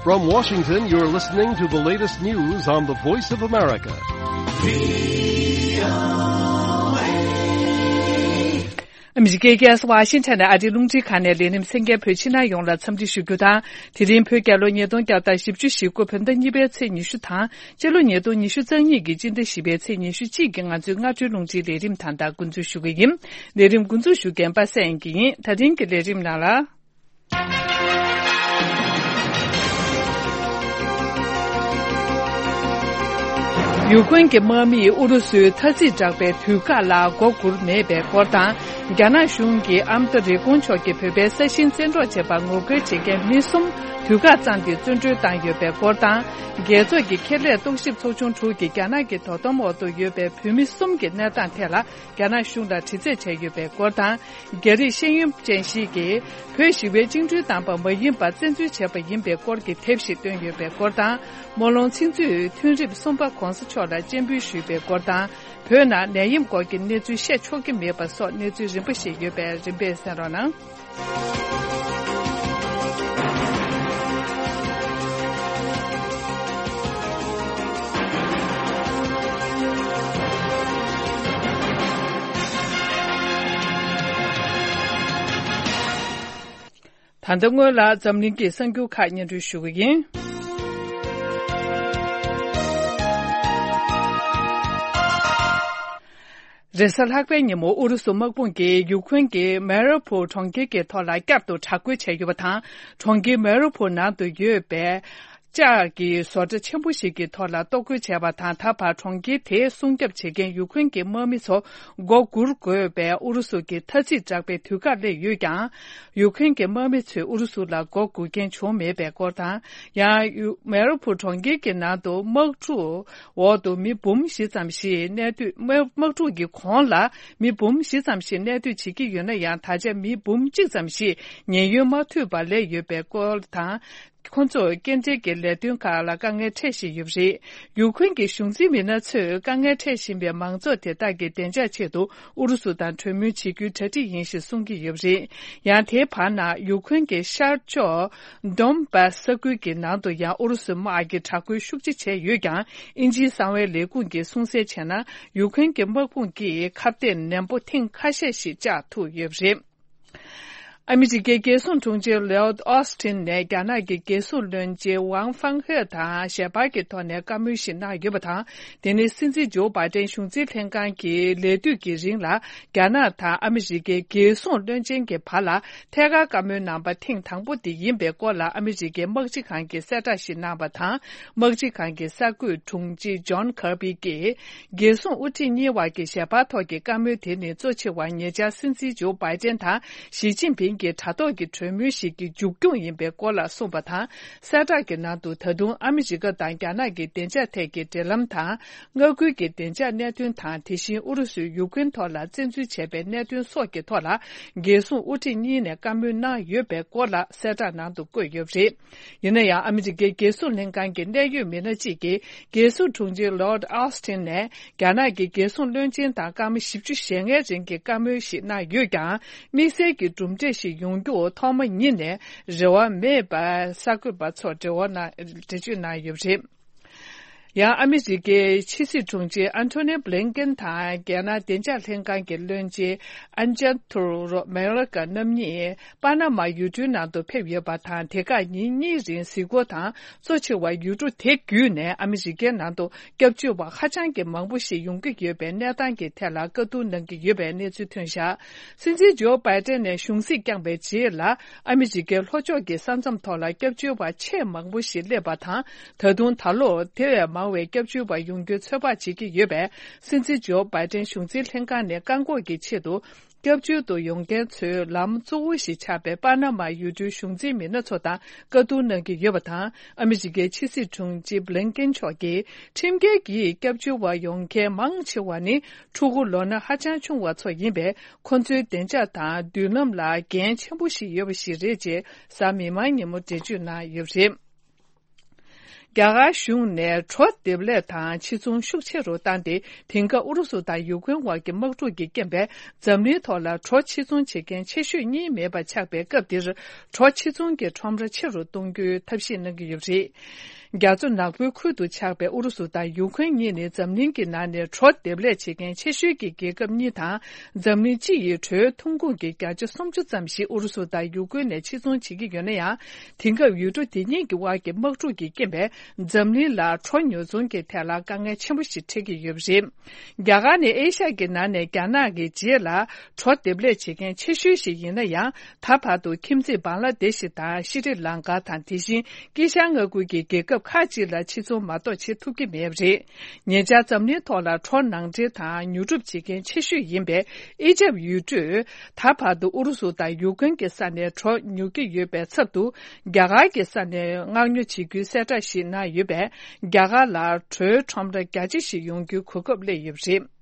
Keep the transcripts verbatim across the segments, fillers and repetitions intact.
From Washington, you're listening to the latest news on the Voice of America. ཨ་མི་རི་ཀའི་རྒྱལ་ས་ཝ་ཤིང་ཊོན་ནས་ཨ་རིའི་རླུང་འཕྲིན་ཁང་ནས་ལས་རིམ་གསན་མཁན་བོད་ཕྱི་ནང་ཡོངས་ལ་འཚམས་འདྲི་ཞུ་རྒྱུ་དང་། དེ་རིང་བོད་རྒྱལ་ལོ་ཉིས་སྟོང་བརྒྱ་དང་བཞི་བཅུ་ཞེ་དགུ་བོད་ཟླ་གཉིས་པའི་ཚེས་ཉི་ཤུ་དང་། སྤྱི་ལོ་ཉིས་སྟོང་ཉི་ཤུ་རྩ་གཉིས་ཀྱི་སྤྱི་ཟླ་བཞི་པའི་ཚེས་ཉི་ཤུ་གཅིག་གི་ང་ཚོའི་སྔ་དྲོའི་རླུང་འཕྲིན་ལས་རིམ་ད་ལྟ་འགོ་འཛུགས་ཞུ་གི་ཡིན། ལས་རིམ་འགོ་འཛུགས་ཞུ་མཁན་པ་སངས་དབྱངས་སྐྱིད་ཡིན། ད་རིང་གི་ལས་རིམ་ནང་ལ། ཡུ་ཀེ་རེན་གྱི་དམག་མིས་ཨུ་རུ་སུའི་ཐ་ཚིག་དྲག་པའི་དུས་བཀག་ལ་མགོ་སྒུར་མེད་པའི་སྐོར་དང་། རྒྱ་ནག་གཞུང་གིས་ཨ་མདོ་རི་ཀོན་མཆོག་གིས་བོད་པའི་ས་ཞིང་བཙན་འཕྲོག་བྱས་པར་ངོ་རྒོལ་བྱེད་མཁན་མི་གསུམ་དུས་བཀག་བརྩམས་ཏེ་བཙོན་གྲོལ་བཏང་ཡོད་པའི་སྐོར་དང་། རྒྱལ་ཚོགས་ཀྱི་ཁེ་ལས་རྟོག་ཞིབ་ཚོགས་ཆུང་དྲུག་གིས་རྒྱ་ནག་གི་དོ་དམ་འོག་ཏུ་ཡོད་པའི་བོད་མི་གསུམ་གྱི་གནས་སྟངས་ཐད་ལ་རྒྱ་ནག་གཞུང་ལ་དྲི་རྩད་བྱས་ཡོད་པའི་སྐོར་དང་། རྒྱ་རིགས་ཤེས་ཡོན་ཅན་ཞིག་གིས་བོད་ཞི་བའི་བཅིངས་འགྲོལ་བཏང་པ་མ་ཡིན་པར་བཙན་འཛུལ་བྱས་པ་ཡིན་པའི་སྐོར་གྱི་དེབ་ཞིག་བཏོན་ཡོད་པའི་སྐོར་དང་། སྨོན་ལམ་ཚིག་མཛོད་མཐུན་རིབ་གསུམ་པ་གོང་ས་མཆོག་ལ་སྤྱན་འབུལ་ཞུས་པའི་སྐོར་དང་། བོད་ནང་ནད་ཡམས་སྐོར་གྱི་གནས་ཚུལ་བཤད་ཆོག་གི་མེད་པ་སོགས་གནས་ཚུལ་རིམ་པ་ཞིག་ཡོད་པས་རིམ་པས་གསན་རོགས་གནང་། ད་ལྟ་སྔོན་ལ་འཛམ་གླིང་གི་གསར་འགྱུར་ཁག་སྙན་སྒྲོན་ཞུ་གི་ཡིན། རེས་གཟའ་ལྷག་པའི་ཉིན་མོ་ཨུ་རུ་སུ་དམག་དཔུང་གིས་ཡུ་ཁུན་གྱི་མེ་རི་ཕུ་གྲོང་ཁྱེར་གྱི་ཐོག་ལ་བསྐྱར་དུ་དྲག་རྒོལ་བྱས་ཡོད་པ་དང་། གྲོང་ཁྱེར་མེ་རི་ཕུ་ནང་དུ་ཡོད་པའི་ལྕགས་ཀྱི་བཟོ་གྲྭ་ཆེན་པོ་ཞིག་གི་ཐོག་ལ་གཏོར་རྒོལ་བྱས་པ་དང་། ད་བར་གྲོང་ཁྱེར་དེ་སྲུང་སྐྱོབ་བྱེད་མཁན་ཡུ་ཁུན་གྱི་དམག་མི་ཚོ་མགོ་སྒུར་དགོས་པའི་ཨུ་རུ་སུ་གྱི་ཐ་ཚིག་དྲག་པའི་དུས་བཀག་སླེབས་ཡོད་ཀྱང་། ཡུ་ཁུན་གྱི་དམག་མི་ཚོས་ཨུ་རུ་སུ་ལ་མགོ་སྒུར་མཁན་བྱུང་མེད་པའི་སྐོར་དང་། ཡང་ཡུ་མེ་རི་ཕུ་གྲོང་ཁྱེར་གྱི་ནང་དུ་དམག་འཁྲུག་འོག་ཏུ་མི་འབུམ་བཞི་ཙམ་ཞིག་གནས་སྡོད། དམག་དམག་འཁྲུག་གི་གོང་ལ་མི་འབུམ་བཞི་ཙམ་ཞིག་གནས་སྡོད་བྱེད་ཀྱི་ཡོད་ན་ཡང་། ད་ཆ་མི་འབུམ་གཅིག་ཙམ་ཞིག་ཉེན་གཡོལ་མ་ཐུབ་པར་སླེབས་ཡོད་པའི་སྐོར་དང་། ཁོ་ཚོར་སྐྱེལ་འདྲེན་གྱི་ལས་དོན་ཁག་ལ་དཀའ་ངལ་འཕྲད་བཞིན་ཡོད་པ་རེད། ཡུ་ཁུན་གྱི་གཞུང་འཛིན་མི་སྣ་ཚོས་དཀའ་ངལ་འཕྲད་བཞིན་པའི་མང་ཚོགས་དེ་དག་གི་བདེ་འཇགས་ཆེད་དུ་ཨུ་རུ་སུ་དང་གྲོས་མོལ་བྱེད་རྒྱུའི་གྲ་སྒྲིག་ཡིན་ཞེས་གསུང་གི་ཡོད་པ་རེད། ཡང་དེའི་བར་ན་ཡུ་ཁུན་གྱི་ཤར་ཕྱོགས་ཌོན་བྷ་སི་ས་ཁུལ་གྱི་ནང་དུ་ཡང་ཨུ་རུ་སུའི་དམག་གིས་དྲག་རྒོལ་ཤུགས་ཆེ་བྱས་ཡོད་ཀྱང་། དབྱིན་ཇིའི་གསང་བའི་ལས་ཁུངས་ཀྱིས་གསུང་གསལ་བྱས་ན། ཡུ་ཁུན་གྱི་དམག་དཔུང་གིས་ཁ་གཏད་ནན་པོ་ཐེངས་ཁ་ཤས་ཤིག་བཅག་ཐུབ་ཡོད་པ་རེད། ཨ་མི་རི་ཀའི་རྒྱལ་སྲུང་དྲུང་ཆེ་ལོའུཌ་ཨོ་སི་ཊིན་ནས་རྒྱ་ནག་གི་རྒྱལ་སྲུང་བློན་ཆེན་ཝང་ཧྥང་ཧེ་དང་ཞལ་པར་གྱི་ཐོག་ནས་བཀའ་མོལ་ཞིག་གནང་ཡོད་པ་དང་། དེ་ནི་སྲིད་འཛིན་ཇོ་བྷའི་ཏན་གཞུང་འཛིན་ལྷན་ཁང་གི་ལས་དུས་ཀྱི་རིང་ལ་རྒྱ་ནག་དང་ཨ་མི་རི་ཀའི་རྒྱལ་སྲུང་བློན་ཆེན་གྱི་བར་ལ་ཐད་ཀར་བཀའ་མོལ་གནང་པ་ཐེངས་དང་པོ་དེ་ཡིན་པའི་སྐོར་ལ་ཨ་མི་རི་ཀའི་དམག་སྤྱི་ཁང་གིས་གསལ་བསྒྲགས་ཤིག་གནང་བ་དང་། དམག་སྤྱི་ཁང་གི་གསར་འགོད་དྲུང་ཆེ་ཇོན་ཁར་བྷི་གིས། རྒྱལ་སྲུང་དབུ་ཁྲིད་གཉིས་བར་གྱི་ཞལ་པར་ཐོག་གི་བཀའ་མོལ་དེ་ནི་གཙོ་ཆེ་བ་ཉེ་ཆར་སྲིད་འཛིན་ཇོ་བྷའི་ཏན་དང་ཞི་ཅིན་ཕིང་གི་དྲ་ཐོག་གི་གྲོས་མོལ་ཞིག་གི་མཇུག་སྐྱོང་ཡིན་པའི་སྐོར་ལ་གསུངས་པ་དང་། གསལ་བསྒྲགས་ཀྱི་ནང་དུ། ད་དུང་ཨ་མི་རི་ཀ་དང་རྒྱ་ནག་གི་བདེ་འཇགས་ཐད་ཀྱི་འབྲེལ་ལམ་དང་། མངའ་ཁུལ་གྱི་བདེ་འཇགས་གནད་དོན་དང་། དེ་བཞིན་ཨུ་རུ་སུས་ཡུ་ཁུན་ཐོག་ལ་བཙན་འཛུལ་བྱས་པའི་གནད་དོན་སོགས་ཀྱི་ཐོག་ལ། རྒྱལ་སྲུང་དབུ་ཁྲིད་གཉིས་ནས་བཀའ་མོལ་གནང་ཡོད་པའི་སྐོར་ལ་གསལ་བསྒྲགས་ནང་དུ་བཀོད་ཡོད་པ་རེད། ཡིན་ན་ཡང་། ཨ་མི་རི་ཀའི་རྒྱལ་སྲུང་ལྷན་ཁང་གི་གནད་ཡོད་མི་སྣ་གཅིག་གིས། རྒྱལ་སྲུང་དྲུང་ཆེ་ལོར་ཨོ་སི་ཊིན་ནས་རྒྱ་ནག་གི་རྒྱལ་སྲུང་བློན་ཆེན་དང་སྐར་མ་བཞི་བཅུ་ཞེ་ལྔའི་རིང་གི་བཀའ་མོལ་ཞིག་གནང་ཡོད་ཀྱང་། དམིགས་བསལ་གྱི་གྲུབ་འབྲས་ཤིག་ཡོང་རྒྱུ་ཐོག་མ་ཉིད་ནས་རེ་བ་མེད་པ་གསར་འགོད་པ་ཚོར་འགྲེལ་བ་གནང་འགྲེལ་བརྗོད་གནང་ཡོད་པ་རེད། ཡང་ཨ་མི་རི་ཀའི་ཕྱི་སྲིད་དྲུང་ཆེ་ཨན་ཐོ་ནི་བྷི་ལིན་ཀེན་དང་རྒྱ་ནག་བདེ་འཇགས་ལྷན་ཁང་གི་བློན་ཆེན་ཨན་ཅན་ཐུར་མེ་ལ་ཀ་རྣམ་གཉིས། པ་ན་མ་ཡུལ་གྲུའི་ནང་དུ་ཕེབས་ཡོད་པ་དང་། དེ་ཁར་ཉིན་གཉིས་རིང་གཟིགས་སྐོར་དང་། གཙོ་ཆེ་བ་ཡུལ་གྲུ་དེ་བརྒྱུད་ནས་ཨ་མི་རི་ཀའི་ནང་དུ་སྐྱབས་བཅོལ་བ་ཧ་ཅང་གི་མང་པོ་ཞིག་ཡོང་གི་ཡོད་པའི་གནས་སྟངས་ཀྱི་ཐད་ལ་བཀའ་བསྡུར་གནང་གི་ཡོད་པའི་གནས་ཚུལ་ཐོན་བཞག་སྲིད་འཛིན་ཇོ་བྷའི་ཏན་ནས་གཞུང་སྲིད་བསྐྱངས་པའི་རྗེས་ལ། ཨ་མི་རི་ཀའི་ལྷོ་ཕྱོགས་ཀྱི་ས་མཚམས་ཐོག་ལ་སྐྱབས་བཅོལ་བ་ཆེས་མང་པོ་ཞིག་སླེབས་པ་དང་། ད་དུང་ད་ལོར་དེ་བས་མང་བའི་སྐྱབས་བཅོལ་བ་ཡོང་རྒྱུའི་ཚོད་དཔག་བྱེད་ཀྱི་ཡོད་པས། སྲིད་འཛིན་ཇོ་བྷའི་ཏན་གཞུང་འཛིན་ལྷན་ཁང་ནས་བཀག་འགོག་གི་ཆེད་དུ། སྐྱབས་བཅོལ་དུ་ཡོང་མཁན་ཚོའི་ལམ་གཙོ་བོ་ཞིག་ཆགས་པའི་པ་ན་མ་ཡུལ་གྲུའི་གཞུང་འཛིན་མི་སྣ་ཚོ་དང་བཀའ་བསྡུར་གནང་གི་ཡོད་པ་དང་། ཨ་མི་རི་ཀའི་ཕྱི་སྲིད་དྲུང་ཆེ་བྷི་ལིན་ཀེན་མཆོག་གིས། ཁྲིམས་འགལ་གྱིས་སྐྱབས་བཅོལ་བ་ཡོང་མཁན་མང་ཆེ་བ་ནི་ཕྲུ་གུ་ལོ་ན་ཧ་ཅང་ཆུང་བ་ཚོ་ཡིན་པས། ཁོ་ཚོའི་བདེ་འཇགས་དང་མདུན་ལམ་ལ་འགན་ཆེན་པོ་ཞིག་ཡོད་པ་ཞིག་རེད་ཅེས་གཟའ་མིག་དམར་ཉིན་མོ་འགྲེལ་བརྗོད་གནང་ཡོད་པ་རེད། རྒྱ་གར་གཞུང་ནས་གྲོ་འདེབས་ལས་དང་ཕྱིར་ཚོང་ཤུགས་ཆེ་རུ་བཏང་སྟེ། དེང་སྐབས་ཨུ་རུ་སུ་དང་ཡུ་ཀེན་དབར་གྱི་དམག་འཁྲུག་གི་རྐྱེན་པས། འཛམ་གླིང་ཐོག་ལ་གྲོ་ཕྱིར་ཚོང་བྱེད་མཁན་ཆེ་ཤོས་གཉིས་མེད་པ་ཆགས་པའི་སྐབས་འདིར། གྲོ་ཕྱིར་ཚོང་གི་ཁྲོམ་ར་ཆེ་རུ་གཏོང་རྒྱུའི་ཐབས་ཤེས་གནང་གི་ཡོད་པ་རེད། རྒྱ་མཚོ་ནག་པོའི་ཁུལ་དུ་ཆགས་པའི་ཨུ་རུ་སུ་དང་ཡུ་ཀེན་གཉིས་ནི་འཛམ་གླིང་གི་ནང་ནས་གྲོ་འདེབས་ལས་བྱེད་མཁན་ཆེ་ཤོས་ཀྱི་རྒྱལ་ཁབ་གཉིས་དང་། འཛམ་གླིང་སྤྱི་ཡི་གྲོའི་ཐོན་ཁུངས་ཀྱི་བརྒྱ་ཆ་སུམ་ཅུ་ཙམ་ཞིག་ཨུ་རུ་སུ་དང་ཡུ་ཀེན་ནས་ཕྱིར་ཚོང་བྱེད་ཀྱི་ཡོད་ན་ཡང་། དེང་སྐབས་ཡུལ་གྲུ་དེ་གཉིས་ཀྱི་དབར་གྱི་དམག་འཁྲུག་གི་རྐྱེན་པས། འཛམ་གླིང་ལ་གྲོ་ཉོ་ཚོང་གི་ཐད་ལ་དཀའ་ངལ་ཆེན་པོ་ཞིག་འཕྲད་ཀྱི་ཡོད་པ་རེད། རྒྱ་གར་ནི་ཨེ་ཤ་ཡ་གི་ནང་ནས་རྒྱ་ནག་གི་རྗེས་ལ་གྲོ་འདེབས་ལས་བྱེད་མཁན་ཆེ་ཤོས་ཤིག་ཡིན་ན་ཡང་། ད་བར་དུ་ཁྱིམ་མཚེས་བང་ལ་དེ་ཤི་དང་ཤི་རི་ལང་ཀ་དང་། དེ་བཞིན་དཀྱིལ་ཤར་མངའ་ཁུལ་གྱི་རྒྱལ་ཁབ་ཁག་ཅིག་ལ་ཕྱིར་ཚོང་མ་གཏོགས་བྱེད་ཐུབ་ཀྱི་མེད་པ་རེད། ཉེ་ཆར་འཛམ་གླིང་ཐོག་ལ་གྲོ་ནང་འདྲེན་དང་ཉོ་སྒྲུབ་བྱེད་མཁན་ཆེ་ཤོས་ཡིན་པའི་ཨི་ཇབ་ཡུལ་གྲུས། ད་བར་དུ་ཨུ་རུ་སུ་དང་ཡུ་ཀེན་གྱི་ས་ནས་གྲོ་ཉོ་གི་ཡོད་པའི་ཚབ་ཏུ། རྒྱ་གར་གྱི་ས་ནས་མངག་ཉོ་བྱེད་རྒྱུའི་གསལ་བསྒྲགས་ཤིག་གནང་ཡོད་པས། རྒྱ་གར་ལ་གྲོའི་ཁྲོམ་ར་རྒྱ་ཆེ་ཞིག་ཡོང་རྒྱུའི་གོ་སྐབས་སླེབས་ཡོད་པ་རེད།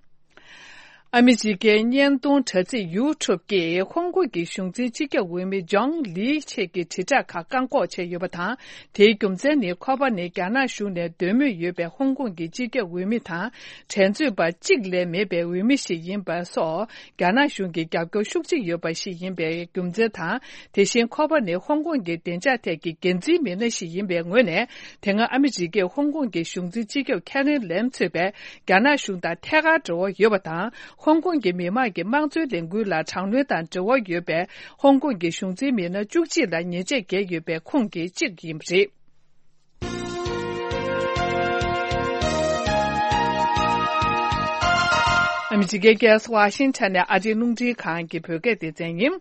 ཨ་མི་རི་ཀའི་བརྙན་ཐུང་དྲ་ཚིགས་ཡུ་ཊུབ་ཀྱིས་ཧོང་ཀོང་གི་གཞུང་འཛིན་སྤྱི་ཁྱབ་འོས་མི་ཇོང་ལི་ཆེད་ཀྱི་དྲིལ་བསྒྲགས་ཁག་བཀག་འགོག་བྱས་ཡོད་པ་དང་། དེའི་རྒྱུ་མཚན་ནི། ཁོ་པ་ནི་རྒྱ་ནག་གཞུང་ནས་འདོད་མོས་ཡོད་པའི་ཧོང་ཀོང་གི་སྤྱི་ཁྱབ་འོས་མི་དང་། འགྲན་རྩོད་པ་གཅིག་ལས་མེད་པའི་འོས་མི་ཞིག་ཡིན་པ་སོགས། རྒྱ་ནག་གཞུང་གི་རྒྱབ་སྐྱོར་ཤུགས་ཆེ་ཡོད་པ་ཞིག་ཡིན་པའི་རྒྱུ་མཚན་དང་། དེ་བཞིན་ཁོ་པ་ནི་ཧོང་ཀོང་གི་བདེ་འཇགས་ཐད་ཀྱི་འགན་འཛིན་མི་སྣ་ཞིག་ཡིན་པའི་ངོས་ནས། དེ་སྔ་ཨ་མི་རི་ཀས་ཧོང་ཀོང་གི་གཞུང་འཛིན་སྤྱི་ཁྱབ་ཁེ་རི་ལེམ་གཙོས་པའི་རྒྱ་ནག་གཞུང་དང་ཐད་ཀར་འབྲེལ་བ་ཡོད་པ་དང་། ཧོང་ཀོང་གི་མི་དམངས་ཀྱི་དམངས་གཙོའི་ལས་འགུལ་ལ་དྲག་གནོན་དང་འབྲེལ་བ་ཡོད་པའི་ཧོང་ཀོང་གི་གཞུང་འཛིན་མི་སྣ་བཅུ་གཅིག་ལ་ཉེས་ཆད་བཀལ་ཡོད་པའི་ཁོངས་ཀྱི་གཅིག་ཡིན་པ་རེད། ཨ་མི་རི་ཀའི་རྒྱལ་ས་ཝ་ཤིང་ཊོན་ནས་ཨ་རིའི་རླུང་འཕྲིན་ཁང་གི་བོད་སྐད་སྡེ་ཚན་ཡིན།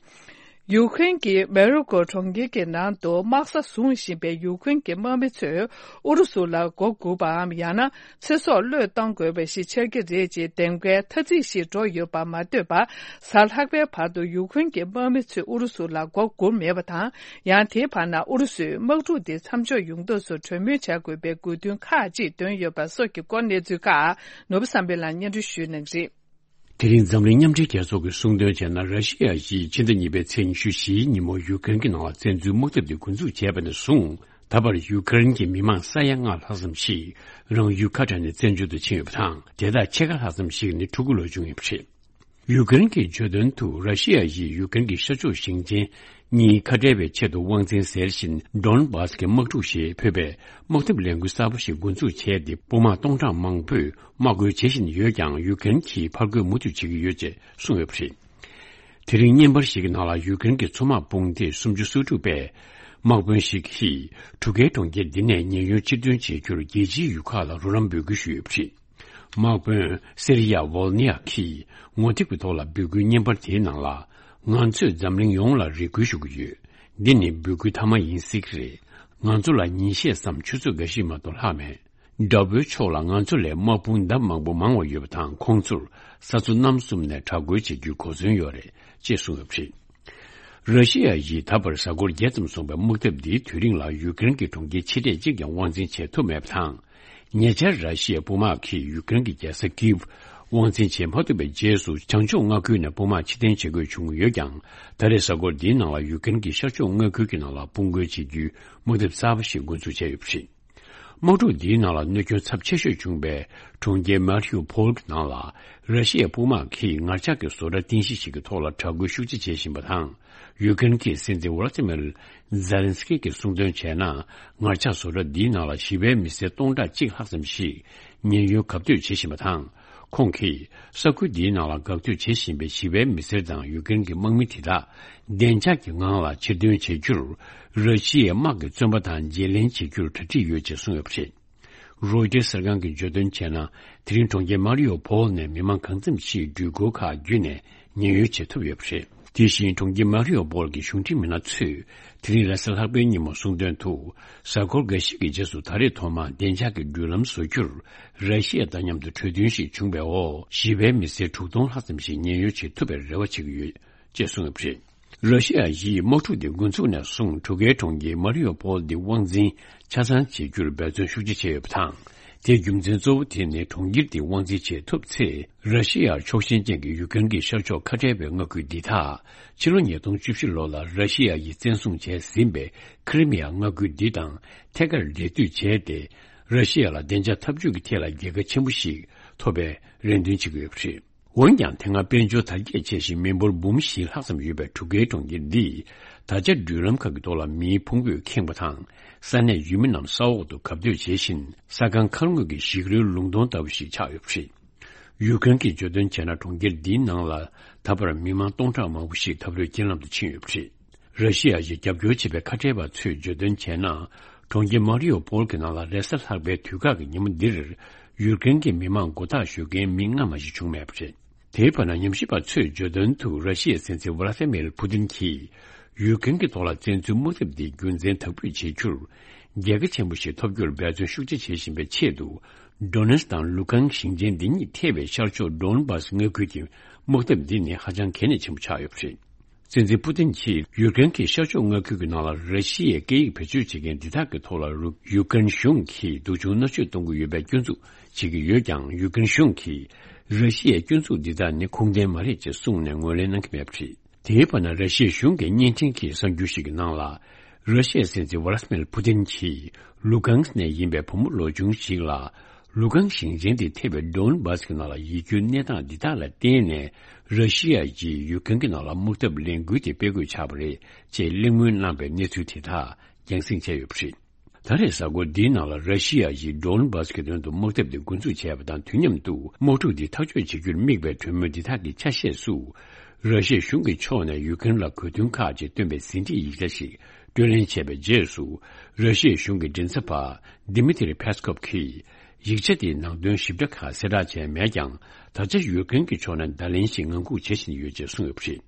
ཡུ་ཀེ་རེན་གྱི་མེ་རི་ཀོ་གྲོང་ཁྱེར་གྱི་ནང་དུ་དམག་ས་བཟུང་བཞིན་པའི་ཡུ་ཀེ་རེན་གྱི་དམག་མི་ཚོས་ཨུ་རུ་སུ་ལ་མགོ་སྒུར་པའམ། ཡང་ན། ཚེ་སྲོག་བློས་གཏོང་དགོས་པ་ཞིག་ཆགས་ཀྱི་རེད་ཅེས་འདེམས་ཀའི་ཐ་ཚིག་ཞིག་འགྲོ་ཡོད་པ་མ་ཐོས་པར། གཟའ་ལྷག་པའི་བར་དུ་ཡུ་ཀེ་རེན་གྱི་དམག་མི་ཚོས་ཨུ་རུ་སུ་ལ་མགོ་སྒུར་མེད་པ་དང་། ཡང་དེའི་བར་ན་ཨུ་རུ་སུས་དམག་འཁྲུག་དེ་མཚམས་འཇོག་ཡོང་ཐབས་སུ་གྲོས་མོལ་བྱ་དགོས་པའི་དགོས་འདུན་ཁག་ཅིག་བཏོན་ཡོད་པ་སོགས་ཀྱི་སྐོར། གནས་ཚུལ་ཁག་ནོར་བུ་བསམ་འཕེལ་ལགས་སྙན་སྒྲོན་ཞུ་གནང་གི་རེད། དེ་རིང་འཛམ་གླིང་མཉམ་འབྲེལ་རྒྱལ་ཚོགས་ཀྱིས་གསུངས་དོན་བྱས་ན། ར་ཤི་ཡ་ཡིས་ཕྱི་ཟླ་གཉིས་པའི་ཚེས་ཉི་ཤུ་བཞིའི་ཉིན་མོ་ཡུ་ཀེ་རེན་གྱི་ནང་ལ་བཙན་འཛུལ་དམག་འཐབ་དེ་འགོ་འཛུགས་བྱས་པ་ནས་བཟུང་། ད་བར་ཡུ་ཀེ་རེན་གྱི་མི་མང་ས་ཡ་ལྔ་ལྷག་ཙམ་ཞིག་རང་ཡུལ་ཁ་བྲལ་ནས་བཙན་བྱོལ་དུ་ཕྱིན་ཡོད་པ་དང་། དེ་དག་ཕྱེད་ཀ་ལྷག་ཙམ་ཞིག་ནི་ཕྲུ་གུ་ལོ་ཆུང་ཡིན་པ་རེད། ཡུ་ཀེ་རེན་གྱིས་བརྗོད་དོན་དུ། ར་ཤི་ཡ་ཡིས་ཡུ་ཀེ་རེན་གྱི་ཤར་ཕྱོགས་ཞིང་ཆེན་གཉིས་ཁ་བྲལ་བའི་ཆེད་དུ་དབང་འཛིན་ཟེར་བཞིན་ཌོན་བྷ་སི་གི་དམག་འཁྲུག་ཞེས་འབོད་པའི་དམག་འཐབ་ལས་འགུལ་གསར་པ་ཞིག་འགོ་འཛུགས་བྱས་ཏེ། དཔུང་དམག་སྟོང་ཕྲག་མང་པོས་དམག་རྒོལ་བྱེད་བཞིན་ཡོད་ཀྱང་། ཡུ་ཀེ་རེན་གྱིས་ཕར་རྒོལ་མུ་མཐུད་བྱེད་ཀྱི་ཡོད་ཅེས་གསུངས་ཡོད་པ་རེད། དེ་རིང་བརྙན་པར་ཞིག་གི་ནང་ལ་ཡུ་ཀེ་རེན་གྱི་མཚོ་དམག་དཔུང་སྡེ་སུམ་ཅུ་སོ་དྲུག་པས། དམག་དཔོན་ཞིག་གིས་གྲུ་ཁའི་གྲོང་ཁྱེར་འདི་ནས་ཉེན་གཡོལ་ཕྱིར་ཐོན་བྱེད་རྒྱུར་རྒྱལ་སྤྱིའི་ཡུལ་ཁག་ལ་རོགས་རམ་འབོད་སྐུལ་ཞུས་ཡོད་པ་རེད། དམག་དཔོན་སེ་རི་ཡ་ཝོལ་ནི་ཡ་གིས་ངོ་དེབ་ཀྱི་ཐོག་ལ་འབོད་སྐུལ་བརྙན་པར་དེའི་ནང་ལ། ང་ཚོས་འཛམ་གླིང་ཡོངས་ལ་རེ་སྐུལ་ཞུ་གི་ཡོད། འདི་ནི་འབོད་སྐུལ་མཐའ་མ་ཡིན་སྲིད་ཀྱི་རེད། ང་ཚོ་ལ་ཉིན་ཤས་སམ་ཆུ་ཚོད་འགའ་ཞིག་མ་གཏོགས་ལྷག་མེད། དགྲ་བོའི་ཕྱོགས་ལ་ང་ཚོ་ལས་དམག་དཔུང་ལྡབ་མང་པོ་མང་བ་ཡོད་པ་དང་། ཁོང་ཚོར་ས་མཚོ་གནམ་གསུམ་ནས་དྲག་རྒོལ་བྱེད་རྒྱུའི་གོ་མཚོན་ཡོད་རེད་ཅེས་གསུངས་ཡོད་པ་རེད། ར་ཤི་ཡ་ཡིས་ད་བར་གཟའ་འཁོར་བརྒྱད་ཙམ་སོང་བའི་དམག་འཐབ་འདིའི་དུས་རིང་ལ་ཡུ་ཀེ་རེན་གྱི་གྲོང་ཁྱེར་ཆེ་གྲས་གཅིག་ཀྱང་དབང་འཛིན་བྱེད་ཐུབ་མེད་པ་དང་། ཉེ་ཆར་ར་ཤི་ཡའི་དཔུང་དམག་གིས་ཡུ་ཀེ་རེན་གྱི་རྒྱལ་ས་ཀིབ་དབང་འཛིན་བྱེད་མ་ཐུབ་པའི་རྗེས་སུ། བྱང་ཕྱོགས་མངའ་ཁུལ་ནས་དཔུང་དམག་ཕྱིར་འཐེན་བྱེད་དགོས་བྱུང་ཡོད་ཀྱང་། ད་རེས་གཟའ་འཁོར་འདིའི་ནང་ལ་ཡུ་ཀེ་རེན་གྱི་ཤར་ཕྱོགས་མངའ་ཁུལ་གྱི་ནང་ལ་དཔུང་རྒོལ་བྱེད་རྒྱུའི་དམག་འཐབ་གསར་པ་ཞིག་འགོ་འཛུགས་བྱས་ཡོད་པ་རེད། དམག་འཁྲུག་འདིའི་ནང་ལ་གནོད་སྐྱོན་ཚབས་ཆེ་ཤོས་བྱུང་བའི་གྲོང་ཁྱེར་མ་རི་ཡུ་ཕོལ་གྱི་ནང་ལ། ར་ཤི་ཡའི་དཔུང་དམག་གིས་ངར་ལྕགས་ཀྱི་བཟོ་གྲྭ་རྟེན་གཞི་ཞིག་གི་ཐོག་ལ་དྲག་རྒོལ་ཤུགས་ཆེ་བྱེད་བཞིན་པ་དང་། ཡུ་ཀེ་རེན་གྱི་སྲིད་འཛིན་ཝོ་ལ་ཏི་མིར་ཛེ་ལན་སི་ཀི་གིས་གསུངས་དོན་བྱས་ན། ངར་ལྕགས་བཟོ་གྲྭ་འདིའི་ནང་ལ་ཞི་བའི་མི་སེར་སྟོང་ཕྲག་གཅིག་ལྷག་ཙམ་ཞིག་ཉེན་གཡོལ་གབ་སྡོད་བྱེད་བཞིན་པ་དང་། ཁོང་གིས་ས་ཁུལ་འདིའི་ནང་ལ་འགག་སྡོད་བྱེད་བཞིན་པའི་ཞི་བའི་མི་སེར་དང་ཡུ་ཀེ་རེན་གྱི་དམག་མི་དེ་དག་བདེ་འཇགས་ཀྱི་ངང་ལ་ཕྱིར་འདོན་བྱེད་རྒྱུར། ར་ཤི་ཡའི་དམག་གི་བཙོན་པ་དང་བརྗེ་ལེན་བྱེད་རྒྱུར་གྲ་སྒྲིག་ཡོད་ཅེས་གསུངས་ཡོད་པ་རེད། རོའི་ཊར་གསར་ཁང་གིས་བརྗོད་དོན་བྱས་ན། དེ་རིང་གྲོང་ཁྱེར་མ་རི་ཡོ་ཕོལ་ནས་མི་མང་གང་འཚམ་ཞིག་འགྲུལ་འཁོར་ཁག་བརྒྱུད་ནས་ཉེན་གཡོལ་བྱེད་ཐུབ་ཡོད་པ་རེད། དེ་བཞིན་གྲོང་ཁྱེར་མ་རི་ཡོ་ཕོལ་གྱི་གཞུང་འབྲེལ་མི་སྣ་ཚོས་དེ་རིང་རེས་གཟའ་ལྷག་པའི་ཉིན་མོ་གསུངས་དོན་དུ། གཟའ་འཁོར་འགའ་ཞིག་གི་རྗེས་སུ་ད་རེས་ཐོག་མར་བདེ་འཇགས་ཀྱི་འགྲུལ་ལམ་བཟོ་རྒྱུར། ར་ཤི་ཡ་དང་མཉམ་དུ་གྲོས་མཐུན་ཞིག་བྱུང་བའི་འོག་ཞི་བའི་མི་སེར་དྲུག་སྟོང་ལྷག་ཙམ་ཞིག་ཉེན་གཡོལ་བྱེད་ཐུབ་པའི་རེ་བ་བྱེད་ཀྱི་ཡོད། ཅེས་གསུངས་ཡོད་པ་རེད། ར་ཤི་ཡ་ཡིས་དམག་འཁྲུག་འདི་འགོ་འཛུགས་ནས་བཟུང་གྲུ་ཁའི་གྲོང་ཁྱེར་མ་རི་ཡོ་ཕོལ་འདི་དབང་འཛིན་ཆ་ཚང་བྱེད་རྒྱུར་འབད་བརྩོན་ཤུགས་ཆེ་བྱས་ཡོད་པ་དང་། དེའི་རྒྱུ་མཚན་གཙོ་བོ་དེ་ནི་གྲོང་ཁྱེར་འདི་དབང་འཛིན་བྱེད་ཐུབ་ཚེ། ར་ཤི་ཡར་ཕྱོགས་ཞེན་ཅན་གྱི་ཡུ་ཀེ་རེན་གྱི་ཤར་ཕྱོགས་ཁ་བྲལ་བའི་མངའ་ཁུལ་འདི་དག་ཕྱི་ལོ་ཉིས་སྟོང་བཅུ་བཞི་ལོ་ལ་ར་ཤི་ཡ་ཡིས་བཙན་བཟུང་བྱས་ཟིན་པའི་ཁི་རི་མི་ཡ་མངའ་ཁུལ་འདི་དང་ཐད་ཀར་འབྲེལ་མཐུད་བྱས་ཏེ། ར་ཤི་ཡ་ལ་བདེ་འཇགས་འཐབ་ཇུས་ཀྱི་ཐད་ལ་རྒྱལ་ཁ་ཆེན་པོ་ཞིག་ཐོབ་པའི་རེ་འདུན་བྱེད་ཀྱི་ཡོད་པ་རེད། འོན་ཀྱང་དེ་སྔ་དཔལ་འབྱོར་དར་རྒྱས་ཆེ་ཞིང་མི་འབོར་འབུམ་བཞི་ལྷག་ཙམ་ཡོད་པའི་འབྲུག་རྒྱལ་གྲོང་ཁྱེར་འདིས་ད་ཆ་འགྲུལ་ལམ་ཁག་གི་ཐོག་ལ་མིའི་ཕུང་པོས་ཁེངས་པ་དང་། ས་གནས་ཡུལ་མི་རྣམས་ས་འོག་ཏུ་གབ་སྡོད་བྱེད་བཞིན། ས་ཁང་མཁར་ངོས་ཀྱི་ཞིག་རོའི་ལུང་སྟོང་ལྟ་བུ་ཞིག་ཆགས་ཡོད་པ་རེད། ཡུཀ་རེན་གྱིས་བརྗོད་དོན་བྱས་ན། གྲོང་ཁྱེར་འདིའི་ནང་ལ་ད་བར་མི་མང་སྟོང་ཕྲག་མང་པོ་ཞིག་ད་ལོའི་རྐྱེན་ལམ་དུ་ཕྱིན་ཡོད་པ་རེད། ར་ཤི་ཡ་ཡིས་རྒྱབ་སྐྱོར་བྱེད་པའི་ཁ་བྲལ་བ་ཚོས་བརྗོད་དོན་བྱས་ན། གྲོང་ཁྱེར་མ་རི་ཡོ་པོལ་གྱི་ནང་ལ་རེས་གཟའ་ལྷག་པའི་དུས་བཀག་གི་ཉིན་མོ་འདིར། ཡུཀ་རེན་གྱི་མི་མང་མགོ་བཏགས་ཞུ་མཁན་མི་ལྔ་མ་ཞིག་བྱུང་མེད་པ་རེད། དེའི་བར་ན་ཉམས་ཞིབ་པ་ཚོས་བརྗོད་དོན་དུ། ར་ཤི་ཡའི་སྲིད་འཛིན་ཝ་ལ་ཏི་མིར་ཕུ་ཏིན་གྱིས་ཡུཀ་རེན་གྱི་ཐོག་ལ་བཙན་འཛུལ་དམག་འཐབ་འདི་རྒྱུན་འཛིན་དག་པོས་བྱེད་རྒྱུར། རྒྱལ་ཁ་ཆེན་པོ་ཞིག་ཐོབ་རྒྱུར་འབད་བརྩོན་ཤུགས་ཆེ་བྱེད་བཞིན་པའི་ཆེད་དུ། ཌོ་ནེ་སི་དང་ལུ་ཀན་ཞིང་ཆེན་འདི་གཉིས་ཐེ་བའི་ཤར་ཕྱོགས་ཌོན་བྷ་སི་མངའ་ཁུལ་གྱི་དམག་འཐབ་འདི་ནི་ཧ་ཅང་གལ་གནད་ཆེན་པོ་ཆགས་ཡོད་པ་རེད། སྲིད་འཛིན་པུ་ཏིན་གྱིས་ཡུཀ་རེན་གྱི་ཤར་ཕྱོགས་མངའ་ཁུལ་གྱི་ནང་ལ་ར་ཤི་ཡའི་སྐད་ཡིག་བེད་སྤྱོད་བྱེད་མཁན་འདི་དག་གི་ཐོག་ལ་རུ། ཡུཀ་རེན་གཞུང་གིས་སྡུག་སྦྱོང་མནར་གཅོད་གཏོང་གི་ཡོད་པའི་སྐྱོན་འཛུགས་བྱེད་ཀྱི་ཡོད་ཀྱང་། ཡུཀ་རེན་གཞུང་གིས་ར་ཤི་ཡའི་སྐྱོན་འཛུགས་འདི་དག་ནི་ཁུངས་ལྡན་མ་རེད་ཅེས་གསུངས་ནས་ངོས་ལེན་གནང་གི་མེད་པ་རེད། དེའི་བར་ན་ར་ཤི་ཡའི་གཞུང་གི་བརྙན་འཕྲིན་གྱི་གསར་འགྱུར་ཞིག་གི་ནང་ལ། ར་ཤི་ཡའི་སྲིད་འཛིན་ཝ་ལ་ཏི་མིར་ཕུ་ཏིན་གྱིས་ལུ་ཀན་སི་ནས་ཡིན་པའི་བུ་མོ་ལོ་ཆུང་ཞིག་ལ། ལུ་ཀན་ཞིང་ཆེན་དེ་ཐེ་བའི་ཌོན་བྷ་སི་གི་ནང་ལ་ཡིད་སྐྱོའི་གནས་སྟངས་འདི་དག་ལ་བརྟེན་ནས། ར་ཤི་ཡ་ཡིས་ཡུཀ་རེན་གྱི་ནང་ལ་དམག་འཐབ་ལས་འགུལ་དེ་སྤེལ་དགོས་ཆགས་པ་རེད་ཅེས་གླེང་མོལ་གནང་པའི་གནས་ཚུལ་དེ་དག་རྒྱང་སྲིང་བྱས་ཡོད་པ་རེད། ད་རེས་གཟའ་འཁོར་འདིའི་ནང་ལ་ར་ཤི་ཡ་ཡིས་ཌོན་བྷ་སི་གི་དོན་དུ་དམག་འཐབ་དེ་འགོ་འཛུགས་བྱས་པ་དང་། དུས་མཉམ་དུ་དམག་འཁྲུག་འདི་ཐག་གཅོད་བྱེད་རྒྱུར་དམིགས་པའི་གྲོས་མོལ་འདི་དག་གི་ཆ་ཤས་སུ། ར་ཤི་ཡའི་གཞུང་གི་ཕྱོགས་ནས་ཡུཀ་རེན་ལ་གོ་མཐུན་ཁག་ཅིག་བཏོན་པའི་ཟིན་བྲིས་ཡིག་ཆ་ཞིག་སྤྲོད་ལེན་བྱས་པའི་རྗེས་སུ། ར་ཤི་ཡའི་གཞུང་གི་མགྲིན་ཚབ་པ་ཌི་མི་ཏི་རི་ཕེ་སི་ཀོབ་ཀྱིས། ཡིག་ཆ་དེའི་ནང་དོན་ཞིབ་ཕྲ་ཁག་གསལ་བསྒྲགས་བྱས་མེད་ཀྱང་། ད་ཆ་ཡུཀ་རེན་གྱི་ཕྱོགས་ནས་བརྡ་ལན་ཞིག་ངང་སྒུག་བྱེད་བཞིན་ཡོད་ཅེས་གསུངས་ཡོད་པ་རེད།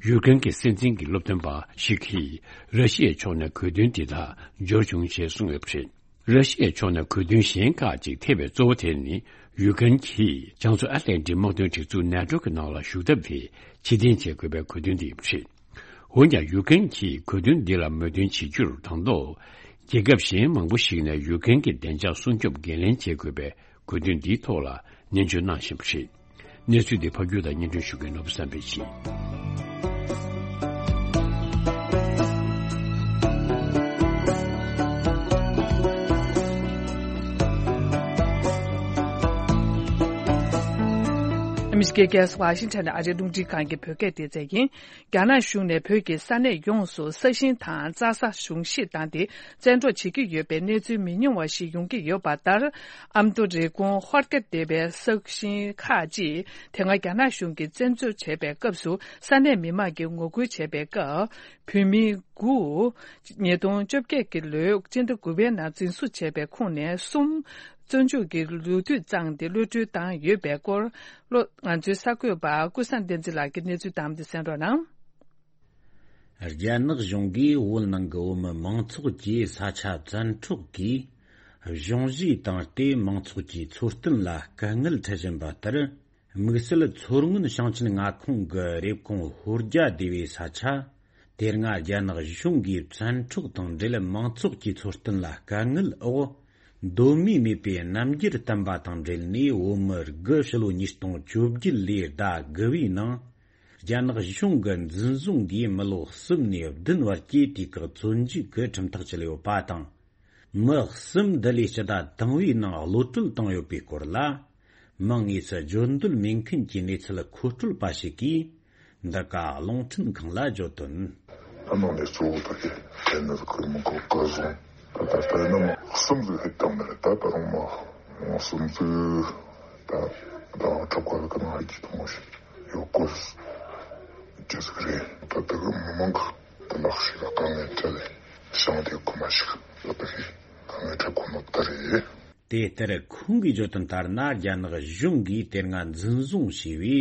ཡུཀ་རེན་གྱི་སྲིད་འཛིན་གྱི་སློབ་སྟོན་པ་ཞིག་གིས་ར་ཤི་ཡའི་ཕྱོགས་ནས་གོ་དོན་འདི་དག་འབྱོར་བྱུང་ཞེས་གསུངས་ཡོད་པ་རེད། ར་ཤི་ཡའི་ཕྱོགས་ནས་གོ་དོན་གཞན་ཁག་ཅིག་ཐེ་བའི་གཙོ་བོ་དེ་ནི། ཡུཀ་རེན་གྱིས་བྱང་མཚོ་ཨ་ཏི་ལན་ཏིག་དམག་དོན་སྒྲིག་འཛུགས་ནེ་ཏོ་གི་ནང་ལ་ཞུགས་ཐབས་དེ་ཕྱིར་འཐེན་བྱེད་དགོས་པའི་གོ་དོན་དེ་ཡིན་པ་རེད། འོན་ཀྱང་། ཡུཀ་རེན་གྱིས་གོ་དོན་འདི་ལ་མོས་མཐུན་བྱེད་རྒྱུར་དང་ཐོག་རྒྱལ་ཁབ་གཞན་མང་པོ་ཞིག་ནས་ཡུཀ་རེན་གྱི་བདེ་འཇགས་སྲུང་སྐྱོབ་འགན་ལེན་བྱེད་དགོས་པའི་གོ་དོན་འདིའི་ཐོག་ལ་ནན་བརྗོད་གནང་བཞིན་པ་རེད། གནས་ཚུལ་འདི་ཕབ་སྒྱུར་དང་སྙན་སྒྲོན་ཞུ་མཁན་ནོར་བུ་བསམ་འཕེལ་ཡིན། ཨ་མི་རི་ཀའི་རྒྱལ་ས་ཝ་ཤིང་ཊོན་ནས་ཨ་རིའི་རླུང་འཕྲིན་ཁང་གི་བོད་སྐད་སྡེ་ཚན་ཡིན། རྒྱ་ནག་གཞུང་ནས་བོད་ཀྱི་ས་གནས་ཡོངས་སུ་ས་ཞིང་དང་རྩྭ་ས་གཞུང་བཞེས་བཏང་སྟེ་བཙན་འཕྲོག་བྱེད་ཀྱི་ཡོད་པའི་གནས་ཚུལ་མི་ཉུང་བ་ཞིག་ཡོང་གི་ཡོད་པ་ལྟར། ཨ་མདོ་རེབ་གོང་ཧོར་རྒྱ་སྡེ་བའི་ས་ཞིང་ཁག་ཅིག་དེ་སྔ་རྒྱ་ནག་གཞུང་གིས་བཙན་འཛུལ་བྱས་པའི་སྐབས་སུ་ས་གནས་མི་མང་གིས་ངོ་རྒོལ་བྱས་པའི་སྐབས། བོད་མི་དགུ། ཉིས་སྟོང་བཅོ་བརྒྱད་ཀྱི་ལོའི་སྤྱི་ཟླ་དགུ་པའི་ནང་འཛིན་བཟུང་བྱས་པའི་ཁོངས་ནས་གསུམ། བཙོན་འཇུག་གི་ལོ་དུས་བརྩམས་ཏེ་གློད་གྲོལ་བཏང་ཡོད་པའི་སྐོར། ལོ། ང་ཚོའི་གསར་འགོད་པ་ཀུན་བཟང་བསྟན་འཛིན་ལགས་ཀྱིས་གནས་ཚུལ་བདམས་ཏེ་གསན་རོགས་གནང་། རྒྱ་ནག་གཞུང་གིས་བོད་ནང་གི་བོད་མི་མང་ཚོགས་ཀྱི་ས་ཆ་བཙན་འཕྲོག་གིས་གཞུང་བཞེས་བཏང་སྟེ། མང་ཚོགས་ཀྱི་འཚོ་རྟེན་ལ་དཀའ་ངལ་འཕྲད་བཞིན་པ་ལྟར། དམིགས་བསལ་མཚོ་སྔོན་ཞིང་ཆེན་མངའ་ཁོངས་ཀྱི་རེབ་གོང་ཧོར་རྒྱ་སྡེ་བའི་ས་ཆ། དེ་སྔ་རྒྱ་ནག་གཞུང་གིས་བཙན་འཕྲོག་དང་འབྲེལ། མང་ཚོགས་ཀྱི་འཚོ་རྟེན་ལ་དཀའ་ངལ་འོག་གདོད་མའི་མེས་པོའི་རྣམ་འགྱུར་བསྟན་པ་དང་འབྲེལ་ནས། བོད་མི་དགུ་ཕྱི་ལོ་ཉིས་སྟོང་བཅོ་བརྒྱད་ལོའི་ཟླ་དགུ་པའི་ནང་རྒྱ་ནག་གཞུང་གི་འཛིན་བཟུང་གིས་མི་ལོ་གསུམ་ནས་བདུན་བར་གྱི་དུས་བཀག་བཙོན་འཇུག་གི་ཁྲིམས་ཐག་བཅད་ཡོད་པ་དང་། མི་གསུམ་འདི་ལོའི་སྤྱི་ཟླ་དང་པོའི་ནང་གློད་གྲོལ་བཏང་ཡོད་པའི་སྐོར་ལ། མིང་དངོས་སུ་བརྗོད་འདོད་མེད་མཁན་གྱི་གནས་ཚུལ་མཁོ་སྤྲོད་པ་ཞིག་གིས། འདི་ག་རླུང་འཕྲིན་ཁང་ལ་བརྗོད་དོན། ཨ་ནང་ནས་གཙོ་བོ་ད་གི་དེ་ནི་ཁུར་མི་གོ་བཀའ་བཟང་ད་ད་ད་ནི་མི་གསུམ་ཟིག་ཧེད་བཏང་ནི་རེད། ད་ད་རུང་མི་གསུམ་ཟིག་ད་ད་ཁྲབ་ཁ་ལ་ཀ་ན་ཧ་ཅི་ཐུང་ཞིག་ཡོད་གོ་ཅི་ཟིག་རེད། ད་ད་གི་མི་མང་གི་ད་ལག་ཤེས་ལ་དཀའ་ངལ་འཕྲད་ལེ་ཞང་དེ་ཁུ་མ་ཞིག་ད་ད་གི་དཀའ་ངལ་འཕྲད་ཁོ་ནོ་ད་རེད། དེ་ལྟར་ཁོང་གིས་བརྗོད་དོན་ལྟར་ན། རྒྱ་ནག་གཞུང་གིས་དེ་སྔ་འཛིན་བཟུང་བྱས་པའི་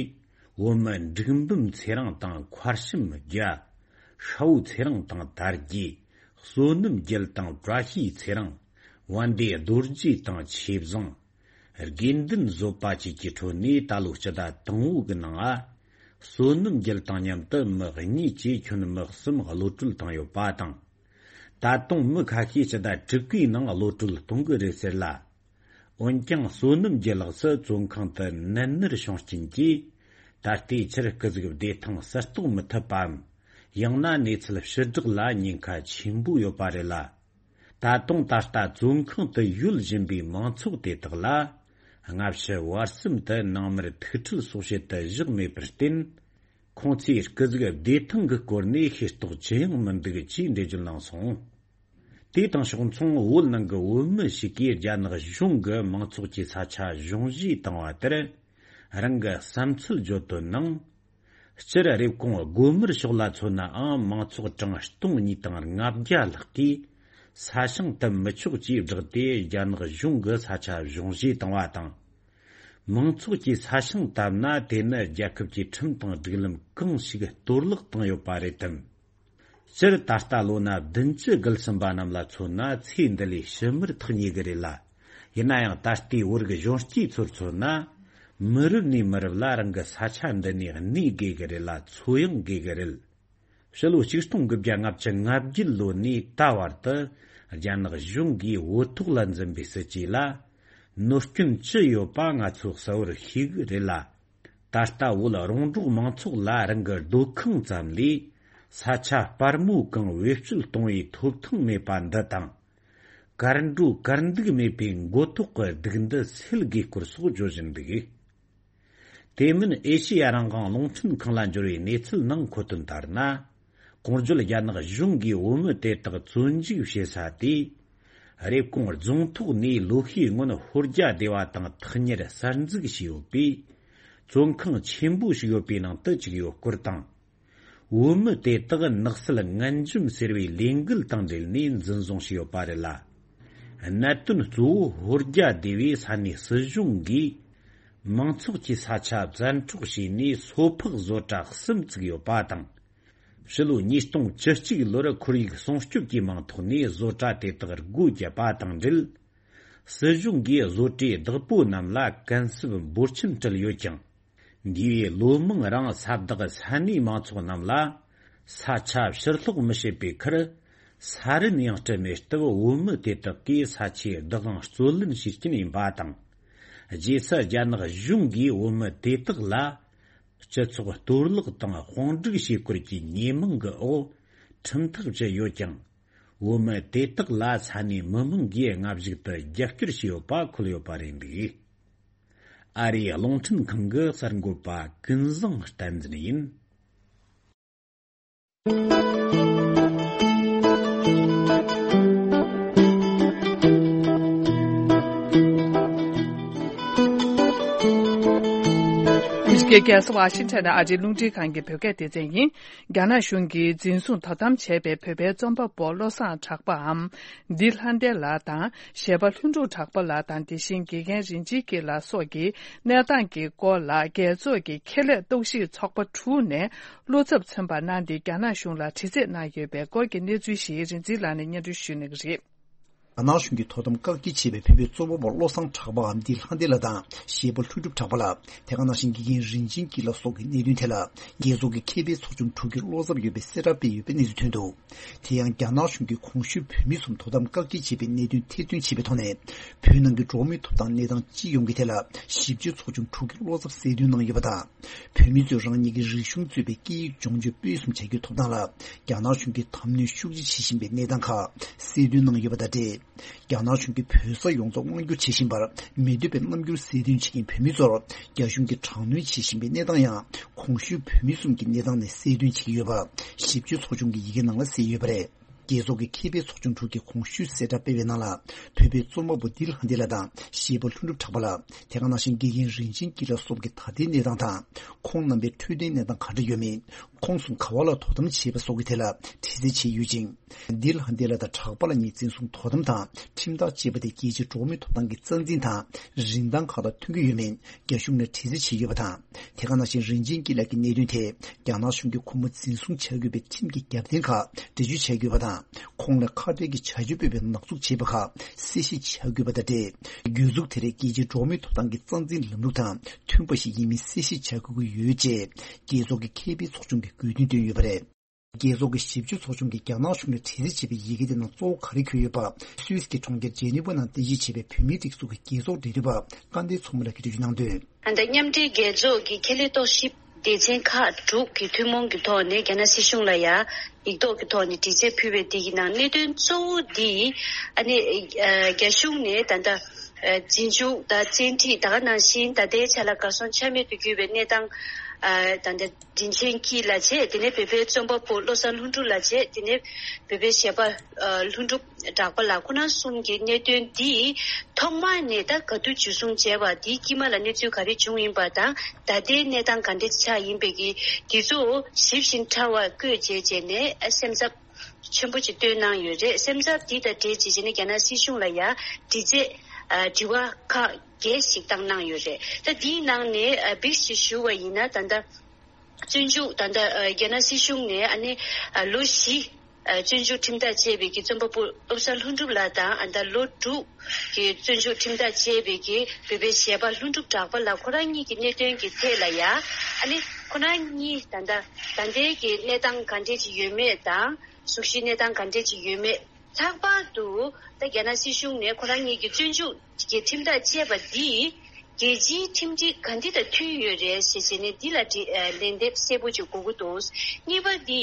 བོད་མི་འབྲུག་འབུམ་ཚེ་རིང་དང་མཁར་བྱམས་རྒྱལ། ཤ་བོ་ཚེ་རིང་དང་དར་རྒྱས། བསོད་ནམས་རྒྱལ་དང་བཀྲ་ཤིས་ཚེ་རིང་། བན་དེ་རྡོ་རྗེ་དང་ཆོས་བཟང་། དགེ་འདུན་བཟོད་པ་བཅས་ཀྱི་ཁྲོད་ནས་ད་ལོའི་སྤྱི་ཟླ་དང་པོ་གི་ནང་ང་བསོད་ནམས་རྒྱལ་དང་མཉམ་དུ་མི་གཉིས་བཅས་ཁྱོན་མི་གསུམ་གློད་གྲོལ་བཏང་ཡོད་པ་དང་། ད་དུང་མི་ཁ་ཤས་སྤྱི་ཟླ་དྲུག་པའི་ནང་གློད་གྲོལ་གཏོང་གི་རེད་ཟེར་ལ། འོན་ཀྱང་བསོད་ནམས་རྒྱལ་ལགས་སུ་བཙོན་ཁང་དུ་ནད་མནར་བྱུང་རྐྱེན་གྱིས། ད་ལྟའི་ཆར་སྐུ་གཟུགས་བདེ་ཐང་གསལ་རྟོགས་མི་ཐུབ་པའམ། ཡང་ན་གནས་ཚུལ་ཕྱིར་བསྒྲགས་ལ་ཉེན་ཁ་ཆེན་པོ་ཡོད་པ་རེད་ལ། ད་ ད་དུང་ད་ལྟ་བཙོན་ཁང་དུ་ཡོད་བཞིན་པའི་མང་ཚོགས་དེ་དག་ལ། སྔ་ཕྱི་བར་གསུམ་དུ་ནང་མིར་ཐུག་འཕྲད་སོགས་བྱེད་དུ་བཞག་མེད་པར་བརྟེན། ཁོང་ཚོས་སྐུ་གཟུགས་བདེ་ཐང་གི་སྐོར་ནས་ཤེས་རྟོགས་ཅི་ཡང་མི་འདུག་ཅེས་འགྲེལ་བརྗོད་གནང་སོང་། དེ་དང་ཕྱོགས་མཚུངས། བོད་ནང་གི་བོད་མི་ཞིག་གིས་རྒྱ་ནག་གཞུང་གིས་མང་ཚོགས་ཀྱི་ས་ཆ་གཞུང་བཞེས་བཏང་བ་དེར། རང་གི་བསམ་ཚུལ་བརྗོད་དོན་ནང་། སྤྱིར་རེབ་གོང་སྒོ་དམར་ཕྱོགས་ལ་མཚོན་ནའང་། མང་ཚོགས་གྲངས་སྟོང་གཉིས་དང་ལྔ་བརྒྱ་ལྷག་གིས་ས་ཞིང་བཏབ་མི་ཆོག་ཅེས་བསྒྲགས་ཏེ། རྒྱ་ནག་གཞུང་གིས་ས་ཆ་གཞུང་བཞེས་བཏང་བ་དང་། མང་ཚོགས་ཀྱིས་ས་ཞིང་བཏབ་ན། དེ་ནི་རྒྱལ་ཁབ་ཀྱི་ཁྲིམས་དང་སྒྲིག་ལམ་གང་ཞིག་གཏོར་བརླག་བཏང་ཡོད་པ་རེད་དམ། སྤྱིར་ད་ལྟ་ལོ་ན་བདུན་ཅུ་བརྒལ་ཟིན་པ་རྣམས་ལ་མཚོན་ན། ཚེ་འདི་ལས་ཕྱི་མར་ཐག་ཉེ་གི་རེད་ལ། ཡིན་ན་ཡང་ད་ལྟའི་བོད་རིགས་གཞོན་སྐྱེས་ཚོར་མཚོན་ན། མི་རབས་ནས་མི་རབས་ལ་རང་གི་ས་ཆ་འདི་ནས་གནས་དགོས་གི་རེད་ལ། འཚོ་ཡང་དགོས་གི་རེད། ཕྱི་ལོ་ཆིག་སྟོང་དགུ་བརྒྱ་ལྔ་བཅུ་ང་བརྒྱད་ལོ་ནས་ད་བར་དུ། རྒྱ་ནག་གཞུང་གིས་བོད་ཐོག་ལ་འཛིན་པའི་སྲིད་ཇུས་ལ་གནོད་སྐྱོན་ཅི་ཡོད་པ་ང་ཚོས་གསལ་བོར་ཤེས་གི་རེད་ལ། ད་ལྟ་བོད་རོང་འབྲོག་མང་ཚོགས་ལ་རང་གི་སྡོད་ཁང་ཙམ་ལས་ས་ཆ་སྤར་མོ་གང་བེད་སྤྱོད་གཏོང་བའི་ཐོབ་ཐང་མེད་པ་འདི་དང་། གར་འགྲོ་གར་འདུག་མེད་པའི་མགོ་ཐོག་གི་སྡུག་འདི་སེལ་དགོས་སྐོར་སོགས་བརྗོད་བཞིན་འདུག། དེ་མིན་ཨེ་ཤེ་ཡ་རང་དབང་རླུང་འཕྲིན་ཁང་ལ་འབྱོར་བའི་གནས་ཚུལ་ནང་འཁོད་དོན་ལྟར་ན། གོང་བརྗོད་རྒྱ་ནག་གཞུང་གིས་བོད་མི་དེ་དག་བཙོན་འཇུག་བྱེད་ས་དེ། རེབ་གོང་རྫོང་ཐོག་ནས་ལོ་ཤས་སྔོན་ཧོར་རྒྱ་སྡེ་བ་དང་ཐག་ཉེར་གསར་འཛུགས་བྱས་ཡོད་པའི་བཙོན་ཁང་ཆེན་པོ་ཞིག་ཡོད་པའི་ནང་དུ་བཅུག་ཡོད་སྐོར་དང་། བོད་མི་དེ་དག་ནགས་ཚལ་ངན་འཇོམས་ཟེར་བའི་ལས་འགུལ་དང་འབྲེལ་ནས་འཛིན་བཟུང་བྱས་ཡོད་པ་རེད་ལ། གནད་དོན་གཙོ་བོ་ཧོར་རྒྱ་སྡེ་བའི་ས་གནས་སྲིད་གཞུང་གིས་མང་ཚོགས་ཀྱི་ས་ཆ་བཙན་འཕྲོག་བྱས་ནས་སོ་ཕག་བཟོ་གྲྭ་གསུམ་བཙུགས་ཡོད་པ་དང་། ཕྱི་ལོ་ཉིས་སྟོང་བཅུ་གཅིག་ལོར་ཁོར་ཡུག་སྲུང་སྐྱོབ་ཀྱི་མིང་ཐོག་ནས་བཟོ་གྲྭ་དེ་དག་སྒོ་བརྒྱབ་པ་དང་འབྲེལ། སྲིད་གཞུང་གིས་བཟོ་གྲྭའི་བདག་པོ་རྣམས་ལ་གུན་གསབ་འབོར་ཆེན་སྤྲད་ཡོད་ཀྱང་། འདས་པའི་ལོ་མང་རིང་ས་བདག་ས་གནས་མང་ཚོགས་རྣམས་ལ་ས་ཆ་ཕྱིར་སློག་མི་བྱེད་པའི་ཁར། ས་རིན་ཡང་སྤྲད་མེད་སྟབས། བོད་མི་དེ་དག་གིས་ས་ཆའི་བདག་དབང་རྩོད་ལེན་བྱེད་ཀྱིན་ཡིན་པ་དང་། རྗེས་སུ་རྒྱ་ནག་གཞུང་གིས་བོད་མི་དེ་དག་ལ་སྤྱི་ཚོགས་གཏོར་བརླག་དང་དཔུང་སྒྲིག་བྱེད་སྐོར་གྱི་ཉེས་མིང་གི་འོག་ཁྲིམས་ཐག་བཅད་ཡོད་ཀྱང་། བོད་མི་དེ་དག་ལ་ས་གནས་མི་མང་གིས་སྔ་གཞུག་ཏུ་རྒྱབ་སྐྱོར་བྱས་ཡོད་པ་འཁོད་ཡོད་པ་རེད་འདུག། ཨ་རིའི་རླུང་འཕྲིན་ཁང་གི་གསར་འགོད་པ་ཀུན་བཟང་བསྟན་འཛིན་ཡིན། ཨ་མི་རི་ཀའི་རྒྱལ་ས་ཝ་ཤིང་ཊོན་ནས་ཨ་རིའི་རླུང་འཕྲིན་ཁང་གི་བོད་སྐད་སྡེ་ཚན་ཡིན། རྒྱ་ནག་གཞུང་གིས་འཛིན་བཟུང་དོ་དམ་བྱས་པའི་བོད་པའི་རྩོམ་པ་པོ་བློ་བཟང་གྲགས་པའམ། འདི་ལྷ་ལྡན་ལགས་དང་། གཞས་པ་ལྷུན་གྲུབ་གྲགས་པ་ལགས་དང་། དེ་བཞིན་དགེ་རྒན་རིན་ཆེན་སྐྱིད་ལགས་སོགས་ཀྱི་གནས་སྟངས་ཀྱི་སྐོར་ལ། རྒྱལ་ཚོགས་ཀྱི་ཁེ་ལས་རྟོག་ཞིབ་ཚོགས་པ་དྲུག་ནས་བློ་འཚབ་མཚོན་པ་གནང་སྟེ། རྒྱ་ནག་གཞུང་ལ་དྲི་རྩད་གནང་ཡོད་པའི་སྐོར་གྱི་གནས་ཚུལ་ཞིག་རིག་འཛིན་ལགས་ནས་སྙན་སྒྲོན་ཞུ་གནང་གི་རེད། རྒྱ་ནག་གཞུང་གིས་དོ་དམ་བཀག་སྐྱིལ་བྱས་པའི་བོད་པའི་རྩོམ་པ་པོ་བློ་བཟང་གྲགས་པའམ་འདི་ལྷ་ལྡན་ལགས་དང་། གཞས་པ་ལྷུན་གྲུབ་གྲགས་པ་ལགས། དེ་ག་ནང་བཞིན་དགེ་རྒན་རིན་ཆེན་སྐྱིད་ལགས་སོགས་ཀྱི་གནད་དོན་ཐད་ལ། རྒྱལ་ཚོགས་ཀྱི་མཁས་པའི་ཚོགས་ཆུང་དྲུག་གིས་བློ་འཚབ་ཡོད་པའི་གསལ་བསྒྲགས་སྤེལ་ཡོད་པའི་གནས་ཚུལ་ཐོན་འདུག། དེ་ཡང་རྒྱ་ནག་གཞུང་གིས་གོང་ཞུས་བོད་མི་གསུམ་དོ་དམ་བཀག་སྐྱིལ་བྱས་པའི་གནད་དོན་ཐེར་འདོན་བྱས་པའི་ཐོག་ནས། བོད་ནང་གི་འགྲོ་བ་མིའི་ཐོབ་ཐང་གནས་སྟངས་སྤྱི་ཡོངས་ཀྱི་ཐད་ལ་ཞིབ་དཔྱོད་ཚོགས་ཆུང་དྲུག་གིས་བློ་འཚབ་གསལ་སྟོན་གནང་ཡོད་པ་དང་། བོད་མི་ཚོས་རང་ཉིད་ཀྱི་རིག་གཞུང་གཙོས་པའི་སྐད་ཡིག་སྦྱོང་སྤྱོད་སྤེལ་གསུམ་བྱ་རྒྱུའི་ཐོབ་ཐང་ལ་རྒྱ་ནག་གཞུང་གིས་དམ་གནོན་ཤུགས་ཆེ་བྱེད་བཞིན་པའི་གནས་སྟངས་ཁག་གསལ་སྟོན་གནང་ཡོད་པ་དང་འབྲེལ། རྒྱ་ནག་གཞུང་གིས་བོད་ས་ཡོངས་རྫོགས་དབང་བསྒྱུར་བྱེད་བཞིན་པར་མི་འདོད་པའི་རྣམ་འགྱུར་གསལ་སྟོན་བྱེད་མཁན་བོད་མི་ཚོར་རྒྱ་གཞུང་གིས་དྲག་གནོན་བྱེད་བཞིན་པའི་གནས་སྟངས་ཡང་གོང་ཞུས་བོད་མི་གསུམ་གྱི་གནས་སྟངས་ནས་གསལ་སྟོན་བྱེད་ཀྱི་ཡོད་པ་ཞིབ་དཔྱོད་ཚོགས་ཆུང་གི་ཡི་གེ་ནང་ལ་གསལ་ཡོད་པ་རེད། རྒྱལ་ཚོགས་ཀྱི་མཁས་པའི་ཚོགས་ཆུང་དྲུག་གིས་གོང་ཞུས་གསལ་བསྒྲགས་སྤེལ་བའི་ནང་ལ། བོད་པའི་རྩོམ་པ་པོ་འདི་ལྷ་ལྡན་ལགས་དང་གཞས་པ་ལྷུན་གྲུབ་གྲགས་པ་ལགས། དེ་ག་ནང་བཞིན་དགེ་རྒན་རིན་ཆེན་སྐྱིད་ལགས་སོགས་ཀྱི་ད་ལྟའི་གནས་སྟངས་དང་། ཁོང་རྣམ་པའི་འཕྲོད་བསྟེན་གནས་སྟངས་ག་འདྲ་ཡོད་མེད། ཁོང་གསུམ་ག་བ་ལ་དོ་དམ་བྱས་པ་སོགས་ཀྱི་ཐད་ལ་དྲི་རྩད་བྱས་ཡོད་ཅིང་། འདི་ལྷ་ལྡན་ལགས་དང་གྲགས་པ་ལགས་གཉིས་འཛིན་བཟུང་དོ་དམ་དང་ཁྲིམས་ཐག་བཅད་པ་དེ་རྒྱལ་སྤྱིའི་འགྲོ་བ་མིའི་ཐོབ་ཐང་གི་རྩ་འཛིན་དང་རིན་ཐང་ཁག་དང་མཐུན་གྱི་ཡོད་མེད་རྒྱ་གཞུང་ལ་དྲི་རྩད་བྱས་ཡོད་པ་དང་། དེ་ག་ནང་བཞིན་རིན་ཆེན་སྐྱིད་ལགས་ཀྱི་གནད་དོན་ཐད་རྒྱ་ནག་གཞུང་གིས་ཁོང་མོ་འཛིན་བཟུང་བྱ་དགོས་པའི་ཁྲིམས་ཀྱི་རྒྱབ་རྟེན་ཁག་འགྲེལ་བརྗོད་བྱས་ཡོད་པ་དང་། ཁོང་ལ་ཁ་བྲལ་གྱི་བྱ་སྤྱོད་སྤེལ་བའི་ནག་འཛུགས་བྱས་པ་ཁག་གསལ་བཤད་བྱ་དགོས་པ་དང་འབྲེལ། གྱོད་འཛུགས་དེ་རིགས་རྒྱལ་སྤྱིའི་འགྲོ་བ་མིའི་ཐོབ་ཐང་གི་རྩ་འཛིན་ལམ་ལུགས་དང་མཐུན་པ་ཞིག་ཡིན་མིན་གསལ་བཤད་བྱ་དགོས་ཀྱི་ཡོད་ཅེས་རྒྱལ་ཚོགས་ཀྱི་མཁས་པའི་ཚོགས་ཆུང་གིས་དགོས་འདུན་བཏོན་ཡོད་པ་རེད། རྒྱལ་ཚོགས་ཀྱི་ཞིབ་དཔྱོད་ཚོགས་ཆུང་གིས་རྒྱ་ནག་གཞུང་ལ་དྲི་རྩད་བྱས་པའི་ཡི་གེ་དེ་ནང་གཙོ་བོ་ག་རེ་འཁོད་ཡོད་པ། སུད་སི་གི་གྲོང་ཁྱེར་ཇེ་ནི་ཝ་ནང་རྟེན་གཞི་བྱས་པའི་བོད་མིའི་སྒྲིག་འཛུགས་ཀྱི་རྒྱལ་ཚོགས་འབྲེལ་མཐུད་པ་སྐལ་ལྡན་མཚོ་མོ་ལགས་ཀྱིས་འགྲེལ་བརྗོད་གནང་དོན། ད་ལྟ་མཉམ་འབྲེལ་རྒྱལ་ཚོགས་ཀྱི་ཁེ་ལས་རྟོག་ཞིབ་ སྡེ་ཚན་ཁག་དྲུག་གི་ཐུན་མོང་གི་ཐོག་ནས་རྒྱ་ནག་སྲིད་གཞུང་ལ་ཡང་ཡིག་ཐོག་གི་ཐོག་ནས་དྲི་རྩད་ཕུལ་བའི་དེ་གི་ནང་གནད་དོན་གཙོ་བོ་འདི་ཨ་ནི་ཨ་རྒྱ་གཞུང་ནས་ད་ལྟ་ཨ་རྗེས་འཇུག་དང་བཙན་ཁྲིད་ད་ག་ནང་བཞིན་ད་ལྟའི་ཆ་ལ་གར་སོང་ཆ་མེད་དུ་གྱུར་བའི་གནས་སྟངས་ཨ་ད་ལྟ་རིན་ཆེན་སྐྱིད་ལགས་བྱས། དེ་ནས་བོད་པའི་རྩོམ་པ་པོ་བློ་བཟང་ལྷུན་གྲུབ་ལགས་བྱས། དེ་ནས་བོད་པའི་གཞས་པ་ཨ་ལྷུན་གྲུབ་གྲགས་པ་ལགས་ཁོ་རང་གསུམ་གྱི་གནད་དོན་འདི་ཐོག་མ་ནས་ད་ག་དུས་འཇུ་བཟུང་བྱས་པ། འདིའི་དཀྱིལ་མ་ལ་གནས་ཚུལ་ག་རེ་བྱུང་ཡིན་པ་དང་ད་ལྟའི་གནས་སྟངས་ག་འདྲ་ཆགས་ཡིན་པའི་གི་འདི་ཚོ་ཞིབ་ཅིང་ཕྲ་བ་བཀོད་བྱས་བྱས་ནས་ཨ་སེམས་འཚབ་ཆེན་པོ་ཅིག་བཏོན་གནང་ཡོད་རེད། སེམས་འཚབ་འདི་དང་འབྲེལ་བྱས་བྱས་ནས་རྒྱ་ནག་སྲིད་གཞུང་ལ་ཡང་དྲི་རྩད་ཨ་དྲི་བ་ཁག་བརྒྱད་ཞིག་བཏང་གནང་ཡོད་རེད། ད་འདིའི་ནང་ནས་ཨ་བིག་ཅིག་ཞུ་བ་ཡིན་ན་ད་ལྟ་བཙོན་འཇུག་ད་ལྟ་ཨ་རྒྱ་ནག་སྲིད་གཞུང་ནས་ཨ་ནི་ཨ་ལོ་བཞི་ཨ་བཙོན་འཇུག་ཁྲིམས་ཐག་བཅད་པའི་གི་རྩོམ་པ་པོ་བློ་བཟང་ལྷུན་གྲུབ་ལགས་དང་ཨ་ད་ལོ་དྲུག་གི་བཙོན་འཇུག་ཁྲིམས་ཐག་བཅད་པའི་གི་བོད་པའི་གཞས་པ་ལྷུན་གྲུབ་གྲགས་པ་ལགས་ཁོ་རང་གཉིས་ཀྱི་གནད་དོན་གྱི་ཐད་ལ་ཡ་ཨ་ནི་ཁོ་རང་གཉིས་ད་ལྟ་ད་ལྟའི་གི་གནས་སྟངས་ག་འདྲས་ཅིག་ཡོད་མེད་དང་། གཟུགས་གཞིའི་གནས་སྟངས་ག་འདྲས་ཅིག་ཡོད་མེད། ལྷག་པར་དུ་ད་རྒྱ་ནག་སྲིད་གཞུང་ནས་ཁོ་རང་གཉིས་ཀྱི་བཙོན་འཇུག་གི་ཁྲིམས་ཐག་བཅད་པ་འདིས་རྒྱལ་སྤྱིའི་ཁྲིམས་སྒྲིག་ག་འདི་དང་མཐུན་ཡོད་རེད་ཞེས་བྱས་ནས་འདི་ལ་དྲི་ཨ་ལན་འདེབས་གསལ་པོ་ཅིག་དགོས་ཀྱི་འདུག་གཉིས་པ་འདི་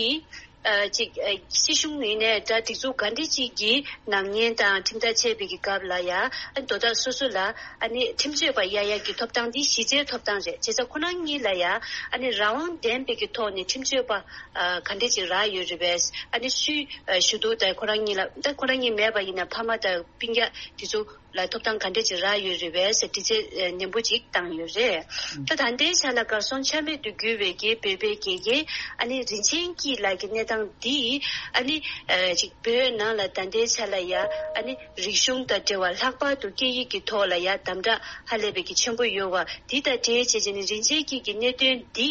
ཨ་ཅིག་ཨ་སྲིད་གཞུང་ངོས་ནས་ད་སྒྲིག་འཛུགས་ག་འདྲས་ཅིག་གི་ནག་ཉེས་དང་ཁྲིམས་ཐག་བཅད་པའི་གི་སྐབས་ལ་ཡ་ཨ་དོ་བདག་སོ་སོ་ལ་ཨ་ནི་ཁྲིམས་རྩོད་པ་གཡར་ཡག་གི་ཐོབ་ཐང་འདི་གཞི་རྩའི་ཐོབ་ཐང་རེད། བྱས་ཙང་ཁོ་རང་གཉིས་ལ་ཡ་ཨ་ནི་རང་དབང་ལྡན་པའི་གི་ཐོག་ནས་ཁྲིམས་རྩོད་པ་ཨ་ག་འདྲས་ཅིག་རག་ཡོད་རེད་པས། ཨ་ནི་སུའི་ཨ་ཞུ་གཏུག་དང་ཁོ་རང་གཉིས་ལ་ད་ཁོ་རང་གཉིས་མེད་པ་ཡིན་ན་ཕ་མ་དང་སྤུན་ཀྱག་དེ་ཚོ་ལ་ཐོབ་ཐང་ག་འདྲས་ཅིག་རག་ཡོད་རེད་པས་ཟེར་དྲི་རྩད་ཨ་ནན་པོ་ཅིག་བཏང་ཡོད་རེད། ད་ད་ལྟའི་ཆ་ལ་གར་སོང་ཆ་མེད་དུ་གྱུར་བའི་གི་བོད་པའི་དགེ་རྒན་ཨ་ནི་རིན་ཆེན་སྐྱིད་ལགས་ཀྱི་གནས་སྟངས་འདི་ཨ་ནི་ཨ་ཅིག་བོད་ནང་ལ་ད་ལྟའི་ཆ་ལ་ཡ་ཨ་ནི་རིག་གཞུང་དང་འབྲེལ་བ་ལྷག་པར་དུ་སྐད་ཡིག་གི་ཐོག་ལ་ཡ་དམ་དྲག་ཧ་ལས་པའི་གི་ཆེན་པོ་ཡོད་པ་འདི་དང་འབྲེལ་བྱས་བྱས་ནས་རིན་ཆེན་སྐྱིད་ཀྱི་གནད་དོན་འདི་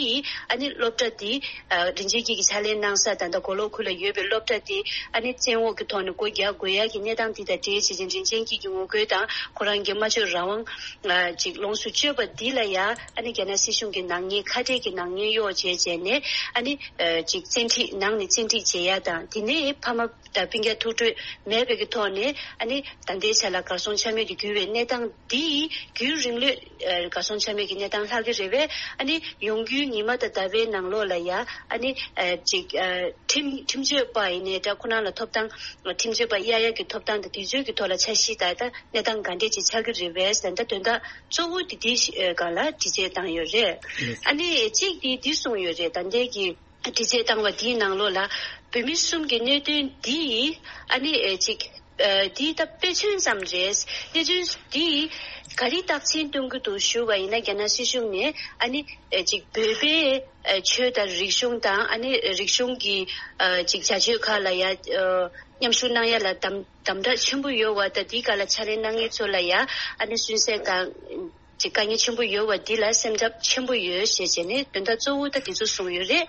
ཨ་ནི་སློབ་གྲྭ་འདི་ཨ་རིན་ཆེན་སྐྱིད་ཀྱིས་ཕྱག་ལས་གནང་ས་ད་ལྟ་མགོ་ལོག་ཁུལ་ལ་ཡོད་པའི་སློབ་གྲྭ་འདི་ཨ་ནི་བཙན་འོག་གི་ཐོག་ནས་སྒོ་རྒྱག་དགོས་ཡག་གི་གནས་སྟངས་འདི་དང་འབྲེལ་བྱས་བྱས་རིན་ཆེན་སྐྱིད་ཀྱི་ངོ་རྒོལ་དང་ཁོ་རང་གི་སྨྲ་བརྗོད་རང་དབང་ཨ་ཅིག་ལོངས་སུ་སྤྱོད་པ་འདི་ལ་ཡ་ཨ་ནི་རྒྱ་ནག་སྲིད་གཞུང་གི་ནག་ཉེས་ཁ་བྲལ་གྱི་ནག་ཉེས་གཡོག་བྱས་བྱས་ནས་ཨ་ནི་ཨ་ཅིག་བཙན་ཁྲིད་ནང་ནས་བཙན་ཁྲིད་བྱེད་ཡག་དང་དེ་ནས་ཕ་མ་དང་སྤུན་ཀྱག་ཐུགས་སྤྲོ་མེད་པའི་གི་ཐོག་ནས་ཨ་ནི་ད་ལྟའི་ཆ་ལ་གར་སོང་ཆ་མེད་དུ་གྱུར་བའི་གནས་སྟངས་འདི་རྒྱུན་རིང་ལོས་ཨ་གར་སོང་ཆ་མེད་ཀྱི་གནས་སྟངས་ལྷག་གི་རེད་པས། ཨ་ནི་ཡོང་རྒྱུའི་ཉི་མ་དང་ཟླ་བའི་ནང་ལོགས་ལ་ཡ་ཨ་ནི་ཨ་ཅིག་ཨ་ཁྲིམས་ཁྲིམས་རྩོད་པ་ཡིན་ནའི་འདྲ་ཁོ་རང་ལ་ཐོབ་ཐང་ཁྲིམས་རྩོད་པ་གཡར་ཡག་གི་ཐོབ་ཐང་དང་དུས་ཚོད་ཀྱི་ཐོག་ལ་འཆར་གཞི་ད་ལྟ་གནས་སྟངས་ག་འདྲས་ཅིག་ཆགས་ཀྱི་རེད་པས། ད་ལྟ་དོན་དག་གཙོ་བོ་དེ་འདི་ཞིག་སྒང་ལ་དྲི་རྩད་བཏང་ཡོད་རེད། ཨ་ནི་གཅིག་དེ་འདི་གསུངས་ཡོད་རེད། ད་ལྟའི་གི་དྲི་རྩད་བཏང་བ་འདིའི་ནང་ལོགས་ལ་བོད་མི་གསུམ་གྱི་གནད་དོན་འདི་ཨ་ནི་ཨེ་ཅིག་ཨ་འདི་ད་དཔེ་མཚོན་ཙམ་རེད། གནད་དོན་འདི་ག་རེ་རྟགས་མཚན་སྟོན་གྱི་འདུག་ཞུ་བ་ཡིན་ན་རྒྱ་ནག་སྲིད་གཞུང་ནས་ཨ་ནི་ཨེ་ཅིག་བོད་པའི་ཨ་ཆོས་དང་རིག་གཞུང་དང་ཨ་ནི་རིག་གཞུང་གི་ཨ་ཅིག་བྱ་སྤྱོད་ཁག་ལ་ཡ་ཨ་མཉམ་ཞུགས་གནང་ཡ་ལ་དམ་དམ་དྲག་ཆེན་པོ་ཡོད་པ་དང་འདིའི་སྒང་ལ་ཕྱག་ལས་གནང་མཁན་ཚོ་ལ་ཡ་ཨ་ནི་སུན་གཙེར་དང་། ཅིག་དཀའ་ངལ་ཆེན་པོ་ཡོད་པ་འདི་ལ་སེམས་འཚབ་ཆེན་པོ་ཡོད་ཞེས་བྱས་ནས་དོན་དག་གཙོ་བོ་ད་འདི་ཚོ་གསུངས་ཡོད་རེད།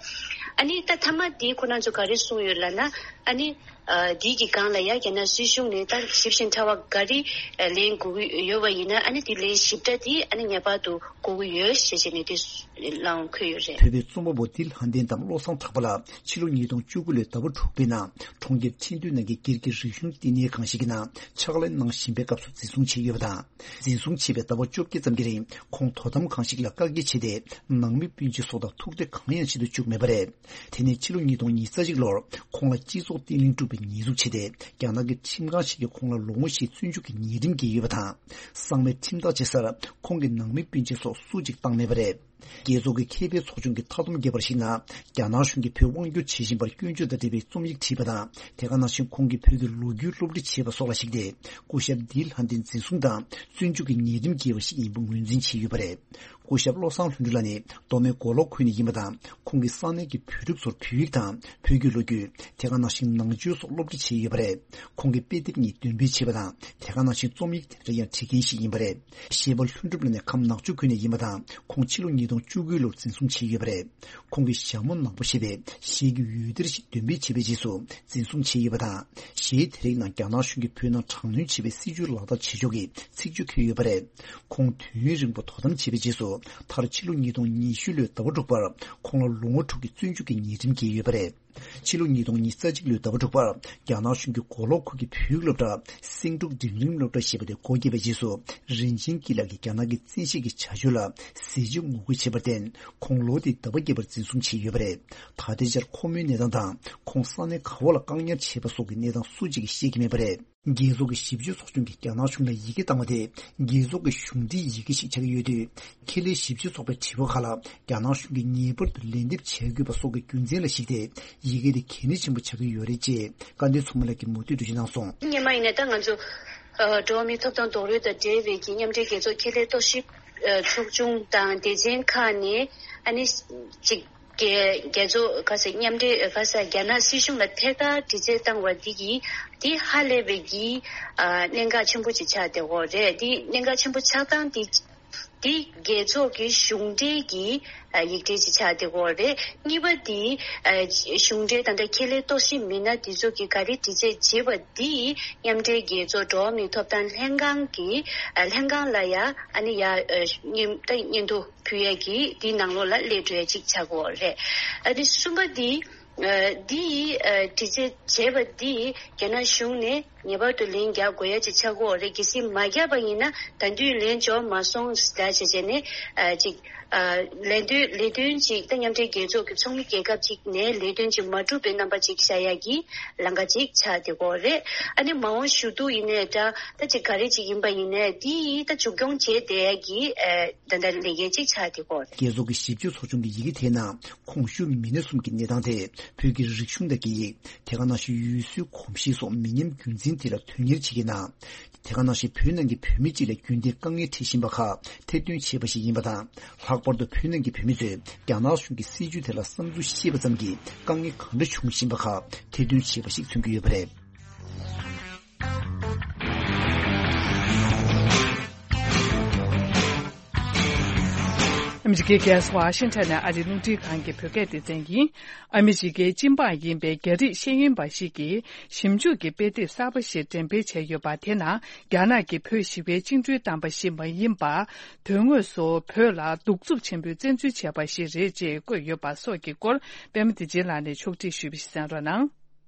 ཨ་ནི་ད་མཐའ་མ་འདི་ཁོ་རང་ཚོ་ག་རེ་གསུངས་ཡོད་ལབ་ན་ཨ་ནི་ཨ་འདི་གི་སྒང་ལ་ཡ་རྒྱ་ནག་སྲིད་གཞུང་ནས་ད་ཞིབ་ཅིང་ཕྲ་བ་ག་རེ་ཨ་ལེན་དགོས་ཀྱི་ཡོད་པ་ཡིན་ན་ཨ་ནི་འདི་ལན་ཞིབ་ཕྲ་འདི་ཨ་ནི་ངེས་པར་དུ་དགོས་ཀྱི་ཡོད་ཞེས་བྱས་ནས་འདི་ལའང་འཁོད་ཡོད་རེད། བོད་པའི་རྩོམ་པ་པོ་ལྡི་ལྷ་ལྡན་དང་བློ་བཟང་གྲགས་པ་ལགས་ཕྱི་ལོ་ཉིས་སྟོང་བཅུ་དགུ་ལོའི་ཟླ་བ་དྲུག་པའི་ནང་གྲོང་ཁྱེར་ཁྲིན་ཏུའུ་ནང་གི་སྒེར་གྱི་རིག་གཞུང་བསྟི་གནས་ཁང་ཞིག་གི་ནང་ཕྱག་ལས་གནང་བཞིན་པའི་སྐབས་སུ་འཛིན་བཟུང་བྱས་ཡོད་པ་དང་། འཛིན་བཟུང་བྱས་པའི་ཟླ་བ་བཅོ་བརྒྱད་ཙམ་གྱི་རིང་ཁོང་དོ་དམ་ཁང་ཞིག་ལ་བཀག་སྐྱིལ་བྱས་ཏེ་ནང་མི་སྤུན་མཆེད་སོགས་དང་ཐུག་འཕྲད་གང་ཡང་བྱེད་དུ་བཅུག་མེད་པ་རེད། དེ་ནས་ཕྱི་ལོ་ཉིས་སྟོང་ཉེར་གཅིག་ལོར་ཁོང་ལ་སྤྱི་ཚོགས་བརྟན་ལྷིང་དཀྲུགས་པའི་ཉེས་འཛུགས་བྱས་ཏེ་རྒྱ་ནག་གི་ཁྲིམས་ཁང་ཞིག་གིས་ཁོང་ལ་ལོ་ངོ་བཞིའི་བཙོན་འཇུག་གི་ཉེས་ཁྲིམས་བཀལ་ཡོད་པ་དང་། གསང་བའི་ཁྲིམས་ཐག་བཅད་སར་ཁོང་གི་ནང་མི་སྤུན་མཆེད་སོགས་སུ་གཅིག་བཏང་མེད་པ་རེད། རྒྱལ་ཚོགས་ཀྱི་ཁེ་ཕན་ཚོགས་ཆུང་གི་མཐའ་སྡོམ་བརྒྱབ་པར་གཞིགས་ན། རྒྱ་ནག་གཞུང་གིས་བོད་དབང་སྒྱུར་བྱེད་བཞིན་པར་སྐྱོན་བརྗོད་དང་འབྲེལ་བའི་རྩོམ་ཡིག་བྲིས་པ་དང་། དེ་ག་ནང་བཞིན་ཁོང་གིས་བོད་ཀྱི་ལོ་རྒྱུས་སློབ་ཁྲིད་བྱས་པ་སོགས་ལ་གཞིགས་ཏེ། སྐུ་ཞབས་ལྡི་ལྷ་ལྡན་འཛིན་བཟུང་དང་བཙོན་འཇུག་གི་ཉེས་ཁྲིམས་འགེལ་བ་ཞིག་ཡིན་པ་ངོས་འཛིན་བྱས་ཡོད་པ་རེད། སྐུ་ཞབས་བློ་བཟང་ལྷུན་གྲུབ་ལགས་ནི་མདོ་སྨད་མགོ་ལོག་ཁུལ་ནས་ཡིན་པ་དང་། ཁོང་གིས་ས་གནས་ཀྱི་བོད་ཕྲུག་ཚོར་བོད་ཡིག་དང་བོད་ཀྱི་ལོ་རྒྱུས། དེ་ག་ནང་བཞིན་ནང་ཆོས་སོགས་སློབ་ཁྲིད་བྱས་ཡོད་པ་རེད། ཁོང་གིས་དཔེ་དེབ་གཉིས་འདོན་སྤེལ་བྱས་པ་དང་། དེ་ག་ནང་བཞིན་རྩོམ་ཡིག་དེ་འདྲ་ཡང་བྲིས་མཁན་ཞིག་ཡིན་པ་རེད། གཞས་པ་ལྷུན་གྲུབ་ལགས་ནི་ཁམས་ནག་ཆུ་ཁུལ་ནས་ཡིན་པ་དང་། ཁོང་ཕྱི་ལོ་ཉིས་སྟོང་བཅུ་དགུ་ལོར་འཛིན་བཟུང་བྱས་ཡོད་པ་རེད། ཁོང་གིས་ཞྭ་མོ་ནག་པོ་ཞེས་པའི་གཞས་ཀྱི་འོད་སྡེར་ཞིག་འདོན་སྤེལ་བྱས་པའི་རྗེས་སུ་འཛིན་བཟུང་བྱས་ཡོད་པ་དང་། གཞས་དེ་རིགས་ནང་རྒྱ་ནག་གཞུང་གིས་བོད་ནང་དྲག་གནོན་བྱེད་པའི་སྲིད་བྱུས་ལག་བསྟར་བྱེད་ཕྱོགས་ཀྱི་ཚིག་བརྗོད་འཁོད་ཡོད་པ་རེད། ཁོང་དུས་ཡུན་རིང་པོ་དོ་དམ་བྱས་པའི་རྗེས་སུ། མཐར་ཕྱི་ལོ་ཉིས་སྟོང་ཉི་ཤུ་ལོའི་ཟླ་བ་དྲུག་པར་ཁོང་ལ་ལོ་ངོ་དྲུག་གི་བཙོན་འཇུག་གི་ཉེས་ཁྲིམས་བཀལ་ཡོད་པ་རེད། ཕྱི་ལོ་ཉིས་སྟོང་ཉི་ཤུ་རྩ་གཅིག་ལོའི་ཟླ་བ་དྲུག་པར་རྒྱ་ནག་གཞུང་གིས་མགོ་ལོག་ཁུལ་གྱི་བོད་ཡིག་སློབ་གྲྭ་སེང་འབྲུག་འབྲིང་རིམ་སློབ་གྲྭ་ཞེས་པ་དེ་སྒོ་བརྒྱབ་པའི་རྗེས་སུ། རིན་ཆེན་སྐྱིད་ལགས་ཀྱིས་རྒྱ་ནག་གི་བཙན་ཤེད་ཀྱི་བྱ་སྤྱོད་ལ་གཟི་བརྗིད་ངོ་རྒོལ་བྱས་པར་བརྟེན། ཁོང་ལོ་དེའི་ཟླ་བ་བརྒྱད་པར་འཛིན་བཟུང་བྱས་ཡོད་པ་རེད། ད་ལྟའི་ཆར་ཁོ་མོའི་གནས་སྟངས་དང་། ཁོང་ས་གནས་ག་བ་ལ་བཀག་ཉར་བྱས་པ་སོགས་ཀྱི་གནས་སྟངས་སུ་གཅིག་གིས་ཤེས་ཀྱི་མེད་པ་རེད། རྒྱལ་ཚོགས་ཀྱི་ཞིབ་དཔྱོད་ཚོགས་ཆུང་གིས་རྒྱ་ནག་གཞུང་ལ་ཡི་གེ་བཏང་བ་དེ། རྒྱལ་ཚོགས་ཀྱི་གཞུང་འབྲེལ་ཡི་གེ་ཞིག་ཆགས་ཀྱི་ཡོད་དུས། ཁེ་ལས་ཞིབ་དཔྱོད་ཚོགས་པའི་དྲི་བ་ཁག་ལ་རྒྱ་ནག་གཞུང་གིས་ངེས་པར་དུ་ལན་འདེབས་བྱ་དགོས་པ་སོགས་ཀྱི་རྒྱུ་མཚན་ལ་གཞིགས་ཏེ། ཡི་གེ་དེ་གལ་གནད་ཆེན་པོ་ཆགས་ཀྱི་ཡོད་རེད་ཅེས་སྐལ་ལྡན་མཚོ་མོ་ལགས་ཀྱིས་མུ་མཐུད་འགྲེལ་བརྗོད་གནང་སོང་། སྔོན་མ་ཡིན་ན་ད་ང་ཚོ་ཨ་འགྲོ་བ་མིའི་ཐོབ་ཐང་རྡོག་རོལ་དང་འབྲེལ་བའི་གི་མཉམ་འབྲེལ་རྒྱལ་ཚོགས་ཁེ་ལས་རྟོག་ཞིབ་ཨ་ཚོགས་ཆུང་དང་སྡེ་ཚན་ཁག་ནས་ཨ་ནི་ཅིག་རྒྱལ་རྒྱལ་ཚོགས་ག་ས་མཉམ་འབྲེལ་ག་ས་རྒྱ་ནག་སྲིད་གཞུང་ལ་ཐད་ཀར་དྲི་རྩད་བཏང་བ་འདི་གིས་འདི་ཧ་ལས་པའི་གི་ཨ་གནད་འགག་ཆེན་པོ་ཅིག་ཆགས་བསྡད་ཡོད་རེད། འདི་གནད་འགག་ཆེན་པོ་ཆགས་སྟངས་འདི་འདི་རྒྱལ་ཚོགས་ཀྱི་གཞུང་འབྲེལ་གྱི་ཨ་ཡིག་འབྲེལ་ཅིག་ཆགས་བསྡད་ཡོད་རེད། གཉིས་པ་འདི་ཨ་གཞུང་འབྲེལ་ད་ལྟ་ཁེ་ལས་རྟོག་ཞིབ་མི་སྣ་འདི་ཚོ་གིས་ག་རེ་དྲི་རྩད་བྱས་པ་འདི་མཉམ་འབྲེལ་རྒྱལ་ཚོགས་འགྲོ་བ་མིའི་ཐོབ་ཐང་ལྷན་ཁང་གི་ཨ་ལྷན་ཁང་ལ་ཡ་ཨ་ནི་ཡ་ཨ་སྙན་ད་སྙན་ཐོ་ཕུལ་ཡས་ཀྱི་འདི་ནང་ལོགས་ལ་སླེབས་འགྲོ་ཡས་ཅིག་ཆགས་ཀྱི་ཡོད་རེད། ཨ་ནི་གསུམ་པ་འདི་ཨ་འདི་ཡི་ཨ་དྲི་རྩད་བྱས་པ་འདི་རྒྱ་ནག་གཞུང་ནས་ངེས་པར་དུ་ལན་རྒྱག་དགོས་ཡ་ཅིག་ཆགས་ཀྱི་ཡོད་རེད། གལ་སྲིད་མ་རྒྱག་པ་ཡིན་ན་ད་དུང་ལན་འབྱོར་མ་སོང་ཟེར་བྱས་བྱས་ནས་ཨ་ཅིག་ཨ་ལས་དོན་ལས་དོན་ཅིག་ད་མཉམ་འབྲེལ་རྒྱལ་ཚོགས་ཀྱི་ཚོགས་མི་རྒྱལ་ཁབ་ཅིག་ནས་ལས་དོན་ཅིག་མ་གྲུབ་པའི་རྣམ་པ་ཅིག་ཤར་ཡ་གི་ལམ་ཁ་ཅིག་ཆགས་བསྡད་ཀྱི་ཡོད་རེད། ཨ་ནི་མ་འོངས་ཞུ་གཏུག་ཡིན་ནའི་འདྲ་ད་ཅིག་ག་རེ་ཅིག་ཡིན་པ་ཡིན་ནའི་འདི་ཡིས་ད་མཇུག་སྐྱོང་བྱས་བསྡད་ཡ་གི་ཨ་ད་ལྟ་ལས་འགན་ཅིག་ཆགས་བསྡད་ཀྱི་ཡོད་རེད། རྒྱལ་ཚོགས་ཀྱི་ཞིབ་དཔྱོད་ཚོགས་ཆུང་གི་ཡི་གེ་དེའི་ནང་། ཁོངས་ཞུགས་མི་སྣ་གསུམ་གྱི་གནས་སྟངས་དེ། བོད་ཀྱི་རིག་གཞུང་དང་སྐད་ཡིག་དེ་ག་ནང་བཞིན་ཡུལ་སྲོལ་གོམས་གཤིས་སོགས་མི་ཉམས་རྒྱུན་འཛིན་དེ་ལ་དོན་གཉེར་བྱེད་ཀྱི་ནང་། དེ་ག་ནང་བཞིན་བོད་ནང་གི་བོད་མི་སྤྱི་ལ་རྒྱུན་ལྡན་དཀའ་ངལ་འཕྲད་བཞིན་པ་ཁག་ཐེར་འདོན་བྱས་པ་ཞིག་ཡིན་པ་དང་། ལྷག་པར་དུ་བོད་ནང་གི་བོད་མི་ཚོས་རྒྱ་ནག་གཞུང་གི་སྲིད་བྱུས་དེ་ལ་བསམ་ཚུལ་བཤད་པ་ཙམ་གྱིས་དཀའ་ངལ་གང་འདྲ་བྱུང་བཞིན་པ་ཁག་ཐེར་འདོན་བྱས་པ་ཞིག་མཚོན་གྱི་ཡོད་པ་རེད། ཨ་མི་རི་ཀའི་རྒྱལ་ས་ཝ་ཤིང་ཊོན་ནས་ཨ་རིའི་རླུང་འཕྲིན་ཁང་གི་བོད་སྐད་སྡེ་ཚན་ཡིན། ཨ་མི་རི་ཀའི་སྤྱི་འབངས་ཡིན་པའི་རྒྱ་རིགས་ཤེས་ཡོན་པ་ཞིག་གིས་ཞིབ་འཇུག་གི་དཔེ་དེབ་གསར་པ་ཞིག་འགྲེམས་སྤེལ་བྱས་ཡོད་པ་དེ་ནང་རྒྱ་ནག་གིས་བོད་ཞི་བའི་བཅིངས་འགྲོལ་བཏང་པ་ཞིག་མ་ཡིན་པར། དོན་དངོས་སུ་བོད་ལ་གདུག་རྩུབ་ཆེན་པོའི་བཙན་འཛུལ་བྱས་པ་ཞིག་རེད་ཅེས་བཀོད་ཡོད་པ་སོགས་ཀྱི་སྐོར་པད་མ་བདེ་ཆེན་ལགས་ནས་ཕྱོགས་སྒྲིག་ཞུས་པ་ཞིག་གསན་རོགས་གནང་།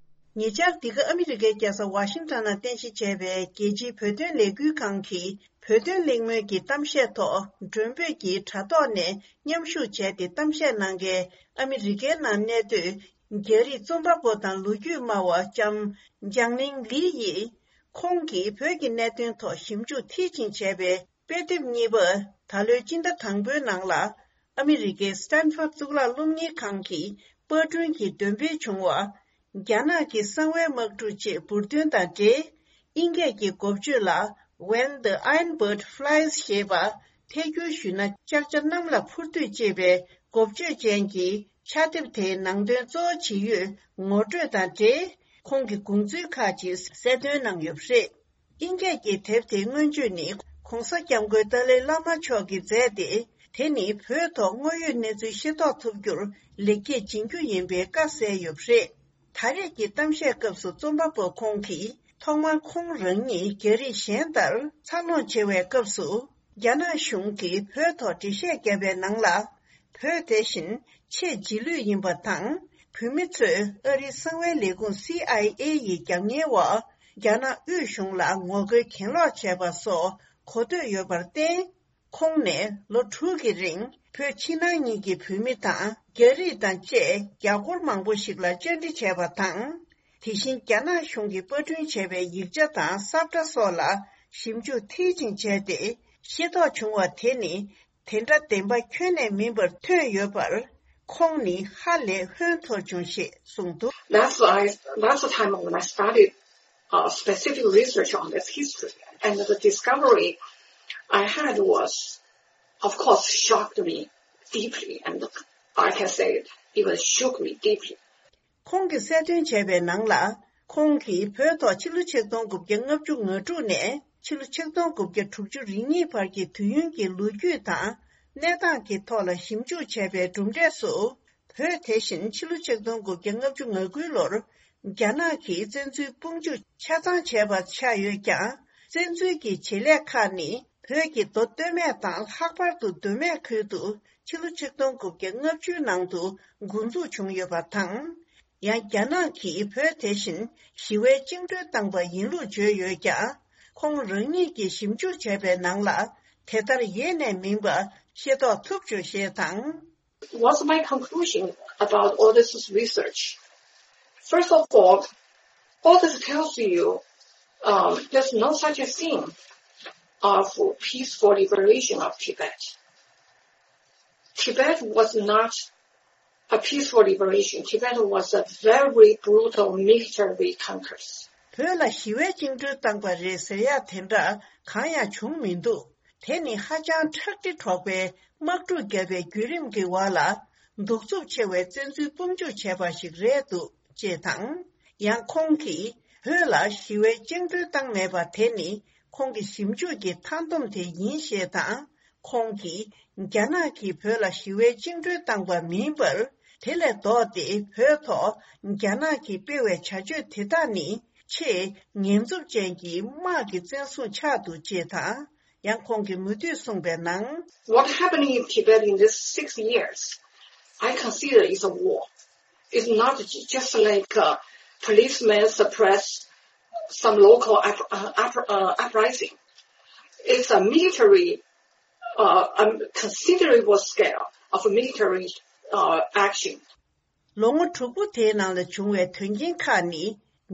ཉེ་ཆར་འདི་ག་ཨ་མི་རི་ཀའི་རྒྱལ་ས་ཝ་ཤིང་ཊོན་ནང་རྟེན་གཞི་བྱས་པའི་རྒྱལ་སྤྱིའི་བོད་དོན་ལས་འགུལ་ཁང་གིས་བོད་དོན་གླེང་མོལ་གྱི་གཏམ་བཤད་ཐོག་མགྲོན་འབོད་ཀྱི་དྲ་ཐོག་ནས་མཉམ་ཞུགས་བྱས་ཏེ་གཏམ་བཤད་གནང་མཁན་ཨ་མི་རི་ཀའི་ནང་གནས་སྡོད་རྒྱ་རིགས་རྩོམ་པ་པོ་དང་ལོ་རྒྱུས་སྨྲ་བ་ལྕམ་འཇང་ལིང་ལི་ཡིས། ཁོང་གིས་བོད་ཀྱི་གནད་དོན་ཐོག་ཞིབ་འཇུག་མཐིལ་ཕྱིན་བྱས་པའི་དཔེ་དེབ་གཉིས་པ་ད་ལོའི་སྤྱི་ཟླ་དང་པོའི་ནང་ལ། ཨ་མི་རི་ཀའི་སི་ཏན་ཕོར་གཙུག་ལག་སློབ་གཉེར་ཁང་གི་པར་སྐྲུན་གྱི་འདོན་སྤེལ་བྱུང་བ། རྒྱ་ནག་གི་གསང་བའི་དམག་འཁྲུག་ཅེས་འབུར་འདོན་དང་འབྲེལ། དབྱིན་སྐད་ཀྱི་འགོ་བརྗོད་ལ། When the Iron Bird Flies ཞེས་པ་ཐད་སྒྱུར་ཞུས་ན། ལྕགས་བྱ་གནམ་ལ་འཕུར་དུས་ཅེས་པའི་འགོ་བརྗོད་ཅན་གྱི་ཕྱག་དེབ་དེའི་ནང་དོན་གཙོ་བོ་ཇི་ཡོད་ངོ་སྤྲོད་དང་འབྲེལ། ཁོང་གི་དགོངས་ཚུལ་ཁག་ཅིག་གསལ་སྟོན་གནང་ཡོད་པ་རེད། དབྱིན་སྐད་ཀྱི་དེབ་དེའི་མངོན་བརྗོད་ནི། ྋགོང་ས་ྋསྐྱབས་མགོན་ཏཱ་ལའི་བླ་མ་མཆོག་གིས་མཛད་དེ། དེ་ནི་བོད་ཐོག་དངོས་ཡོད་གནས་ཚུལ་ཤེས་རྟོགས་ཐུབ་རྒྱུར་ལེགས་སྐྱེས་སྦྱིན་རྒྱུ་ཡིན་པའི་བཀའ་གསལ་ཡོད་པ་རེད། ད་རེས་ཀྱི་གཏམ་བཤད་སྐབས་སུ་རྩོམ་པ་པོ་ཁོང་གིས། ཐོག་མར་ཁོང་རང་ཉིད་རྒྱ་རིགས་གཞན་ལྟར་འཚར་ལོངས་བྱེད་པའི་སྐབས་སུ། རྒྱ་ནག་གཞུང་གིས་བོད་ཐོག་འགྲེལ་བཤད་བརྒྱབ་པའི་ནང་ལ། བོད་དེ་བཞིན་ཆེས་རྗེས་ལུས་ཡིན་པ་དང་། བོད་མི་ཚོས་ཨ་རིའི་གསང་བའི་ལས་ཁུངས་སི་ཨའི་ཨེ་ཡི་རྒྱབ་གཉེར་འོག་རྒྱ་ནག་དབུས་གཞུང་ལ་ངོ་རྒོལ་གྱེན་ལོག་བྱས་པ་སོགས་གོ་ཐོས་ཡོད་པར་བརྟེན། ཁོང་ནས་ལོ་དྲུག་གི་རིང་བོད་ཕྱི་ནང་གཉིས་ཀྱི་བོད་མི་དང་རྒྱ་རིགས་དང་བཅས་རྒྱ་སྒོར་མང་པོ་ཞིག་ལ་བཅར་འདྲི་བྱས་པ་དང་། དེ་བཞིན་རྒྱ་ནག་གཞུང་གིས་པར་སྐྲུན་བྱས་པའི་ཡིག་ཆ་དང་ས་བཀྲ་སོགས་ལ་ཞིབ་འཇུག་མཐིལ་ཕྱིན་བྱས་ཏེ་ཤེས་རྟོགས་བྱུང་བ་དེ་ནི། དེ་འདྲ་བདེན་པ་ཁྱོན་ནས་མིན་པར་ཐོན་ཡོད་པར། ཁོང་ནི་ཧ་ལས་ཧོན་ཐོར་བྱུང་ཞེས་གསུངས་འདུག། That's why, that's the time when I started uh, specific research on this history. And the discovery I had was, of course, shocked me deeply. And I can say it even shook me deeply. ཁོང་གིས་གསལ་སྟོན་བྱས་པའི་ནང་ལ། ཁོང་གིས་བོད་ཐོག་ཕྱི་ལོ་ཆིག་སྟོང་དགུ་བརྒྱ་ལྔ་བཅུ་ང་དྲུག་ནས་ཕྱི་ལོ་ཆིག་སྟོང་དགུ་བརྒྱ་དྲུག་ཅུ་རེ་གཉིས་བར་གྱི་དུས་ཡུན་གྱི་ལོ་རྒྱུས་དང་གནས་སྟངས་ཀྱི་ཐོག་ལ་ཞིབ་འཇུག་བྱས་པའི་གྲུབ་འབྲས་སུ། བོད་དེ་བཞིན་ཕྱི་ལོ་ཆིག་སྟོང་དགུ་བརྒྱ་ལྔ་བཅུ་ང་དགུའི་ལོར་རྒྱ་ནག་གིས་བཙན་འཛུལ་དཔུང་འཇུག་ཆ་ཚང་བྱས་པ་ཆགས་ཡོད་ཀྱང་། བཙན་འཛུལ་གྱི་བྱེད་ལས་ཁག་ནི་བོད་ཀྱི་མདོ་སྟོད་སྨད་དང་ལྷག་པར་དུ་མདོ་སྨད་ཁུལ་དུ་ཕྱི་ལོ་ཆིག་སྟོང་དགུ་བརྒྱ་ལྔ་བཅུའི་ནང་དུ་འགོ་འཛུགས་བྱུང་ཡོད་པ་དང་། ཡང་རྒྱ་ནག་གིས་བོད་དེ་བཞིན་ཞི་བའི་བཅིངས་འགྲོལ་བཏང་པ་ཡིན་ལུགས་བརྗོད་ཡོད་ཀྱང་། ཁོང་རང་ཉིད་ཀྱིས་ཞིབ་འཇུག་བྱས་པའི་ནང་ལ་དེ་ལྟར་ཡེ་ནས་མིན་པ་ཤེས་རྟོགས་ཐུབ་བྱུང་ཞེས་དང་། What's my conclusion about all this research? First of all, all this tells you, um, there's no such a thing of peaceful liberation of Tibet. Tibet was not a peaceful liberation. Tibet was a very brutal military conquest. བོད་ལ་ཞི་བའི་བཅིངས་འགྲོལ་བཏང་པ་རེད་ཟེར་ཡག་དེ་འདྲ་གང་ཡང་བྱུང་མི་འདུག་དེ་ནི་ཧ་ཅང་ཁྲག་དྲི་དྲོགས་པའི་དམག་འཁྲུག་བརྒྱབ་པའི་བརྒྱུད་རིམ་གྱི་འོག་ལ་གདུག་རྩུབ་ཆེ་བའི་བཙན་འཛུལ་དཔུང་འཇུག་བྱས་པ་ཞིག་རེད་འདུག་ཅེས་དང་། ཡང་ཁོང་གིས་བོད་ལ་ཞི་བའི་བཅིངས་འགྲོལ་བཏང་མེད་པ་དེ་ནི་ཁོང་གི་ཞིབ་འཇུག་གི་མཐའ་སྡོམ་དེ་ཡིན་ཞེས་དང་། ཁོང་གིས་རྒྱ་ནག་གིས་བོད་ལ་ཞི་བའི་བཅིངས་འགྲོལ་བཏང་པ་མིན་པར། དེ་ལས་ལྡོག་སྟེ་བོད་ཐོག་རྒྱ་ནག་གིས་སྤེལ་བའི་བྱ་སྤྱོད་དེ་དག་ནི་ཆེས་ཉེས་འཛུགས་ཅན་གྱི་དམག་གི་བཙན་བཟུང་ཆགས་འདུག་ཅེས་དང་། ཡང་ཁོང་གིས་མུ་མཐུད་གསུངས་པའི་ནང་། What happened in Tibet in these six years, I consider is a war. It's not ju- just like a policeman suppress some local up, uh, up, uh, uprising. It's a military, uh, a considerable scale of military, uh, action. ལོ་ངོ་དྲུག་པོ་དེའི་ནང་ལ་བྱུང་བའི་དོན་རྐྱེན་ཁག་ནི་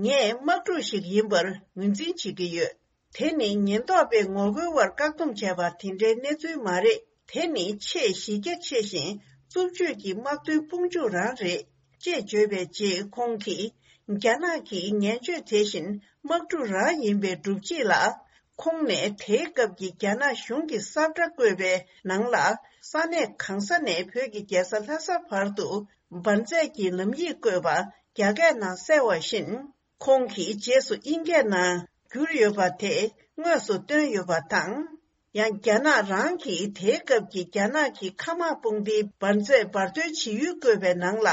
ངས་དམག་འཁྲུག་ཞིག་ཡིན་པར་ངོས་འཛིན་བྱེད་ཀྱི་ཡོད། དེ་ནི་ཉེན་རྟོག་པས་ངོ་རྒོལ་བར་བཀག་སྡོམ་བྱས་པ་དེ་འདྲའི་གནས་ཚུལ་མ་རེད། དེ་ནི་ཆེས་གཞི་རྒྱ་ཆེ་ཞིང་རྩུབ་སྤྱོད་ཀྱི་དམག་དོན་དཔུང་འཇུག་རང་རེད། ཅེས་བརྗོད་པའི་རྗེས་ཁོང་གིས། རྒྱ་ནག་གིས་ངན་སྤྱོད་དེ་བཞིན་དམག་འཁྲུག་རང་ཡིན་པའི་སྒྲུབ་བྱེད་ལ། ཁོང་ནས་དེའི་སྐབས་ཀྱི་རྒྱ་ནག་གཞུང་གི་ས་བཀྲ་བཀོད་པའི་ནང་ལ། ས་གནས་གང་ས་ནས་བོད་ཀྱི་རྒྱལ་ས་ལྷ་ས་བར་དུ་འབར་རྫས་ཀྱི་ལམ་ཡིག་བཀོད་པ་རྒྱ་སྐད་ནང་གསལ་བ་བཞིན། ཁོང་གིས་རྗེས་སུ་དབྱིན་སྐད་ནང་བསྒྱུར་ཡོད་པ་དེ་དངོས་སུ་བཏོན་ཡོད་པ་དང་། ཡང་རྒྱ་ནག་རང་གིས་དེའི་སྐབས་ཀྱི་རྒྱ་ནག་གི་མཁའ་དམག་དཔུང་སྡེའི་འབར་རྫས་འབར་འདོན་བྱེད་ཡུལ་བཀོད་པའི་ནང་ལ་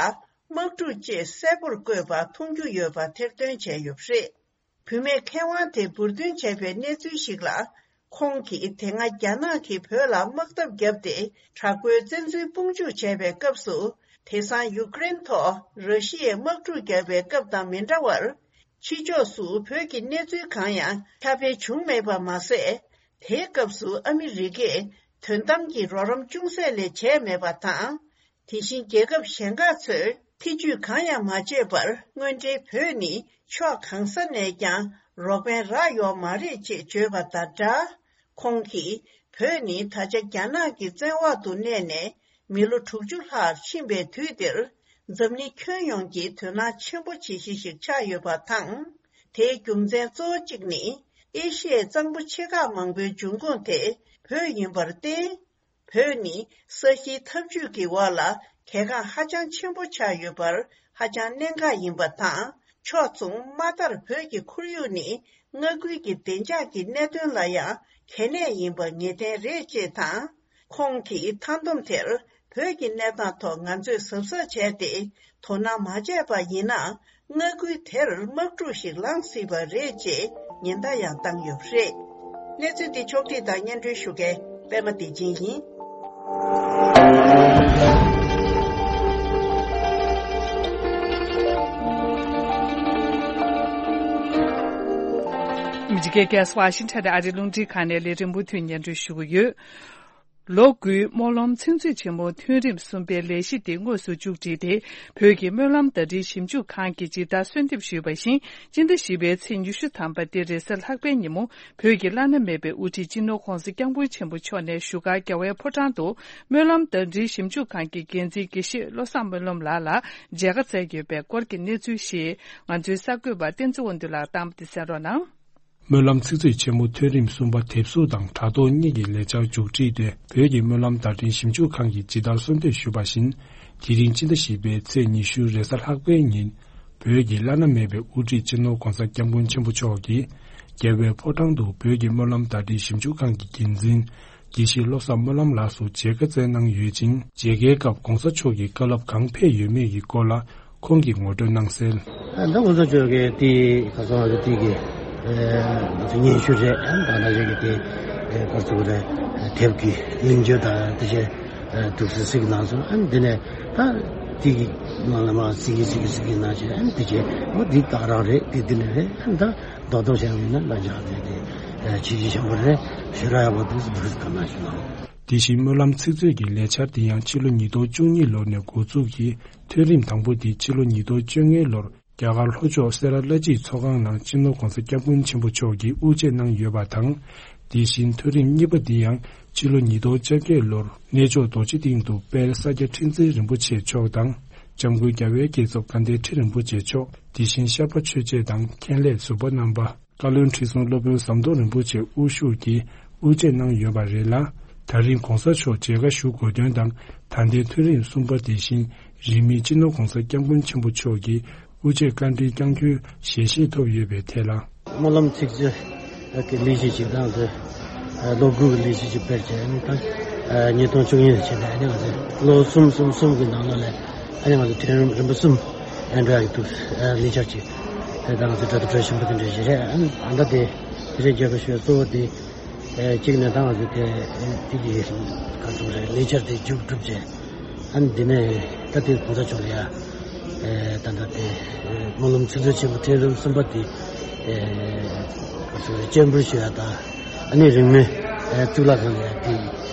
དམག་འཁྲུག་ཅེས་གསལ་པོར་བཀོད་པ་མཐོང་རྒྱུ་ཡོད་པ་ཐེར་འདོན་བྱས་ཡོད་པ་རེད། བུད་མེད་མཁས་དབང་དེ་འབུར་འདོན་བྱས་པའི་གནས་ཚུལ་ཞིག་ལ། ཁོང་གིས་དེ་སྔ་རྒྱ་ནག་གིས་བོད་ལ་དམག་འཐབ་བརྒྱབ་སྟེ་དྲག་པོའི་བཙན་འཛུལ་དཔུང་འཇུག་བྱས་པའི་སྐབས་སུ། དེང་སང་ཡུཀ་རེན་ཐོག་ར་ཤི་ཡས་དམག་འཁྲུག་བརྒྱབ་པའི་སྐབས་དང་མི་འདྲ་བར། ཕྱི་ཕྱོགས་སུ་བོད་ཀྱི་གནས་ཚུལ་གང་ཡང་ཁྱབ་སྤེལ་བྱུང་མེད་པ་མ་ཟད། དེའི་སྐབས་སུ་ཨ་མི་རི་ཀས་དོན་དམ་གྱི་རོགས་རམ་ཅུང་ཟད་ལས་བྱས་མེད་པ་དང་། དེ་བཞིན་རྒྱལ་ཁབ་གཞན་ཁག་ཚོས་ཐེ་ཇུས་གང་ཡང་མ་བྱས་པར། དངོས་འབྲེལ་བོད་ནི་ཕྱོགས་གང་ས་ནས་ཀྱང་རོགས་ཕན་རག་ཡོད་མ་རེད་ཅེས་བརྗོད་པ་དང་སྦྲགས། ཁོང་གིས་བོད་ནི་ད་ཆ་རྒྱ་ནག་གི་བཙན་འོག་ཏུ་གནས་ནས་མི་ལོ་དྲུག་ཅུ་ལྷག་ཕྱིན་པའི་དུས་འདིར། འཛམ་གླིང་ཁྱོན་ཡོངས་ཀྱི་དོ་སྣང་ཆེན་པོ་བྱེད་གཞི་ཞིག་ཆགས་ཡོད་པ་དང་། དེའི་རྒྱུ་མཚན་གཙོ་བོ་གཅིག་ནི། ཨེ་ཤི་ཡའི་གཙང་པོ་ཆེ་ཁག་མང་པོའི་འབྱུང་ཁུངས་དེ་བོད་ཡིན་པར་བརྟེན། བོད་ནི་ས་གཞིའི་འཐབ་ཇུས་ཀྱི་འོག་ལ་གལ་འགངས་ཧ་ཅང་ཆེན་པོ་ཆགས་ཡོད་པར་ཧ་ཅང་གནད་འགག་ཡིན་པ་དང་། ཕྱོགས་མཚུངས་མ་མཐར་བོད་ཀྱི་ཁོར་ཡུག་ནི་མངའ་ཁུལ་གྱི་བདེ་འཇགས་ཀྱི་གནད་དོན་ལ་ཡང་གལ་གནད་ཡིན་པ་ངེས་གཏན་རེད་ཅེས་དང་། ཁོང་གིས་མཐའ་སྡོམ་དེར་བོད་ཀྱི་གནས་སྟངས་ཐོག་ང་ཚོས་གཟབ་གཟབ་བྱས་ཏེ་དོ་སྣང་མ་བྱས་པ་ཡིན་ན། མངའ་ཁུལ་དེར་དམག་འཁྲུག་ཞིག་ལངས་སྲིད་པ་རེད་ཅེས་ཉེན་བརྡ་ཡང་བཏང་ཡོད་པ་རེད། གནས་ཚུལ་འདི་ཕྱོགས་བསྒྲིགས་དང་སྙན་སྒྲོན་ཞུ་མཁན་པད་མ་བདེ་ཆེན་ཡིན། ཨ་མི་རི་ཀའི་རྒྱལ་ས་ཝ་ཤིང་ཊོན་ཨ་རིའི་རླུང་འཕྲིན་ཁང་ནས་ལས་རིམ་མུ་མཐུད་སྙན་སྒྲོན་ཞུ་གི་ཡོད། ལོ་དགུའི་སྨོན་ལམ་ཚིག་མཛོད་ཆེན་མོ་ཐོན་རིམ་གསུམ་པའི་ལས་གཞི་དེ་དངོས་སུ་མཇུག་བསྒྲིལ་ཏེ། བོད་ཀྱི་སྨོན་ལམ་བརྡ་འཕྲིན་ཞིབ་འཇུག་ཁང་གིས་ཇི་ལྟར་གསོལ་འདེབས་ཞུས་པ་བཞིན། སྤྱི་ཟླ་བཞི་པའི་ཚེས་ཉི་ཤུ་ཐམ་པ་སྟེ་རེས་གཟའ་ལྷག་པའི་ཉིན་མོ། བོད་ཀྱི་བླ་ན་མེད་པའི་དབུ་ཁྲིད་སྤྱི་ནོར་༧གོང་ས་༧སྐྱབས་མགོན་ཆེན་པོ་མཆོག་ནས་བཞུགས་སྒར་རྒྱལ་བའི་ཕོ་བྲང་དུ་སྨོན་ལམ་བརྡ་འཕྲིན་ཞིབ་འཇུག་ཁང་གི་འགན་འཛིན་དགེ་བཤེས་བློ་བཟང་སྨོན་ལམ་ལགས་ལ་མཇལ་ཁ་བསྩལ་ཡོད་པའི་སྐོར་གྱི་གནས་ཚུལ་ཞིག་ང་ཚོའི་གསར་འགོད་པ་བསྟན་འཛིན་དབང་འདུས་ལགས་དང་པོ་དེ་གསན་རོགས་གནང་། སྨོན་ལམ་ཚིག་མཛོད་ཆེན་མོ་ཐོན་རིམ་གསུམ་པ་དེབ་གཟུགས་དང་དྲ་ཐོག་གཉིས་ཀྱི་ལས་འཆར་མཇུག་སྒྲིལ་ཏེ། བོད་ཀྱི་སྨོན་ལམ་བརྡ་འཕྲིན་ཞིབ་འཇུག་ཁང་གིས་ཇི་ལྟར་གསོལ་འདེབས་ཞུས་པ་བཞིན། དེ་རིང་སྤྱི་ཟླ་བཞི་པའི་ཚེས་ཉི་ཤུ་རེས་གཟའ་ལྷག་པའི་ཉིན། བོད་ཀྱི་བླ་ན་མེད་པའི་དབུ་ཁྲིད་སྤྱི་ནོར་༧གོང་ས་༧སྐྱབས་མགོན་ཆེན་པོ་མཆོག་གིས། རྒྱལ་བའི་ཕོ་བྲང་དུ་བོད་ཀྱི་སྨོན་ལམ་བརྡ་འཕྲིན་ཞིབ་འཇུག་ཁང་གི་འགན་འཛིན། དགེ་བཤེས་བློ་བཟང་སྨོན་ལམ་ལགས་སུ་མཇལ་ཁ་བསྩལ་གནང་ཡོད་ཅིང་། མཇལ་ཁའི་སྐབས་༧གོང་ས་མཆོག་གི་བཀའ་སློབ་གང་ཕེབས་ཡོད་མེད་ཀྱི་སྐོར་ལ་ཁོང་གིས་ངོ་སྤྲོད་གནང་གསལ། ད་༧གོང་ས་མཆོག་གིས་དེ་ཁ་སང་རེ་དེ་གི་ཨ་ང་ཚོ་སྙན་ཞུ་རེད། ཨ་ད་ན་ཞིག་གི་དེ་ཨ་སྐོར་ཚུགས་རེད། དེབ་ཀྱི་མིང་བརྗོད་དང་དེ་བཞིན་ཨ་ཐུགས་སྲས་ཤིག་གནང་སོང་། ཨ་འདི་ནས་ད་ དེ་གི་ནང་ལ་མ་སི་གི་སི་གི་སི་གི་ན་ཆེ་ཨན་དེ་ཆེ་མོ་དེ་དག་རང་རེད། དེ་དེ་ནས་རེད། ཨན་ད་རྡོག་རྡོག་བྱས་ཡིན་ན་ལ་འཇགས་དེ་དེ་ཆེ་ཆེ་ཆེན་པོ་རེད། ཞེ་དྲག་ཡག་པོ་འདུག་འདུག་ག་ན་ཞུ་ན། དེ་བཞིན་སྨོན་ལམ་ཚིག་མཛོད་ཀྱི་ལས་འཆར་དེ་ཡང་ཕྱི་ལོ་ཉིས་སྟོང་བཅུ་གཉིས་ལོ་ནས་འགོ་འཛུགས་ཀྱིས། ཐོན་རིམ་དང་པོ་དེ་ཕྱི་ལོ་ཉིས་སྟོང་བཅོ་ལྔ་ལོར་རྒྱ་གར་ལྷོ་ཕྱོགས་སེ་ར་བླ་སྤྱིའི་ཚོགས་ཁང་ནང་སྤྱི་ནོར་༸གོང་ས་༸སྐྱབས་མགོན་ཆེན་པོ་མཆོག་གིས་དབུ་འབྱེད་གནང་ཡོད་པ་དང་། དེ་བཞིན་ཐོན་རིམ་གཉིས་པ་འདི་ཡང་ཕྱི་ལོ་ཉིས་སྟོང་བཅོ་བརྒྱད་ལོར་གནས་མཆོག་རྡོ་རྗེ་གདན་དུ་དཔལ་ས་སྐྱ་ཁྲི་འཛིན་རིན་པོ་ཆེ་མཆོག་དང་། འཇམ་མགོན་རྒྱལ་བའི་བསྐྱེད་རྫོགས་དགའ་ལྡན་ཁྲི་རིན་པོ་ཆེ་མཆོག་དེ་བཞིན་ཤར་པ་ཆོས་རྗེ་དང་མཁན་སློབ་ཟུར་པ་རྣམ་པ། བཀའ་བློན་ཁྲི་ཟུར་སློབ་དཔོན་ཟམ་གདོང་རིན་པོ་ཆེ་དབུ་བཞུགས་ཀྱིས་དབུ་འབྱེད་གནང་ཡོད་པ་རེད་ལ། ད་རིང་༸གོང་ས་མཆོག་མཇལ་ཁ་ཞུ་དགོས་དོན་དང་། ད་ལྟའི་ཐོན་རིམ་གསུམ་པ་དེ་བཞིན་རིང་མིན་སྤྱི་ནོར་༸གོང་ས་༸སྐྱབས་མགོན་ཆེན་པོ་མཆོག་གིས་དབུ་འབྱེད་བཀའ་འདྲི་བསྐྱང་རྒྱུའི་ཞལ་བཞེས་ཐོབ་ཡོད་པའི་ཐད་ལ། སྨོན་ལམ་ཚིག་མཛོད་ཀྱི་ལས་གཞི་ཞིག་དང་དེ་ལོ་དགུ་གི་ལས་གཞི་ཞིག་སྤེལ་བྱས་ནས་ད་ཉིས་སྟོང་བཅུ་གཉིས་ལ་བྱས་ནས་ཨ་ནི་ང་ཚོས་ལོ་གསུམ་གསུམ་གསུམ་གྱི་ནང་ལོགས་ལ། ཨ་ནི་ང་ཚོ་ཐོན་རིམ་རིམ་པ་གསུམ་ཨེ་འགྲོ་ཡག་གི་འདུག་ཨ་ལས་འཆར་ཅིག་ཨེ་ད་ང་ཚོ་གྲ་སྒྲིག་གྲ་ཞིམ་པོ་དེ་འདྲ་ཞིག་རེད། ཨ་ནི་ད་ལྟ་དེ་དེ་རིང་མཇལ་ཁ་ཞུ་བའི་གཙོ་བོ་དེ་ཨེ་གཅིག་ནས་ད་ང་ཚོ་དེ་དེ་གི་ག་ཚོད་རེད། ལས་འཆར་དེ་མཇུག་གྲུབ་རྗེས་ཨ་ནི་འདི་ནས་ད་དེ་གོང་ས་མཆོག་ལ་ཡ་ཨེ་ད་ལྟ་དེ་ཨེ་སྨོན་ལམ་ཚིག་མཛོད་ཆེན་པོ་ཐོན་རིམ་གསུམ་པ་དེ་ཨེ་ག་ཚོད་རེད། སྤྱན་འབུལ་ཞུ་ཡ་དང་ཨ་ནི་རིང་མིན་ཨེ་གཙུག་ལག་ཁང་ལ་ཡ་དེ་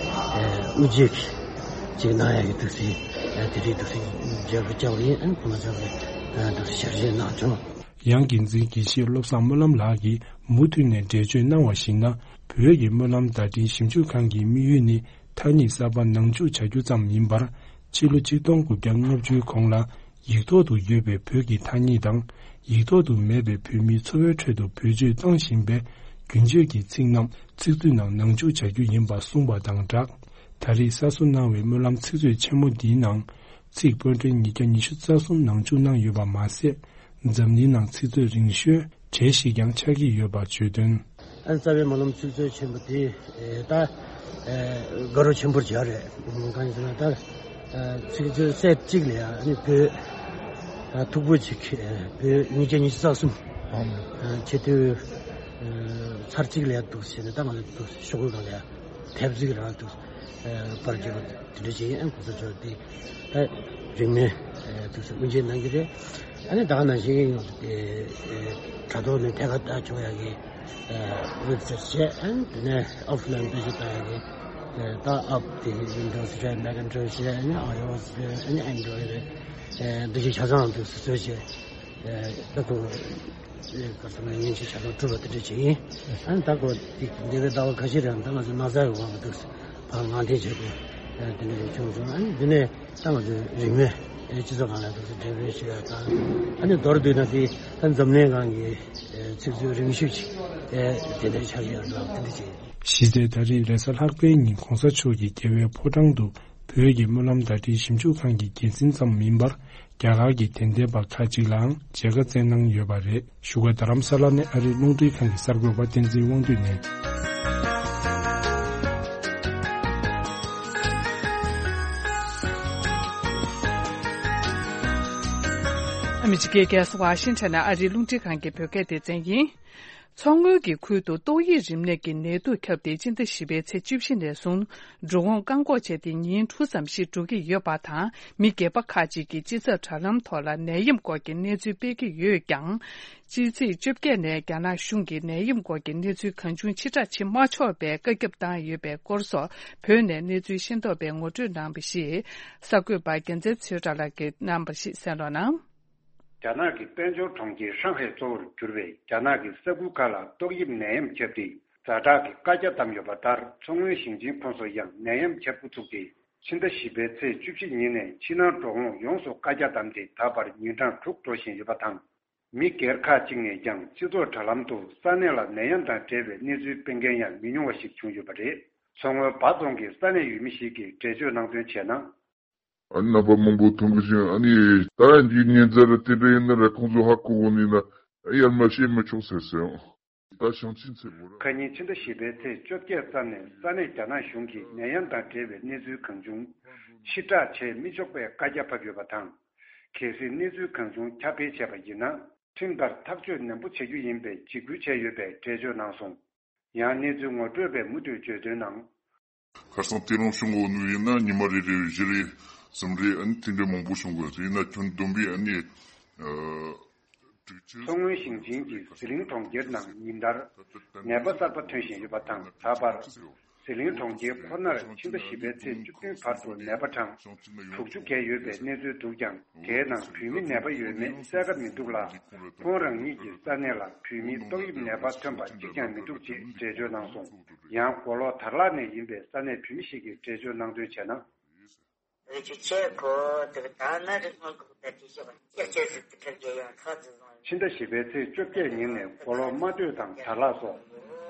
ཨེ་དབུ་འབྱེད་ཀྱི་ཅིག་གནང་ཡག་གི་འདུག་སེ། དེ་རིང་འདུག་སེ་མཇལ་ཁ་བསྐྱངས་པ་ཡིན། ཨ་ནི་ཁོང་ཚོ་གིས་འདུག་སེ་ཞལ་བཞེས་གནང་བྱུང་། ཡང་འགན་འཛིན་དགེ་བཤེས་བློ་བཟང་སྨོན་ལམ་ལགས་ཀྱིས་མུ་མཐུད་ནས་འགྲེལ་བརྗོད་གནང་བར་གཞིགས་ན། བོད་ཀྱི་སྨོན་ལམ་བརྡ་འཕྲིན་ཞིབ་འཇུག་ཁང་གི་དམིགས་ཡུལ་ནི་ཐ་སྙད་གསར་པ་ནང་འཇུག་བྱ་རྒྱུ་ཙམ་མིན་པར། ཕྱི་ལོ་ཆིག་སྟོང་དགུ་བརྒྱ་ལྔ་བཅུའི་གོང་ལ་ཡིག་ཐོག་ཏུ་ཡོད་པའི་བོད་ཀྱི་ཐ་སྙད་དང་། ཡིག་ཐོག་ཏུ་མེད་པའི་བོད་མིའི་འཚོ་བའི་ཁྲོད་དུ་བེད་སྤྱོད་གཏོང་བཞིན་པའི་རྒྱུན་སྤྱོད་ཀྱི་ཚིག་རྣམས་ཚིག་མཛོད་ནང་ནང་འཇུག་བྱ་རྒྱུ་ཡིན་པ་གསུངས་པ་དང་སྦྲགས། ད་རེས་གསར་བཟོ་གནང་བའི་སྨོན་ལམ་ཚིག་མཛོད་ཆེན་མོ་འདིའི་ནང་། ཚིག་དཔར་སྐྲུན་ཉིས་བརྒྱ་ཉི་ཤུ་རྩ་གསུམ་ནང་འཇུག་གནང་ཡོད་པ་མ་ཟད། འཛམ་གླིང་ནང་ཚིག་མཛོད་རིང་ཤོས་གྲས་ཤིག་ཀྱང་ཆགས་ཀྱི་ཡོད་པ་བརྗོད་དོན། ཨ་རྩ་བའི་སྨོན་ལམ་ཚིག་མཛོད་ཆེན་པོ་དེ་ད་དགའ་རབ་ཆེན་པོར་བྱ་རེད། གང་ཡིན་ཟེར་ན་ད་ཚིག་མཛོད་སེ་གཅིག་ལ་ཡང་ནི་བོད་ཐུག་པོ་གཅིག་བོད་ཉིས་བརྒྱ་ཉི་ཤུ་རྩ་གསུམ་ཆེ་བསྟོད་ཚར་གཅིག་ལ་ཡང་འདུག་ཟེར་ནས་ད་ང་ཚོ་ཤོག་གུ་སྒང་ལ་ཡང་དེབ་གཟིགས་རང་འདུག་པར་བརྒྱབ་པ་དེ་འདྲ་བྱས་ཡིན། གོང་ས་མཆོག་དེ་ད་རིང་མིན་དུས་སུ་དབུ་འབྱེད་གནང་གི་རེད། ཨ་ནི་ད་ག་ནང་བཞིན་དྲ་ཐོག་ནས་ཐད་ཀར་ལྟ་ཆོག་ཡག་གི་ཝེབ་སའིཊ་བྱས། ཨ་ནི་དེ་ནས་ཨོཕ་ལའིན་བེད་སྤྱོད་གཏོང་ཡག་གི་ད་ཨོཕ་དེ་ཝིན་ཌོ་སི་རེད། མེག་ཨེན་ཌོ་སི་རེད། ཨ་ནི་ཨའི་ཨོ་ཨེསི་རེད། ཨ་ནི་ཨེན་ཌོ་རོ་ཌི་རེད། འདི་བཞིན་ཆ་ཚང་དུ་བཟོས་བྱས་ད་ཁོ། ག་ཚོད་ན་ཡིན་ཆེ་བྱ་ཐབས་སྒྲུབ་པ་དེ་འདྲ་བྱེད་ཡིན། ཨ་ནི་ད་ཁོ་འདས་པའི་ཟླ་བ་ཁ་ཤས་རིང་ད་ང་ཚོ་ན་ཚ་ཡི་དབང་གིས་འདུག་ཕར་ངང་འཐེན་བྱེད་དགོས་དེ་འདྲ་ཞིག་བྱུང་སོང་། ཨ་ནི་འདི་ནས་ད་ང་ཚོ་རིང་མོའི་སྤྱི་ཚོགས་ཁང་ལ་འདུག་འགྲེམས་སྤེལ་ཞུ་ཡ་དང་། ཨ་ནི་མདོར་བསྡུས་ན་དེ་ད་འཛམ་གླིང་སྒང་གི་ཚིག་མཛོད་རིང་ཤོས་ཅིག་དེ་འདྲ་ཆགས་ཀྱི་ཡོད་རེད་ལ། དེ་འདྲ་བྱེད་ཡིན། གཞི་རྩའི་ད་རེས་རེས་གཟའ་ལྷག་པའི་ཉིན་གོང་ས་མཆོག་གིས་རྒྱལ་བའི་ཕོ་བྲང་དུ་བོད་ཀྱི་སྨོན་ལམ་བརྡ་འཕྲིན་ཞིབ་འཇུག་ཁང་གི་འགན་འཛིན་ཙམ་མིན་པར། རྒྱ་གར་གྱི་དད་ལྡན་པ་ཁག་ཅིག་ལའང་མཇལ་ཁ་བསྩལ་གནང་ཡོད་པ་རེད། བཞུགས་སྒར་རྡ་རམ་ས་ལ་ནས་ཨ་རིའི་རླུང་འཕྲིན་ཁང་གི་གསར་འགོད་པ་བསྟན་འཛིན་དབང་འདུས་ནས། ཨ་མི་རི་ཀའི་རྒྱལ་ས་ཝ་ཤིང་ཊོན་ནས་ཨ་རིའི་རླུང་འཕྲིན་ཁང་གི་བོད་སྐད་སྡེ་ཚན་ཡིན། མཚོ་སྔོན་གྱི་ཁུལ་དུ་ཏོག་དབྱིབས་རིམས་ནད་ཀྱི་ནད་དུག་ཁྱབ་སྟེ། སྤྱི་ཟླ་བཞི་པའི་ཚེས་བཅུ་བཞི་ནས་བཟུང་འགྲོ་འོང་བཀག་འགོག་བྱས་ཏེ། ཉིན་དྲུག་ཙམ་ཞིག་འགྲོ་གི་ཡོད་པ་དང་། མི་སྒེར་པ་ཁག་ཅིག་གིས་སྤྱི་ཚོགས་དྲ་ལམ་ཐོག་ལ་ནད་ཡམས་སྐོར་གྱི་གནས་ཚུལ་སྤེལ་གྱི་ཡོད་ཀྱང་། ཕྱི་ཚེས་བཅོ་བརྒྱད་ནས་རྒྱ་ནག་གཞུང་གིས་ནད་ཡམས་སྐོར་གྱི་གནས་ཚུལ་གང་བྱུང་ཕྱིར་བསྒྲགས་བྱེད་མ་ཆོག་པའི་བཀའ་ཁྱབ་བཏང་ཡོད་པའི་སྐོར་སོགས། བོད་ནས་གནས་ཚུལ་ཤེས་རྟོགས་པས་ངོ་སྤྲོད་གནང་བ་ཞིག་གསར་འགོད་པ་རྒྱལ་མཚན་ཚེ་བཀྲ་ལགས་ཀྱིས་གནང་བ་ཞིག་གསན་རོགས་གནང་། རྒྱ་ནག་གི་དཔལ་འབྱོར་གྲོང་ཁྱེར་ཧྲང་ཧའེ་གཙོ་བོར་གྱུར་བའི་རྒྱ་ནག་གི་ས་ཁུལ་ཁག་ལ་ཏོག་དབྱིབས་ནད་ཡམས་ཁྱབ་སྟེ། ཛ་དྲག་གི་བཀའ་རྒྱ་བཏང་ཡོད་པ་ལྟར། མཚོ་སྔོན་ཞིང་ཆེན་ཁོངས་སུ་ཡང་ནད་ཡམས་ཁྱབ་འགོ་ཚུགས་ཏེ། ཕྱི་ཟླ་བཞི་པའི་ཚེས་བཅུ་བཞི་ཉིན་ནས་ཕྱི་ནང་འགྲོ་འོང་ཡོངས་སུ་བཀའ་རྒྱ་བཏང་སྟེ། ད་བར་ཉིན་གྲངས་དྲུག་འགྲོ་བཞིན་ཡོད་པ་དང་། མི་སྒེར་ཁག་ཅིག་ནས་ཀྱང་སྤྱི་ཚོགས་དྲ་ལམ་དུ་ས་གནས་ལ་ནད་ཡམས་དང་འབྲེལ་བའི་གནས་ཚུལ་སྤེལ་མཁན་ཡང་མི་ཉུང་བ་ཞིག་བྱུང་ཡོད་པ་རེད། མཚོ་སྔོན་སྦ་རྫོང་གི་ས་གནས་ཡུལ་མི་ཞིག་གིས་འགྲེལ་བརྗོད་གནང་དོན་བྱས་ན། ཨ་ནི་རྣམ་པ་མང་པོ་མཐོང་གི་ཅིང་། ཨ་ནི་ད་འདིའི་ཉེན་ཚབས་ར་དེ་འདྲ་ཡིན་ན་ར་ཁོང་ཚོ་ཧ་གོ་གོ་ནི་ན་ཡར་མ་བཤད་མི་ཆོག་ཟེར་སོང་། ད་ཞང་ཆེན་ཚེ་བོ་ར། ཁ་ཉིན་ཕྱི་ཟླ་བཞི་པའི་ཚེས་བཅོ་བརྒྱད་ཙམ་ནས་ས་གནས་རྒྱ་ནག་གཞུང་གིས་ནད་ཡམས་དང་འབྲེལ་བའི་གནས་ཚུལ་གང་བྱུང་ཕྱིར་བསྒྲགས་བྱེད་མི་ཆོག་པའི་བཀའ་རྒྱ་ཕབ་ཡོད་པ་དང་། གལ་སྲིད་གནས་ཚུལ་གང་བྱུང་ཁྱབ་སྤེལ་བྱས་པ་ཡིན་ན། ཁྲིམས་ལྟར་ཐག་གཅོད་ནན་པོ་བྱེད་རྒྱུ་ཡིན་པའི་འཇིགས་སྐུལ་བྱས་ཡོད་པའི་འགྲེལ་བརྗོད་གནང་སོང་། ཡང་གནས་ཚུལ་ངོ་སྤྲོད་པས་མུ་མཐུད་བརྗོད་དོན་ནང་། ཁར་སང་ཏེ་རང་ཤོང་འོ་ནུ་ཡིན་ན་ཉི་མ་རེ་རེ་བཞི་རེ་ སེམས་ཁྲལ་ཨ་ནི་དེ་འདྲ་མང་པོ་བྱུང་དགོས་ཟེར་ཡིན་ན། ཁྱོན་བསྡོམས་པས་ཨ་ནི་ཨ་དྲུག་ཅུ། མཚོ་སྔོན་ཞིང་ཆེན་གྱི་ཟི་ལིང་གྲོང་ཁྱེར་ནང་ཉིན་ལྟར་ནད་པ་གསར་པ་ཐོན་བཞིན་ཡོད་པ་དང་། ད་བར་ཟི་ལིང་གྲོང་ཁྱེར་ཁོ་ནར་ཕྱི་ཟླ་བཞི་པའི་ཚེས་བཅུ་བདུན་བར་དུ་ནད་པ་གྲངས་དྲུག་ཅུ་བརྒལ་ཡོད་པའི་གནས་ཚུལ་འདུག་ཀྱང་། དེའི་ནང་བོད་མི་ནད་པ་ཡོད་མེད་གསལ་ཁ་མི་འདུག་ལ། ཁོང་རང་ཉིད་ཀྱི་ས་གནས་ལ་བོད་མིའི་ཏོག་དབྱིབས་ནད་པ་ཐོན་པ་གཅིག་ཀྱང་མི་འདུག་ཅེས་འགྲེལ་བརྗོད་གནང་སོང་། ཡང་མགོ་ལོག་དར་ལག་ནས་ཡིན་པའི་ས་གནས་བོད་མི་ཞིག་གིས་འགྲེལ་བརྗོད་གནང་དོན་བྱས་ན། ཕྱི་ཟླ་བཞི་པའི་ཚེས་བཅོ་བརྒྱད་ཉིན་ནས་མགོ་ལོག་རྨ་སྟོད་དང་དར་ལག་སོགས་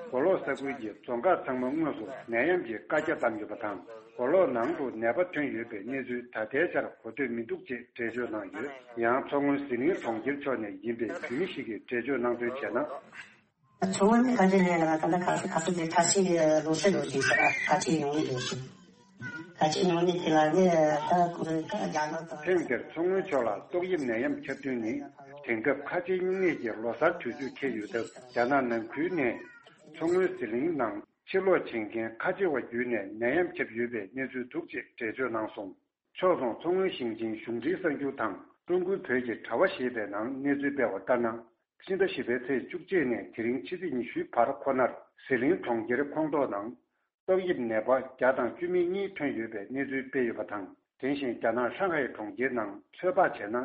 མགོ་ལོག་ས་ཁུལ་གྱི་རྫོང་ཁག་ཚང་མ་དངོས་སུ་ནད་ཡམས་ཀྱི་བཀའ་རྒྱ་བཏང་ཡོད་པ་དང་། མགོ་ལོག་ནང་དུ་ནད་པ་ཐོན་ཡོད་པའི་གནས་ཚུལ་ད་ལྟའི་ཆར་གོ་ཐོས་མི་འདུག་ཅེས་འགྲེལ་བརྗོད་གནང་ཡོད། ཡང་མཚོ་སྔོན་ཟི་ལིང་གྲོང་ཁྱེར་ཕྱོགས་ནས་ཡིན་པའི་བོད་མི་ཞིག་གིས་འགྲེལ་བརྗོད་གནང་དོན་བྱས་ན། ཚོང་ལས་ཁ་ཆེ་ལས་ལ་ད་ལྟ་ག་ཚོད་ག་ཚོད་དེ་ཁ་ཆེ་ལོ་སེ་ལོ་ཞིག་ཟེར་ཁ་ཆེ་ཡོང་གི་འདུག་ཞིང་། ཁ་ཆེ་ཡོང་གི་དེ་ལ་ནི་ད་ཁོ་རེ་ད་རྒྱ་ནག་དང་། ཐེངས་འདིར་མཚོ་སྔོན་ཕྱོགས་ལ་ཏོག་དབྱིབས་ནད་ཡམས་ཁྱབ་བསྡུས་ནི་དེང་སྐབས་ཁ་ཆེ་སྨྱུང་གནས་ཀྱི་ལོ་གསར་དུས་ཚོད་འཁེལ་ཡོད་སྟབས། རྒྱ་ནག་ནང་ཁུལ་ནས་མཚོ་སྔོན་ཟི་ལིང་ནང་ཕྱིར་ལོག་བྱེད་མཁན་ཁ་ཆེ་བ་བརྒྱུད་ནས་ནད་ཡམས་ཁྱབ་ཡོད་པའི་གནས་ཚུལ་འདུག་ཅེས་འགྲེལ་བརྗོད་གནང་སོང་། ཕྱོགས་མཚུངས་མཚོ་སྔོན་ཞིང་ཆེན་གཞུང་འབྲེལ་གསར་འགྱུར་དང་ཀྲུང་གོའི་བོད་ཀྱི་དྲ་བ་ཞེས་པའི་ནང་གནས་ཚུལ་སྤེལ་བ་ལྟར་ན། ཕྱི་ཟླ་བཞི་པའི་ཚེས་བཅུ་གཅིག་ནས་དེ་རིང་ཕྱི་ཚེས་ཉི་ཤུའི་བར་ཁོ་ནར་ཟི་ལིང་གྲོང་ཁྱེར་ཁོངས་གཏོགས་ནང་ཏོག་དབྱིབས་ནད་པ་བརྒྱ་དང་བཅུ་མེད་གཉིས་ཐོན་ཡོད་པའི་གནས་ཚུལ་སྤེལ་ཡོད་པ་དང་། དེ་བཞིན་རྒྱ་ནག་ཧྲང་ཧའེ་གྲོང་ཁྱེར་ནང་ཚོད་དཔག་བྱས་ན།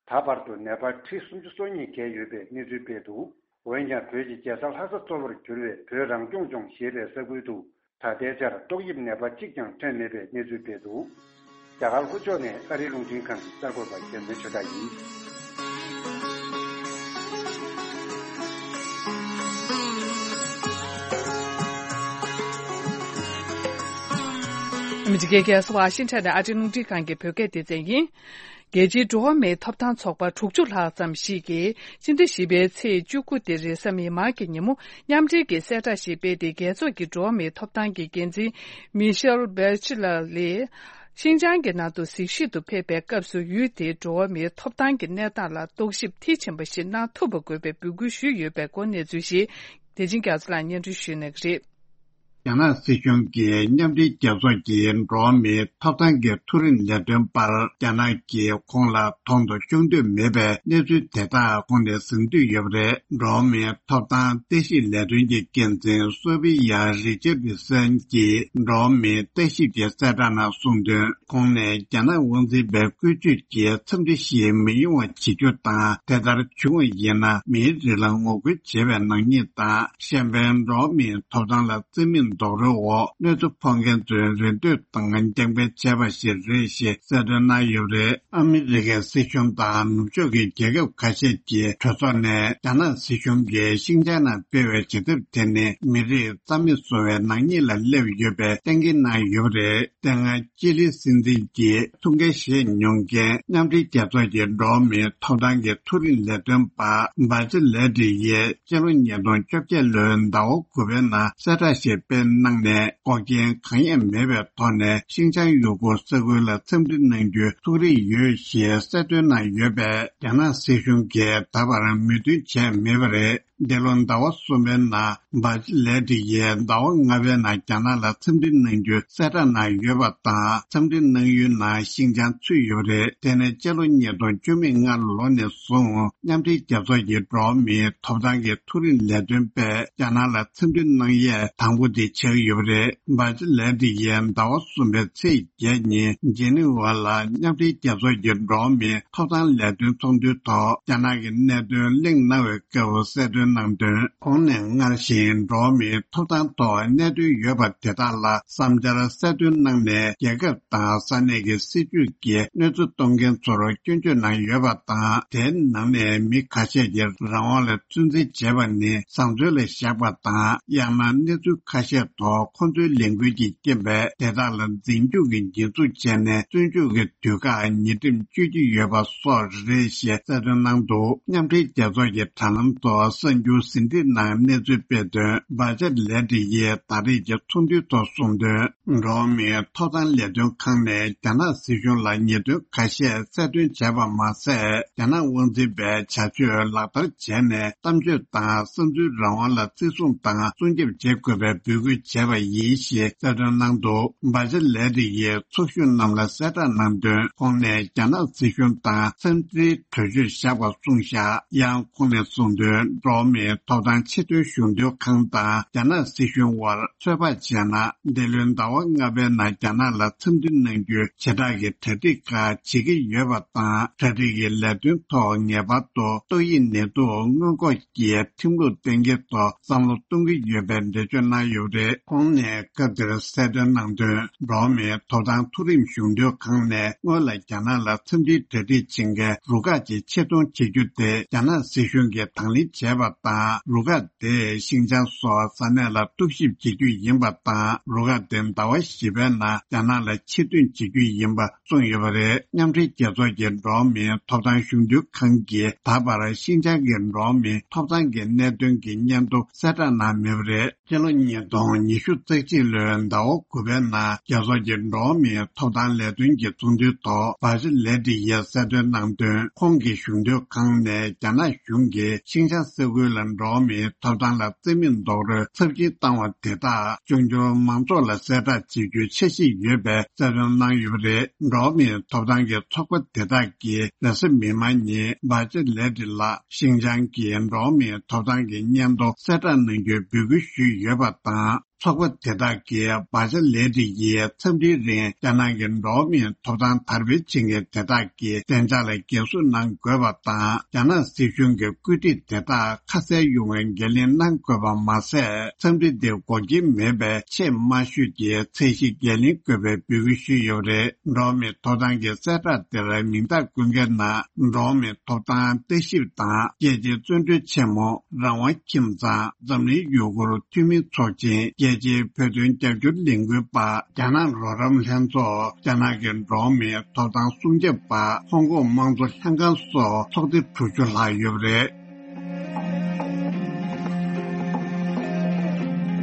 ད་བར་དུ་ནད་པ་ཁྲི་སུམ་ཅུ་སོ་གཉིས་བརྒལ་ཡོད་པའི་གནས་ཚུལ་སྤེལ་འདུག། འོན་ཀྱང་། བོད་ཀྱི་རྒྱལ་ས་ལྷ་ས་གཙོ་བོར་གྱུར་བའི་བོད་རང་སྐྱོང་ལྗོངས་ཞེས་པའི་ས་ཁུལ་དུ་ད་ལྟའི་ཆར་ཏོག་དབྱིབས་ནད་པ་གཅིག་ཀྱང་ཐོན་མེད་པའི་གནས་ཚུལ་སྤེལ་འདུག། རྒྱ་གར་ལྷོ་ཕྱོགས་ནས་ཨ་རིའི་རླུང་འཕྲིན་ཁང་གི་གསར་འགོད་པ་རྒྱལ་མཚན་ཆོས་གྲགས་ཡིན། ཨ་མི་རི་ཀའི་རྒྱལ་ས་ཝ་ཤིང་ཊོན་ནས་ཨ་རིའི་རླུང་འཕྲིན་ཁང་གི་བོད་སྐད་སྡེ་ཚན་ཡིན། རྒྱལ་སྤྱིའི་འགྲོ་བ་མིའི་ཐོབ་ཐང་ཚོགས་པ་དྲུག་ཅུ་ལྷག་ཙམ་ཞིག་གིས་སྤྱི་ཟླ་བཞི་པའི་ཚེས་བཅུ་དགུ་སྟེ་རེས་གཟའ་མིག་དམར་གྱི་ཉིན་མོ་མཉམ་འབྲེལ་གྱི་གསལ་བསྒྲགས་ཤིག་སྤེལ་ཏེ། རྒྱལ་ཚོགས་ཀྱི་འགྲོ་བ་མིའི་ཐོབ་ཐང་གི་འགན་འཛིན་མི་ཤེལ་བྷེ་ཆི་ལར་ལས། ཤིན་ཅང་གི་ནང་དུ་གཟིགས་ཞིབ་ཏུ་ཕེབས་པའི་སྐབས་སུ། ཡུལ་དེའི་འགྲོ་བ་མིའི་ཐོབ་ཐང་གི་གནས་སྟངས་ལ་རྟོག་ཞིབ་མཐིལ་ཕྱིན་པ་ཞིག་གནང་ཐུབ་པ་དགོས་པའི་འབོད་སྐུལ་ཞུས་ཡོད་པའི་སྐོར་གནས་ཚུལ་ཞིག་དེ་བཞིན་རྒྱ་མཚོ་ལགས་སྙན་སྒྲོན་ཞུ་གནང་གི་རེད། རྒྱ་ནག་སྲིད་གཞུང་གིས་མཉམ་འབྲེལ་རྒྱལ་ཚོགས་ཀྱི་འགྲོ་བ་མིའི་ཐོབ་ཐང་གི་མཐོ་རིམ་ལས་དོན་པར་རྒྱ་ནག་གིས་ཁོང་ལ་དོན་དུ་ཤོང་འདོད་མེད་པའི་གནས་ཚུལ་དེ་དག་ཁོང་ནས་ཟིན་འདོད་ཡོད་པ་རེད། འགྲོ་བ་མིའི་ཐོབ་ཐང་ལྟ་ཞིབ་ལས་དོན་གྱི་འགན་འཛིན་སོ་ཕི་ཡ་རི་ཅར་ཌི་སན་གྱིས་འགྲོ་བ་མིའི་ལྟ་ཞིབ་ཀྱི་གསལ་བསྒྲགས་ནང་གསུངས་དོན། ཁོང་ནས་རྒྱ་ནག་དབང་འཛིན་པའི་བཀོལ་སྤྱོད་ཀྱི་འཚམས་འདྲི་ཞིག་མི་ཡོང་བ་བྱེད་རྒྱུ་དང་། དེ་ལྟར་བྱུང་བ་ཡིན་ན། མིའི་རིགས་ལ་ངོ་རྒོལ་བྱེད་པའི་ནག་ཉེས་དང་། གཞན་ཕན་འགྲོ་བ་མིའི་ཐོབ་ཐང་ལ་བརྩི་མེད་རྡོག་རོལ་འོག་གནོད་འཚེ་ཕོག་མཁན་ཚོའི་རེ་འདོད་དང་རྐྱང་འཕེན་བྱས་པ་ཞིག་རེད་ཞེས་གསལ་སྟོན་གནང་ཡོད་པ་རེད། ཨ་མི་རི་ཀའི་སྲིད་གཞུང་དང་ནུབ་ཕྱོགས་ཀྱི་རྒྱལ་ཁབ་ཁ་ཤས་ཀྱི་གྲོས་ཚོགས་ནས་རྒྱ་ནག་སྲིད་གཞུང་གིས་ཤིང་ཅང་ནང་སྤེལ་བའི་བྱེད་ཐབས་དེ་ནི་མི་རིགས་རྩ་མེད་བཟོ་བའི་ནག་ཉེས་ལ་སླེབས་ཡོད་པའི་གཏན་འཁེལ་གནང་ཡོད་པ་རེད། དེ་སྔ་ཅི་ལི་སྲིད་འཛིན་གྱི་ཐུགས་འགན་བཞེས་མྱོང་མཁན་མཉམ་འབྲེལ་རྒྱལ་ཚོགས་ཀྱི་འགྲོ་བ་མིའི་ཐོབ་ཐང་གི་མཐོ་རིམ་ལས་དོན་པ་བྷ་ཅི་ལེ་ཏི་ཡིས་སྤྱི་ལོ་ཉིས་སྟོང་བཅོ་བརྒྱད་ལོའི་ཟླ་བ་དགུ་པའི་ནང་གསལ་བསྒྲགས་ཤིག་སྤེལ་གནང་ནས། འགོག་རྐྱེན་གང་ཡང་མེད་པའི་ཐོག་ནས་ཤིང་ཅང་ཡུ་གུར་ས་ཁུལ་ལ་འཚམས་འདྲི་གནང་རྒྱུའི་ཐུགས་རེ་ཡོད་ཞེས་གསལ་སྟོན་གནང་ཡོད་པས། རྒྱ་ནག་སྲིད་གཞུང་གིས་ད་བར་མོས་མཐུན་བྱས་མེད་པ་རེད། འདི་ལོ་ཟླ་བ་གསུམ་པའི་ནང་བྷ་ཅི་ལེ་ཏི་ཡིས་ཟླ་བ་ལྔ་པའི་ནང་རྒྱ་ནག་ལ་འཚམས་འདྲི་གནང་རྒྱུའི་གསལ་བསྒྲགས་གནང་ཡོད་པ་དང་། འཚམས་འདྲི་གནང་ཡུལ་ནང་ཤིང་ཅང་ཚུད་ཡོད་པ་རེད། དེ་ནི་སྤྱི་ལོ་ཉིས་སྟོང་བཅུ་མེད་ལྔ་ལོ་ནས་བཟུང་མཉམ་འབྲེལ་རྒྱལ་ཚོགས་ཀྱི་འགྲོ་བ་མིའི་ཐོབ་ཐང་གི་མཐོ་རིམ་ལས་དོན་པས་རྒྱ་ནག་ལ་འཚམས་འདྲི་གནང་ཡས་དང་པོ་དེ་ཆགས་ཡོད་པ་རེད། བྷ་ཅི་ལེ་ཏི་ཡིས་ཟླ་བ་གསུམ་པའི་ཚེས་བརྒྱད་ཉིན་ཇི་ནི་ཝ་ལ་མཉམ་འབྲེལ་རྒྱལ་ཚོགས་ཀྱི་འགྲོ་བ་མིའི་ཐོབ་ཐང་ལས་དོན་ཚོགས་འདུའི་ཐོག་རྒྱ་ནག་གི་གནད་དོན་གླེང་གནང་བའི་སྐབས་གསལ་སྟོན་གནང་དོན། ཁོང་ནས་སྔར་བཞིན་འགྲོ་བ་མིའི་ཐོབ་ཐང་ཐོག་གནད་དོན་ཡོད་པ་དེ་དག་ལ་བསམ་འཆར་གསལ་སྟོན་གནང་ནས། རྒྱལ་ཁབ་དང་ས་གནས་ཀྱི་སྲིད་བྱུས་ཀྱིས་གནོད་འཚེ་གཏོང་མཁན་ཚོར་སྐྱོན་བརྗོད་གནང་ཡོད་པ་དང་། དེའི་ནང་ནས་མི་ཁ་ཤས་ཀྱི་རང་དབང་ལ་བཙན་འཛུལ་བྱས་པ་ནི་བཟང་སྤྱོད་ལ་བཞག་པ་དང་། ཡང་ན་གནས་ཚུལ་ཁ་ཤས་ཐོག་ཁོ་ཚོའི་ལས་འགུལ་གྱི་རྐྱེན་པས་དེ་དག་ལ་འཛིན་སྐྱོང་གི་ཉེས་འཛུགས་བྱས་ནས་བཙོན་འཇུག་གི་དུས་བཀག་ཉིན་རིམ་གཅོད་ཀྱི་ཡོད་པ་སོགས་རེད་ཞེས་གསལ་སྟོན་གནང་འདུག། མཉམ་འབྲེལ་རྒྱལ་ཚོགས་ཀྱི་དྲ་ལམ་ཐོག་གསར་འགྱུར་ཟིན་བྲིས་ནང་གནས་ཚུལ་སྤེལ་དོན། བྷ་ཅར་ལེ་ཏི་ཡིས་ད་རེས་ཀྱི་ཚོགས་འདུའི་ཐོག་གསུངས་དོན། འགྲོ་བ་མིའི་ཐོབ་ཐང་ལས་དོན་ཁང་ནས་རྒྱ་ནག་སྲིད་གཞུང་ལ་ཉེས་དོན་ཁ་ཤས་གསལ་སྟོན་བྱས་པ་མ་ཟད། རྒྱ་ནག་དབང་འཛིན་པའི་བྱ་སྤྱོད་ལག་བསྟར་བྱས་ནས་གཏམ་བརྗོད་དང་བསམ་ཚུལ་རང་དབང་ལ་བརྩི་སྲུང་དང་སྲུང་སྐྱོབ་བྱེད་དགོས་པའི་འབོད་སྐུལ། བྱས་པ་ཡིན་ཞེས་གསལ་སྟོན་གནང་འདུག་བ་ཇི་ལེ་ཏི་ཡིས་ཚོགས་ཞུགས་རྣམས་ལ་གསལ་བསྒྲགས་གནང་དོན། ཁོང་ནས་རྒྱ་ནག་སྲིད་གཞུང་དང་འཚམས་འདྲིའི་གྲོས་ཆོད་བཞག་པ་གསུངས་བཞག་ཡང་ཁོང་ནས་གསུངས་དོན། འགྲོ་བ་མིའི་ཐོབ་ཐང་ཆེས་མཐོའི་གཞུང་དོན་ཁང་དང་རྒྱ་ནག་སྲིད་གཞུང་དབར་ཚོད་དཔག་བྱས་ན། འདི་ལོའི་ཟླ་བ་ལྔ་པའི་ནང་རྒྱ་ནག་ལ་འཚམས་འདྲི་གནང་རྒྱུའི་བྱེ་བྲག་གི་གྲ་སྒྲིག་ཁག་བྱེད་ཀྱི་ཡོད་པ་དང་། གྲ་སྒྲིག་གི་ལས་དོན་ཐོག་ངེས་པར་དུ་ཏོག་དབྱིབས་ནད་དུག་སྔོན་འགོག་གི་ཁྲིམས་ལུགས་གཏན་འཁེལ་ཐོག་བསམ་བློ་གཏོང་གི་ཡོད་པའི་འགྲེལ་བརྗོད་གནང་ཡོད་པ་རེད། ཁོང་ནས་སྐབས་དེར་གསལ་སྟོན་གནང་དོན། འགྲོ་བ་མིའི་ཐོབ་ཐང་མཐོ་རིམ་གཞུང་དོན་ཁང་ནས་སྔོན་ལ་རྒྱ་ནག་ལ་འཚམས་འདྲིའི་གྲ་སྒྲིག་བྱེད་མཁན་རུ་ཁག་ཅིག་ཆེད་གཏོང་བྱེད་རྒྱུ་དེ་རྒྱ་ནག་སྲིད་གཞུང་གིས་དང་ལེན་བྱས་པ་དང་། རུ་ཁག་དེས་ཤིང་ཅང་སོགས་ས་གནས་ལ་རྟོག་ཞིབ་བྱེད་རྒྱུ་ཡིན་པ་དང་། རུ་ཁག་དེ་ཟླ་བ་བཞི་པའི་ནང་རྒྱ་ནག་ལ་ཕྱིར་ཐོན་བྱེད་རྒྱུ་ཡིན་པ་གསུངས་ཡོད་པ་རེད། མཉམ་འབྲེལ་རྒྱལ་ཚོགས་ཀྱི་འགྲོ་བ་མིའི་ཐོབ་ཐང་གཞུང་དོན་ཁང་གིས་ད་བར་ཤིན་ཅང་གི་འགྲོ་བ་མིའི་ཐོབ་ཐང་གི་གནད་དོན་གྱི་སྙན་ཐོ་གསལ་བསྒྲགས་གནང་མེད་པ་རེད། སྤྱི་ལོ་ཉིས་སྟོང་ཉི་ཤུ་རྩ་གཅིག་ལོའི་ཟླ་བ་དགུ་པའི་ནང་རྒྱལ་ཚོགས་ཀྱི་འགྲོ་བ་མིའི་ཐོབ་ཐང་ལས་དོན་གྱི་ཚོགས་འདུའི་ཐོག་བ་ཇི་ལེ་ཏི་ཡིས་གསལ་སྟོན་གནང་དོན། ཁོང་གི་གཞུང་དོན་ཁང་ནས་རྒྱ་ནག་གཞུང་གིས་ཤིན་ཅང་ས་ཁུལ་ལ་འགྲོ་བ་མིའི་ཐོབ་ཐང་ལ་བརྩི་མེད་རྡོག་རོལ་ཚབས་ཆེན་བཏང་བ་དེ་དག་འབྱུང་འགྱུར་མང་ཚོགས་ལ་གསལ་བསྒྲགས་བྱེད་རྒྱུའི་འཆར་གཞི་ཡོད་པའི་གསལ་སྟོན་གནང་ཡོད་པ་རེད། འགྲོ་བ་མིའི་ཐོབ་ཐང་གི་ཚོགས་པ་དེ་དག་གིས་རེས་གཟའ་མིག་དམར་ཉིན་བ་ཇི་ལེ་ཏི་ལགས་ཤིན་ཅང་གི་འགྲོ་བ་མིའི་ཐོབ་ཐང་གི་སྙན་ཐོ་གསལ་བསྒྲགས་གནང་རྒྱུའི་འབོད་སྐུལ་ཞུས་ཡོད་པ་དང་། ཚོགས་པ་དེ་དག་གིས་བ་ཇི་ལེ་ཏི་ཡིས་འཚམས་འདྲིའི་རིང་རྒྱ་ནག་གི་འགྲོ་བ་མིའི་ཐོབ་ཐང་དར་སྤེལ་བྱེད་མཁན་དེ་དག་གི་བདེ་འཇགས་ལ་འགན་སྲུང་གནང་དགོས་པ་དང་། རྒྱ་ནག་སྲིད་གཞུང་གི་བཀོད་སྒྲིག་དེ་དག་ཁ་གསལ་ཡོང་བའི་འགན་ལེན་གནང་དགོས་པ་མ་ཟད། འཚམས་འདྲི་དེ་འགོག་རྐྱེན་མེད་པའི་ཆེས་དམའ་ཤོས་ཀྱི་ཚད་གཞི་འགན་ལེན་དགོས་པའི་འབོད་སྐུལ་ཞུས་ཡོད་པ་རེད། འགྲོ་བ་མིའི་ཐོབ་ཐང་གི་གསལ་བསྒྲགས་དེར་མིང་རྟགས་བཀོད་མཁན་ནང་འགྲོ་བ་མིའི་ཐོབ་ཐང་ལྟ་ཞིབ་དང་རྒྱལ་སྤྱིའི་བཙོན་གྲོལ་ཆེན་མོ། རང་དབང་ཁྱིམ་ཚང་། འཛམ་གླིང་ཡུ་གུར་འཐུས་མི་ཚོགས་ཆེན། རྒྱལ་སྤྱིའི་བོད་དོན་རྒྱབ་སྐྱོར་ལས་འགུལ་པ། རྒྱ་ནག་རོགས་རམ་ལྷན་ཚོགས། རྒྱ་ནག་གི་འགྲོ་བ་མིའི་ཐོབ་ཐང་སྲུང་སྐྱོབ་པ། ཧོང་ཀོང་དམངས་གཙོ་ལྷན་ཁང་སོགས་ཚོགས་སྡེ་དྲུག་ཅུ་ལྷག་ཡོད་པ་རེད།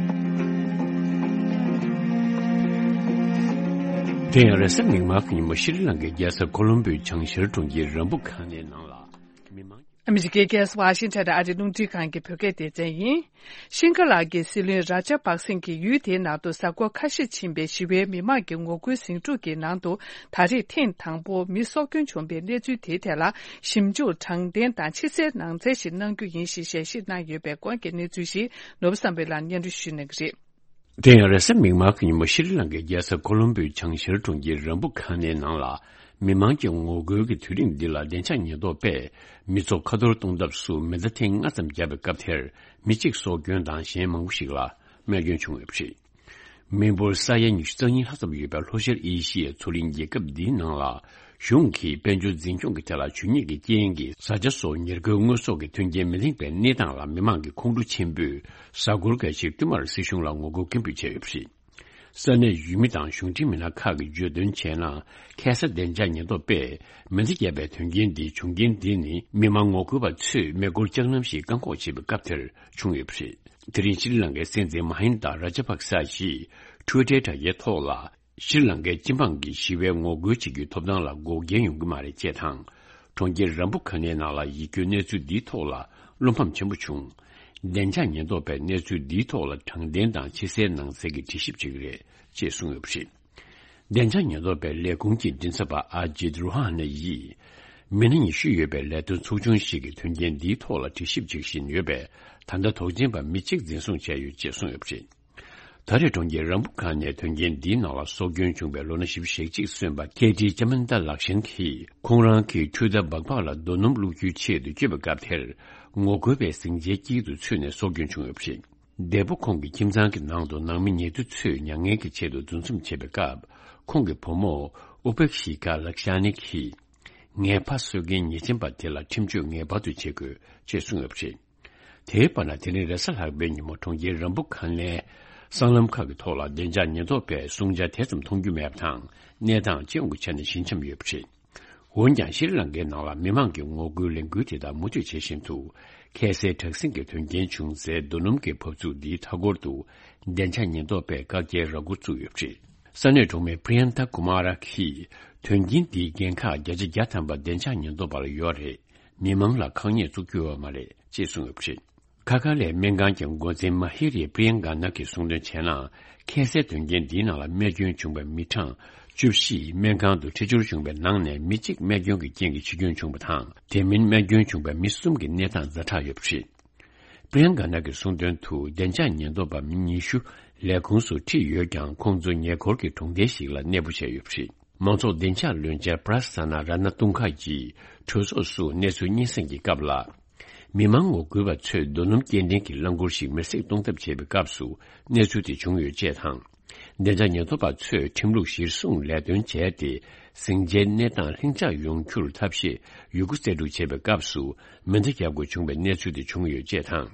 དེ་ཡང་རེས་གཟའ་མིག་དམར་གྱི་ཉིན་མོ་ཤྲི་ལང་ཀའི་རྒྱལ་ས་ཀོ་ལོམ་བྷོའི་བྱང་ཤར་གྲོང་ཁྱེར་རམ་བུ་ཁ་ནའི་ནང་ལ་མི་མང་། ཨ་མི་རི་ཀའི་རྒྱལ་ས་ཝ་ཤིང་ཊོན་ཨ་རིའི་རླུང་འཕྲིན་ཁང་གི་བོད་སྐད་སྡེ་ཚན་ཡིན། ཤིང་ཀ་ལག་གི་སྲིད་བློན་ར་ཇ་པག་སིང་གིས་ཡུལ་དེའི་ནང་དུ་གཟའ་འཁོར་ཁ་ཤས་ཕྱིན་པའི་ཞི་བའི་མི་མང་གི་ངོ་རྒོལ་ཟིང་འཁྲུག་གི་ནང་དུ་ད་རེས་ཐེངས་དང་པོ་མི་སྲོག་སྐྱོན་བྱུང་པའི་གནས་ཚུལ་དེའི་ཐད་ལ་ཞིབ་འཇུག་དྲང་བདེན་དང་ཕྱི་གསལ་ནང་གསལ་ཞིག་གནང་རྒྱུ་ཡིན་ཞེས་ཞལ་བཞེས་གནང་ཡོད་པའི་སྐོར་གྱི་གནས་ཚུལ་ཞིག་ནོར་བུ་བསམ་འཕེལ་ལགས་སྙན་སྒྲོན་ཞུ་གནང་གི་རེད། དེ་ཡང་རེས་གཟའ་མིག་དམར་གྱི་ཉིན་མོ་ཤྲི་ལང་ཀའི་རྒྱལ་ས་ཀོ་ལོམ་བྷོའི་བྱང་ཤར་གྲོང་ཁྱེར་རམ་བུ་ཁ་ནའི་ནང་ལ་མི་མང་གི་ངོ་རྒོལ་གྱི་དུས་རིམ་འདི་ལ་བདེ་འཇགས་ཉེན་རྟོག་པས་མི་ཚོགས་ཁ་གཏོར་གཏོང་ཐབས་སུ་མེ་མདའ་ཐེངས་ལྔ་ཙམ་བརྒྱབ་པའི་སྐབས་དེར་མི་གཅིག་སྲོག་སྐྱོན་དང་གཞན་མང་པོ་ཞིག་ལ་རྨས་སྐྱོན་བྱུང་ཡོད་པ་རེད། མི་འབོར་ས་ཡ་ཉི་ཤུ་རྩ་གཉིས་ལྷག་ཙམ་ཡོད་པའི་ལྷོ་ཤར་ཨེ་ཤི་ཡའི་མཚོ་གླིང་རྒྱལ་ཁབ་འདིའི་ནང་ལ་གཞུང་གིས་དཔལ་འབྱོར་འཛིན་སྐྱོང་གི་ཐད་ལ་ཇུས་ཉེས་ཀྱི་རྐྱེན་གྱིས་བཟའ་བཅའ་སོགས་ཉེར་མཁོའི་དངོས་ཟོག་གི་མཐུན་རྐྱེན་མི་ལེགས་པའི་གནས་སྟངས་ལ་མི་མང་གི་ཁོང་ཁྲོ་ཆེན་པོས་གཟའ་འཁོར་འགའ་ཞིག་བསྟུད་མར་སྲིད་གཞུང་ལ་ངོ་རྒོལ་སྐད་འབོད་བྱས་ཡོད་པ་རེད། ས་གནས་ཡུལ་མི་དང་གཞུང་འབྲེལ་མི་སྣ་ཁག་གིས་བརྗོད་དོན་བྱས་ན། ཁ་སང་བདེ་འཇགས་ཉེན་རྟོག་པས་མེ་མདའ་བརྒྱབ་པའི་དོན་རྐྱེན་འདིའི་བྱུང་རྐྱེན་འདི་ནི་མི་མང་ངོ་རྒོལ་བ་ཚོས་མེ་འཁོར་ལྕགས་ལམ་ཞིག་བཀག་འགོག་བྱེད་པའི་སྐབས་དེར་བྱུང་ཡོད་པ་རེད། དེ་རིང་ཤྲི་ལང་ཀའི་སྲིད་འཛིན་མ་ཧིན་ད་ར་ཇ་པག་ས་ཡིས་ཊུའི་ཊར་དྲ་རྒྱའི་ཐོག་ལ། ཤྲི་ལང་ཀའི་སྤྱི་འབངས་ཀྱིས་ཞི་བའི་ངོ་རྒོལ་བྱེད་རྒྱུའི་ཐོབ་ཐང་ལ་འགོག་རྐྱེན་ཡོང་གི་མ་རེད་ཅེས་དང་། གྲོང་ཁྱེར་རམ་བུ་ཁ་ནའི་ནང་ལ་ཡིད་སྐྱོའི་གནས་ཚུལ་འདིའི་ཐོག་ལ་བློ་ཕམ་ཆེན་པོ་བྱུང་། བདེ་འཇགས་ཉེན་རྟོག་པས་གནས་ཚུལ་འདིའི་ཐོག་ལ་དྲང་བདེན་དང་ཕྱི་གསལ་ནང་གསལ་གྱི་དྲི་ཞིབ་བྱེད་ཀྱི་རེད་ཅེས་གསུངས་ཡོད་པ་རེད། བདེ་འཇགས་ཉེན་རྟོག་པའི་ལས་ཁུངས་ཀྱི་མགྲིན་ཚབ་པ་ཨ་ཇིད་རུ་ཧ་ན་ཡིས། མི་སྣ་ཉི་ཤུ་ཡོད་པའི་ལས་དོན་ཚོགས་ཆུང་ཞིག་གིས་དོན་རྐྱེན་འདིའི་ཐོག་ལ་དྲི་ཞིབ་བྱེད་བཞིན་ཡོད་པས། ད་ལྟ་དོགས་ཅན་པ་མི་གཅིག་འཛིན་བཟུང་བྱས་ཡོད་ཅེས་གསུངས་ཡོད་པ་རེད། ད་རེས་གྲོང་ཁྱེར་རམ་བུ་ཁ་ནའི་དོན་རྐྱེན་འདིའི་ནང་ལ་སྲོག་སྐྱོན་བྱུང་བའི་ལོ་ན་བཞི་བཅུ་ཞེ་གཅིག་སོན་པ་ཁེ་ཏི་ཅ་མན་ཏ་ལག་ཤན་གྱིས་ཁོང་རང་གི་འཕྲུལ་རྟ་སྦག་སྦག་ལ་རྡོ་སྣུམ་བླུག་རྒྱུའི་ཆེད་དུ་བསྐྱོད་པའི་སྐབས་དེར་ངོ་རྒོལ་བའི་ཟིང་ཆའི་དཀྱིལ་དུ་ཚུད་ནས་སྲོག་སྐྱོན་བྱུང་ཡོད་པ་རེད། འདས་པོ་ཁོང་གི་ཁྱིམ་ཚང་གི་ནང་དུ་ནང་མི་ཉེ་དུ་ཚོས་མྱ་ངན་གྱི་ཆེད་དུ་འདུ་འཛོམས་བྱེད་པའི་སྐབས། ཁོང་གི་བུ་མོ་ཨུ་པེག་ཤི་ཀ་ལག་ཤ་ནི་གིས། ངའི་ཕ་གསོད་མཁན་ཉེས་ཅན་པ་དེ་ལ་ཁྲིམས་གཅོད་ངེས་པར་དུ་བྱེད་དགོས་ཅེས་གསུངས་ཡོད་པ་རེད། དེའི་བར་ན། དེ་རིང་རེས་གཟའ་ལྷག་པའི་ཉིན་མོ་གྲོང་ཁྱེར་རམ་བུ་ཁ་ནའི་སྲང་ལམ་ཁག་གི་ཐོག་ལ་བདེ་འཇགས་ཉེན་རྟོག་པས་སྲུང་བྱ་དེ་ཙམ་མཐོང་རྒྱུ་མེད་པ་དང་། གནས་སྟངས་སྤྱི་ཡོངས་ཀྱི་ཆ་ནས་ཞི་འཇམ་ཡོད་པ་རེད། འོན་ཀྱང་། ཤྲི་ལང་ཀའི་ནང་ལ་མི་མང་གི་ངོ་རྒོལ་ལས་འགུལ་དེ་དག་མུ་མཐུད་བྱེད་བཞིན་དུ། ཁ་སའི་དྲག་ཟིང་གི་དོན་རྐྱེན་བྱུང་སའི་རྡོ་སྣུམ་གྱི་འབབ་ཚུགས་འདིའི་མཐའ་འཁོར་དུ། བདེ་འཇགས་ཉེན་རྟོག་པས་བཀག་རྒྱའི་ར་སྐོར་བཙུགས་ཡོད་པ་རེད། ས་གནས་གྲོང་མི་པྲི་ཡན་ཐ་ཀུ་མ་ར་གིས། དོན་རྐྱེན་འདིའི་འགན་ཁག་བརྒྱ་ཆ་བརྒྱ་ཐམ་པ་བདེ་འཇགས་ཉེན་རྟོག་པ་ལ་ཡོད་རེད། མི་མང་ལ་ཁག་ཉེས་བཙུགས་རྒྱུ་ཡོད་མ་རེད་ཅེས་གསུངས་ཡོད་པ་རེད། ཁ་ཁ་ལའི་སྨན་ཁང་གི་འགོ་འཛིན་མ་ཧི་རི་པྲི་ཡན་ག་ན་གིས་གསུངས་དོན་བྱས་ན། ཁ་སའི་དོན་རྐྱེན་འདིའི་ནང་ལ་རྨས་སྐྱོན་བྱུང་བའི་མི་གྲངས་བཅུ་བཞི་སྨན་ཁང་དུ་འཕྲད་སྦྱོར་བྱུང་བའི་ནང་ནས་མི་གཅིག་རྨས་སྐྱོན་གྱི་རྐྱེན་གྱིས་འཆི་སྐྱོན་བྱུང་བ་དང་། དེ་མིན་རྨས་སྐྱོན་བྱུང་བའི་མི་གསུམ་གྱི་གནས་སྟངས་ཛ་དྲག་ཡོད་པ་རེད། པྲི་ཡན་ག་ན་གིས་གསུངས་དོན་དུ། བདེ་འཇགས་ཉེན་རྟོག་པ་མི་ཉི་ཤུ་ལས་ཁུངས་སུ་ཁྲིད་ཡོད་ཀྱང་། ཁོང་ཚོ་ཉེ་འཁོར་གྱི་གྲོང་རྡལ་ཞིག་ལ་གནས་སྤོ་བྱས་ཡོད་པ་རེད། མང་ཚོགས་བདེ་འཇགས་བློན་ཆེན་པྲ་སན་ན་ར་ན་ཏུང་ཁ་གིས་གྲོས་ཚོགས་སུ་གནས་ཚུལ་སྙན་སེང་གི་སྐབས་ལ། མི་མང་ངོ་རྒོལ་བ་ཚོས་རྡོ་སྣུམ་སྐྱེལ་འདྲེན་གྱི་རླངས་འཁོར་ཞིག་མེར་སྲེག་གཏོང་ཐབས་བྱས་པའི་སྐབས་སུ་གནས་ཚུལ་དེ་བྱུང་ཡོད་ཅེས་དང་། བདེ་འཇགས་ཉེན་རྟོག་པ་ཚོས་ཁྲིམས་ལུགས་གཞིར་བཟུང་ལས་དོན་བྱས་ཏེ། ཟིང་ཆའི་གནས་སྟངས་ལྷིང་འཇགས་ཡོང་རྒྱུར་ཐབས་ཤེས་ཡོད་རྒུ་རྩལ་སྤྲུགས་བྱས་པའི་སྐབས་སུ། མེ་མདའ་བརྒྱབ་དགོས་བྱུང་བའི་གནས་ཚུལ་དེ་བྱུང་ཡོད་ཅེས་དང་།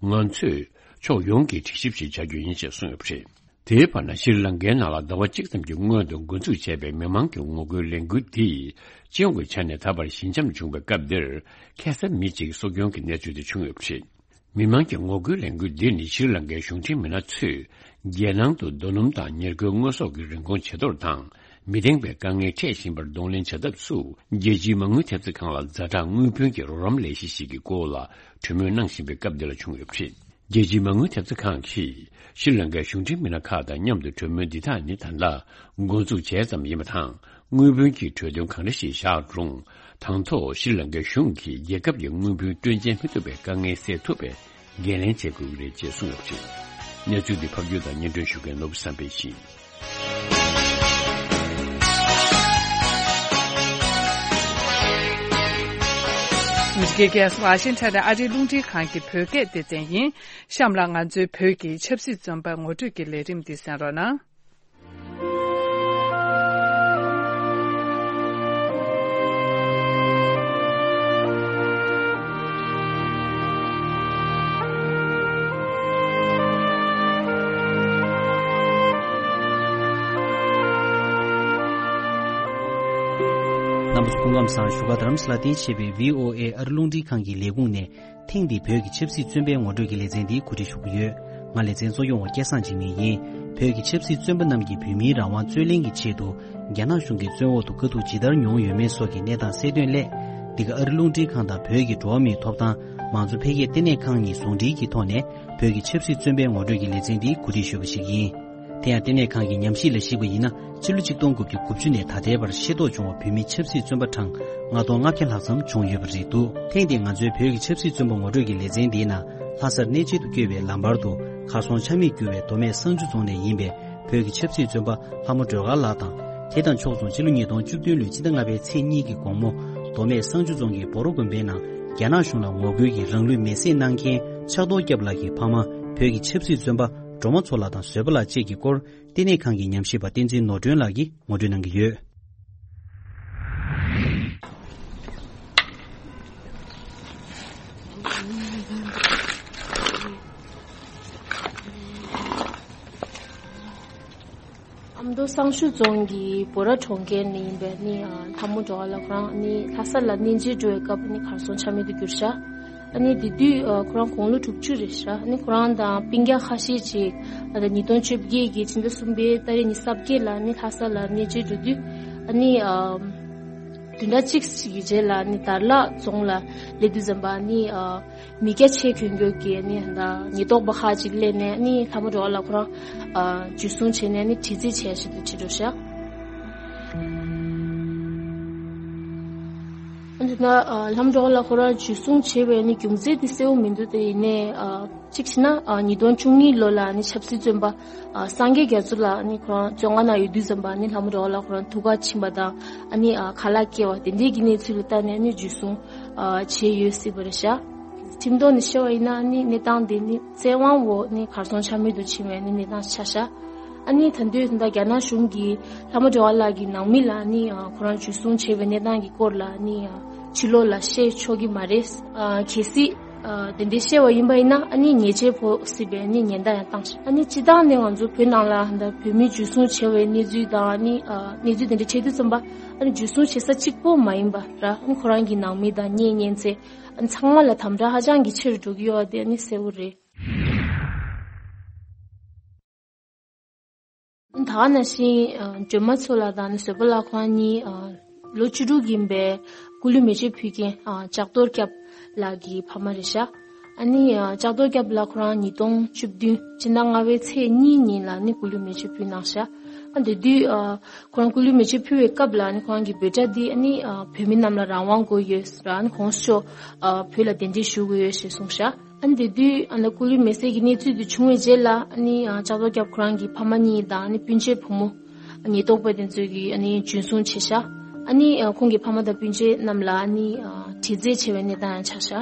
ང་ཚོས་ཕྱོགས་ཡོངས་ཀྱི་དྲི་ཞིབ་ཞིག་བྱ་རྒྱུ་ཡིན་ཅེས་གསུངས་ཡོད་པ་རེད། དེའི་བར་ན། ཤྲི་ལང་ཀའི་ནང་ལ་ཟླ་བ་གཅིག་ཙམ་གྱི་སྔོན་དུ་འགོ་འཛུགས་བྱས་པའི་མི་མང་གི་ངོ་རྒོལ་ལས་འགུལ་འདིས་སྤྱི་ཡོངས་ཀྱི་ཆ་ནས་ད་བར་ཞི་འཇམ་བྱུང་བའི་སྐབས་འདིར། ཁ་སང་མི་གཅིག་སྲོག་སྐྱོན་གྱི་གནས་ཚུལ་དེ་བྱུང་ཡོད་པ་རེད། མི་མང་གི་ངོ་རྒོལ་ལས་འགུལ་འདི་ནི་ཤྲི་ལང་ཀའི་གཞུང་འབྲེལ་མི་སྣ་ཚོས་རྒྱལ་ནང་དུ་རྡོ་སྣུམ་དང་ཉེར་མཁོའི་དངོས་ཟོག་གི་རིན་གོང་ཇེ་མཐོར་དང་། མི་བདེན་པའི་དཀའ་ངལ་འཕྲད་བཞིན་པར་གདོང་ལེན་བྱ་ཐབས་སུ། རྒྱལ་སྤྱིའི་མ་དངུལ་ཐེབས་རྩ་ཁང་ལ་ཛ་དྲག་དངུལ་བུན་གྱི་རོགས་རམ་ལས་གཞི་ཞིག་གི་སྐོར་ལ་གྲོས་མོལ་གནང་བཞིན་པའི་སྐབས་འདི་ལ་བྱུང་ཡོད་པ་རེད། རྒྱལ་སྤྱིའི་མ་དངུལ་ཐེབས་རྩ་ཁང་གིས་ཤྲི་ལང་ཀའི་གཞུང་འབྲེལ་མི་སྣ་ཁག་དང་མཉམ་དུ་གྲོས་མོལ་འདི་དག་ནི་ད་ལྟ་འགོ་འཛུགས་བྱས་ཙམ་ཡིན་པ་དང་། དངུལ་བུན་གྱི་གྲོས་དོན་གང་འདྲ་ཞིག་བཞག་རུང་། དང་ཐོག་ཤྲི་ལང་ཀའི་གཞུང་གིས་རྒྱལ་ཁབ་ཀྱི་དངུལ་བུན་སྤྲོད་འཇལ་མི་ཐུབ་པའི་དཀའ་ངལ་སེལ་ཐུབ་པའི་འགན་ལེན་བྱེད་དགོས་ཀྱི་རེད་ཅེས་གསུངས་ཡོད་པ་རེད། གནས་ཚུལ་འདི་ཕབ་སྒྱུར་དང་སྙན་སྒྲོན་ཞུ་མཁན་ནོར་བུ་བསམ་འཕེལ་ཡིན། ཨ་མི་རི་ཀའི་རྒྱལ་ས་ཝ་ཤིང་ཊོན་ནས་ཨ་རིའི་རླུང་འཕྲིན་ཁང་གི་བོད་སྐད་སྡེ་ཚན་ཡིན། གཤམ་ལ་ང་ཚོའི་བོད་ཀྱི་ཆབ་སྲིད་བཙོན་པ་ངོ་སྤྲོད་ཀྱི་ལས་རིམ་འདི་གསན་རོགས་གནང་། རྣམ་པ་ཚོ་སྐུ་ཁམས་བཟང་། བཞུགས་སྒར་རྡ་རམ་ས་ལ་རྟེན་གཞི་བྱས་པའི་ཝི་ཨོ་ཨེ་ཨ་རི་རླུང་འཕྲིན་ཁང་གི་ལས་ཁུངས་ནས། ཐེངས་འདིའི་བོད་ཀྱི་ཆབ་སྲིད་བཙོན་པའི་ངོ་སྤྲོད་ཀྱི་ལེ་ཚན་འདི་གོ་སྒྲིག་ཞུ་གི་ཡོད། ང་ལེ་ཚན་གཙོ་སྐྱོང་བ་སྐལ་བཟང་འཇིགས་མེད་ཡིན། བོད་ཀྱི་ཆབ་སྲིད་བཙོན་པ་རྣམས་ཀྱིས་བོད་མིའི་རང་དབང་རྩོད་ལེན་གྱི་ཆེད་དུ་རྒྱ་ནག་གཞུང་གི་བཙོན་འོག་ཏུ་དཀའ་སྡུག་ཇི་ལྟར་མྱོང་ཡོད་མེད་སོགས་ཀྱི་གནས་སྟངས་གསལ་སྟོན་སླད། འདི་ག་ཨ་རི་རླུང་འཕྲིན་ཁང་དང་བོད་ཀྱི་འགྲོ་བ་མིའི་ཐོབ་ཐང་མང་གཙོ་འཕེལ་རྒྱས་ལྟེ་གནས་ཁང་གཉིས་ཟུང་འབྲེལ་གྱི་ཐོག་ནས་བོད་ཀྱི་ཆབ་སྲིད་བཙོན་པའི་ངོ་སྤྲོད་ཀྱི་ལེ་ཚན་འདི་གོ་སྒྲིག་ཞུས་པ་ཞིག་ཡིན། དེ་ཡང་ལྟེ་གནས་ཁང་གི་ཉམས་ཞིབ་ལ་གཞིགས་པ་ཡིན་ན། ཕྱི་ལོ་ཆིག་སྟོང་དགུ་བརྒྱ་དགུ་བཅུ་ནས་ད་ལྟའི་བར་ཤེས་རྟོགས་བྱུང་བ་བོད་མི་ཆབ་སྲིད་བཙོན་པ་གྲངས་ལྔ་སྟོང་ལྔ་བརྒྱ་ལྷག་ཙམ་བྱུང་ཡོད་པ་རེད་འདུག་ཐེངས་འདིའི་ང་ཚོའི་བོད་ཀྱི་ཆབ་སྲིད་བཙོན་པ་ངོ་སྤྲོད་ཀྱི་ལེ་ཚན་འདིའི་ནང་ལྷ་སར་གནས་མཇལ་དུ་བསྐྱོད་པའི་ལམ་བར་དུ་གར་སོང་ཆ་མེད་གྱུར་བའི་མདོ་སྨད་བསང་ཆུ་རྫོང་ནས་ཡིན་པའི་བོད་ཀྱི་ཆབ་སྲིད་བཙོན་པ་ལྷ་མོ་སྒྲོལ་དཀར་ལགས་དང་། དེ་དང་ཕྱོགས་མཚུངས་ཕྱི་ལོ་ཉིས་སྟོང་བཅུ་བདུན་ལོའི་སྤྱི་ཟླ་ལྔ་པའི་ཚེས་གཉིས་ཀྱི་དགོང་མོ་མདོ་སྨད་བསང་ཆུ་རྫོང་གི་སྦོ་རོ་དགོན་པའི་ནང་རྒྱ་ནག་གཞུང་ལ་ངོ་རྒོལ་གྱིས་རང་ལུས་མེར་སྲེག་གནང་མཁན་ཕྱག་རྡོར་སྐྱབས་ལགས་ཀྱི་ཕ་མ་བོད་ཀྱི་ཆབ་སྲིད་བཙོན་པ་སྒྲོལ་མ་མཚོ་ལགས་དང་བཟོད་པ་ལགས་བཅས་ཀྱི་སྐོར། ལྟེ་གནས་ཁང་གི་ཉམས་ཞིབ་པ་བསྟན་འཛིན་ནོར་སྒྲོན་ལགས་ཀྱིས་ངོ་སྤྲོད་གནང་གི་ཡོད། ཨ་མདོ་བསང་ཆུ་རྫོང་གི་སྦོ་ར་གྲོང་ཁྱེར་ནས་ཡིན་པའི་ནི་ལྷ་མོ་སྒྲོལ་དཀར་ལགས་ཁོ་རང་ནི་ལྷ་ས་ལ་གནས་མཇལ་འགྲོ་བའི་སྐབས་ནི་གར་སོང་ཆ་མེད་དུ་གྱུར་ཤག་ཨ་ནི་དེ་དུས་ཨ་ཁོ་རང་དགུང་ལོ་དྲུག་ཅུ་རེད་ཤག་ཨ་ནི་ཁོ་རང་དང་སྤུན་ཀྱག་ཁ་ཤས་ཅིག་ཨ་ད་ཉིས་སྟོང་བཅོ་བརྒྱད་ཀྱི་ཕྱི་ཟླ་གསུམ་པའི་ཏ་རིག་ཉི་ཤུ་རྩ་བརྒྱད་ལ་ནི་ལྷ་ས་ལ་གནས་མཇལ་འགྲོ་དུས་ཨ་ནི་ཨ་བདུན་ཕྲག་གཅིག་ཅིག་གི་རྗེས་ལ་ནི་དར་ལག་རྫོང་ལ་སླེབས་དུས་ཙམ་པ་ནི་ཨ་མི་སྐྱ་ཆེ་གྱོན་གྱོན་གྱི་ནི་ད་ཉེན་རྟོག་པ་ཁག་ཅིག་སླེབས་ནས་ནི་ལྷ་མོ་སྒྲོལ་དཀར་ལགས་ཁོ་རང་ཨ་འཇུ་བཟུང་བྱས་ནས་ནི་དྲི་རྩད་བྱས་བྱས་དུ་ཁྲིད་འགྲོ་ཤག་ཨ་ནི་ད་ཨ་ལྷ་མོ་སྒྲོལ་དཀར་ལགས་ཁོ་རང་འཇུ་བཟུང་བྱས་པའི་ནི་རྒྱུ་མཚན་དེ་གསལ་པོ་མི་འདུག་དེ་ཡིན་ནའི་ཨ་གཅིག་བྱས་ན་ཨ་ཉིས་སྟོང་བཅུ་གཉིས་ལོ་ལ་ནི་ཆབ་སྲིད་བཙོན་པ་ཨ་སངས་རྒྱས་རྒྱ་མཚོ་ལགས་ནི་ཁོ་རང་བཙོན་ཁང་ནང་ཡོད་དུས་ཙམ་པ་ནི་ལྷ་མོ་སྒྲོལ་དཀར་ལགས་ཁོ་རང་ཐུག་ཁ་ཕྱིན་པ་དང་ཨ་ནི་ཨ་ཁ་ལག་སྐྱེལ་བ་དེ་འདྲའི་གི་གནས་ཚུལ་ལ་བལྟས་ནས་ནི་འཇུ་བཟུང་ཨ་བྱས་ཡོད་སྲིད་པ་རེད་ཤག་ཁྲིམས་ཐོག་ནས་བཤད་པ་ཡིན་ན་ནི་གནས་སྟངས་དེ་ནི་བཙན་དབང་འོག་ནི་གར་སོང་ཆ་མེད་དུ་ཕྱིན་པའི་ནི་གནས་སྟངས་ཆགས་ཤག་ཨ་ནི་ད་དུང་ད་ལྟ་རྒྱ་ནག་གཞུང་གིས་ལྷ་མོ་སྒྲོལ་དཀར་ལགས་ཀྱི་ནང་མི་ལ་ནི་ཨ་ཁོ་རང་འཇུ་བཟུང་བྱས་པའི་གནས་སྟངས་ཀྱི་སྐོར་ལ་ནི་ཨ་ཕྱི་ལོགས་ལ་བཤད་ཆོག་གི་མ་རེད། ཨ་གལ་སྲིད་ཨ་དེ་འདྲའི་བཤད་པ་ཡིན་པ་ཡིན་ན་ཨ་ནི་ཉེས་ཆད་ཕོག་སྲིད་པའི་ནི་ཉེན་བརྡ་ཡང་བཏང་ཤག་ཨ་ནི་སྤྱིར་བཏང་ནས་ང་ཚོ་བོད་ནང་ལ་ད་བོད་མི་འཇུ་བཟུང་བྱས་པའི་གནས་ཚུལ་དང་ཨ་ནི་ཨ་གནས་ཚུལ་དེ་འདྲ་འཕྲད་དུས་ཙམ་པ་ཨ་ནི་འཇུ་བཟུང་བྱེད་ས་གཅིག་པོ་མ་ཡིན་པ་ར་ཨ་ནི་ཁོ་རང་གི་ནང་མི་དང་གཉེན་ཉེ་ཚན། ཚང་མ་ལ་དམ་དྲག་ཧ་ཅང་གི་ཆེ་རུ་འགྲོ་གི་ཡོད་པ་དེ་ནི་གསལ་པོ་རེད། ད་ག་ནང་བཞིན་སྒྲོལ་མ་མཚོ་ལགས་དང་ནི་བཟོད་པ་ལགས་ཁོང་གཉིས་ལོ་བཅུ་དྲུག་ཡིན་པའི་སྐུ་ལུས་མེ་མཆོད་ཕུལ་མཁན་ལྕགས་རྡོར་སྐྱབས་ལགས་ཀྱི་ཕ་མ་རེད་ཤག་ཨ་ནི་ཨ་ལྕགས་རྡོར་སྐྱབས་ལགས་ཁོ་རང་ཉིས་སྟོང་བཅུ་བདུན་ཕྱི་ཟླ་ལྔ་པའི་ཚེས་གཉིས་ཉིན་ལ་ཨ་ནི་སྐུ་ལུས་མེ་མཆོད་ཕུལ་གནང་ཤག་ཨ་དེ་དུས་ཨ་ཁོ་རང་སྐུ་ལུས་མེ་མཆོད་ཕུལ་བའི་སྐབས་ལ་ཨ་ནི་ཁོ་རང་གི་འབོད་སྒྲ་འདི་ཨ་ནི་ཨ་བོད་མི་རྣམས་ལ་རང་དབང་དགོས་ཡོད་ཟེར། ཨ་ནི་གོང་ས་མཆོག་ཨ་བོད་ལ་གདན་འདྲེན་ཞུ་དགོས་ཡོད་ཞེས་གསུངས་ཤག་ཨ་ནི་དེ་དུས་ཨ་ནི་སྐུ་ལུས་མེ་བསྲེགས་ཀྱི་གནས་ཚུལ་དེ་བྱུང་བའི་རྗེས་ལ་ཨ་ནི་ཨ་ལྕགས་རྡོར་སྐྱབས་ཁོ་རང་གི་ཕ་མ་གཉིས་དང་ཨ་ནི་སྤུན་མཆེད་བུ་མོ་ཉེན་རྟོག་པ་དེ་ཚོས་ཀྱིས་ཨ་ནི་འཇུ་བཟུང་བྱས་ཤག་ཨ་ནི་ཨ་ཁོང་གི་ཕ་མ་དང་སྤུན་མཆེད་རྣམས་ལ་ཨ་ནི་ཨ་དྲི་རྩད་བྱས་པའི་གནས་སྟངས་ཡང་ཆགས་ཤག་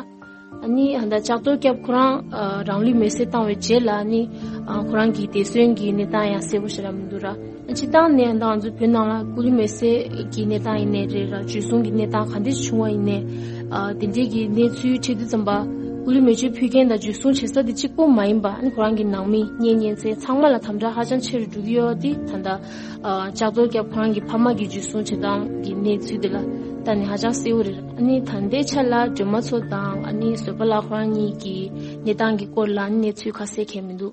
ཨ་ནི་ཨ་ད་ལྕགས་རྡོར་སྐྱབས་ཁོ་རང་ཨ་རང་ལུས་མེར་སྲེག་བཏང་བའི་རྗེས་ལ་ཨ་ནི་ཨ་ཁོ་རང་གི་འདས་གསོན་གྱི་གནས་སྟངས་ཡང་གསལ་པོ་ཞེ་དྲག་མི་འདུག་ར། སྤྱིར་བཏང་ནས་ད་ང་ཚོ་བོད་ནང་ལ་སྐུ་ལུས་མེར་སྲེག་གི་གནས་སྟངས་ཡིན་ནའི་རེད་ར། འཇུ་བཟུང་གི་གནས་སྟངས་ག་འདྲ་ཞིག་བྱུང་བ་ཡིན་ནའི་ཨ་དེ་འདྲའི་གི་གནས་ཚུལ་འཕྲད་དུས་ཙམ་པ་སྐུ་ལུས་མེ་མཆོད་ཕུལ་མཁན་དང་འཇུ་བཟུང་བྱེད་ས་དེ་གཅིག་པོ་མ་ཡིན་པ་ཨ་ནི་ཁོ་རང་གི་ནང་མི་གཉེན་ཉེ་ཚན་ཚང་མ་ལ་དམ་དྲག་ཧ་ཅང་ཆེ་རུ་འགྲོ་གི་ཡོད་དེ། ད་ལྟ་ཨ་ལྕགས་རྡོར་སྐྱབས་ཁོ་རང་གི་ཕ་མ་གི་འཇུ་བཟུང་བྱེད་སྟངས་ཀྱི་གནས་ཚུལ་དེ་ལ་ལྟ་ནས་ཧ་ཅང་གསལ་པོ་རེད། ཨ་ནི་ད་ལྟའི་ཆ་ལ་སྒྲོལ་མ་མཚོ་དང་ཨ་ནི་བཟོད་པ་ལགས་ཁོ་རང་གཉིས་ཀྱི་གནས་སྟངས་ཀྱི་སྐོར་ལ་ཨ་ནི་གནས་ཚུལ་ཁ་གསལ་གང་ཡང་མི་འདུག་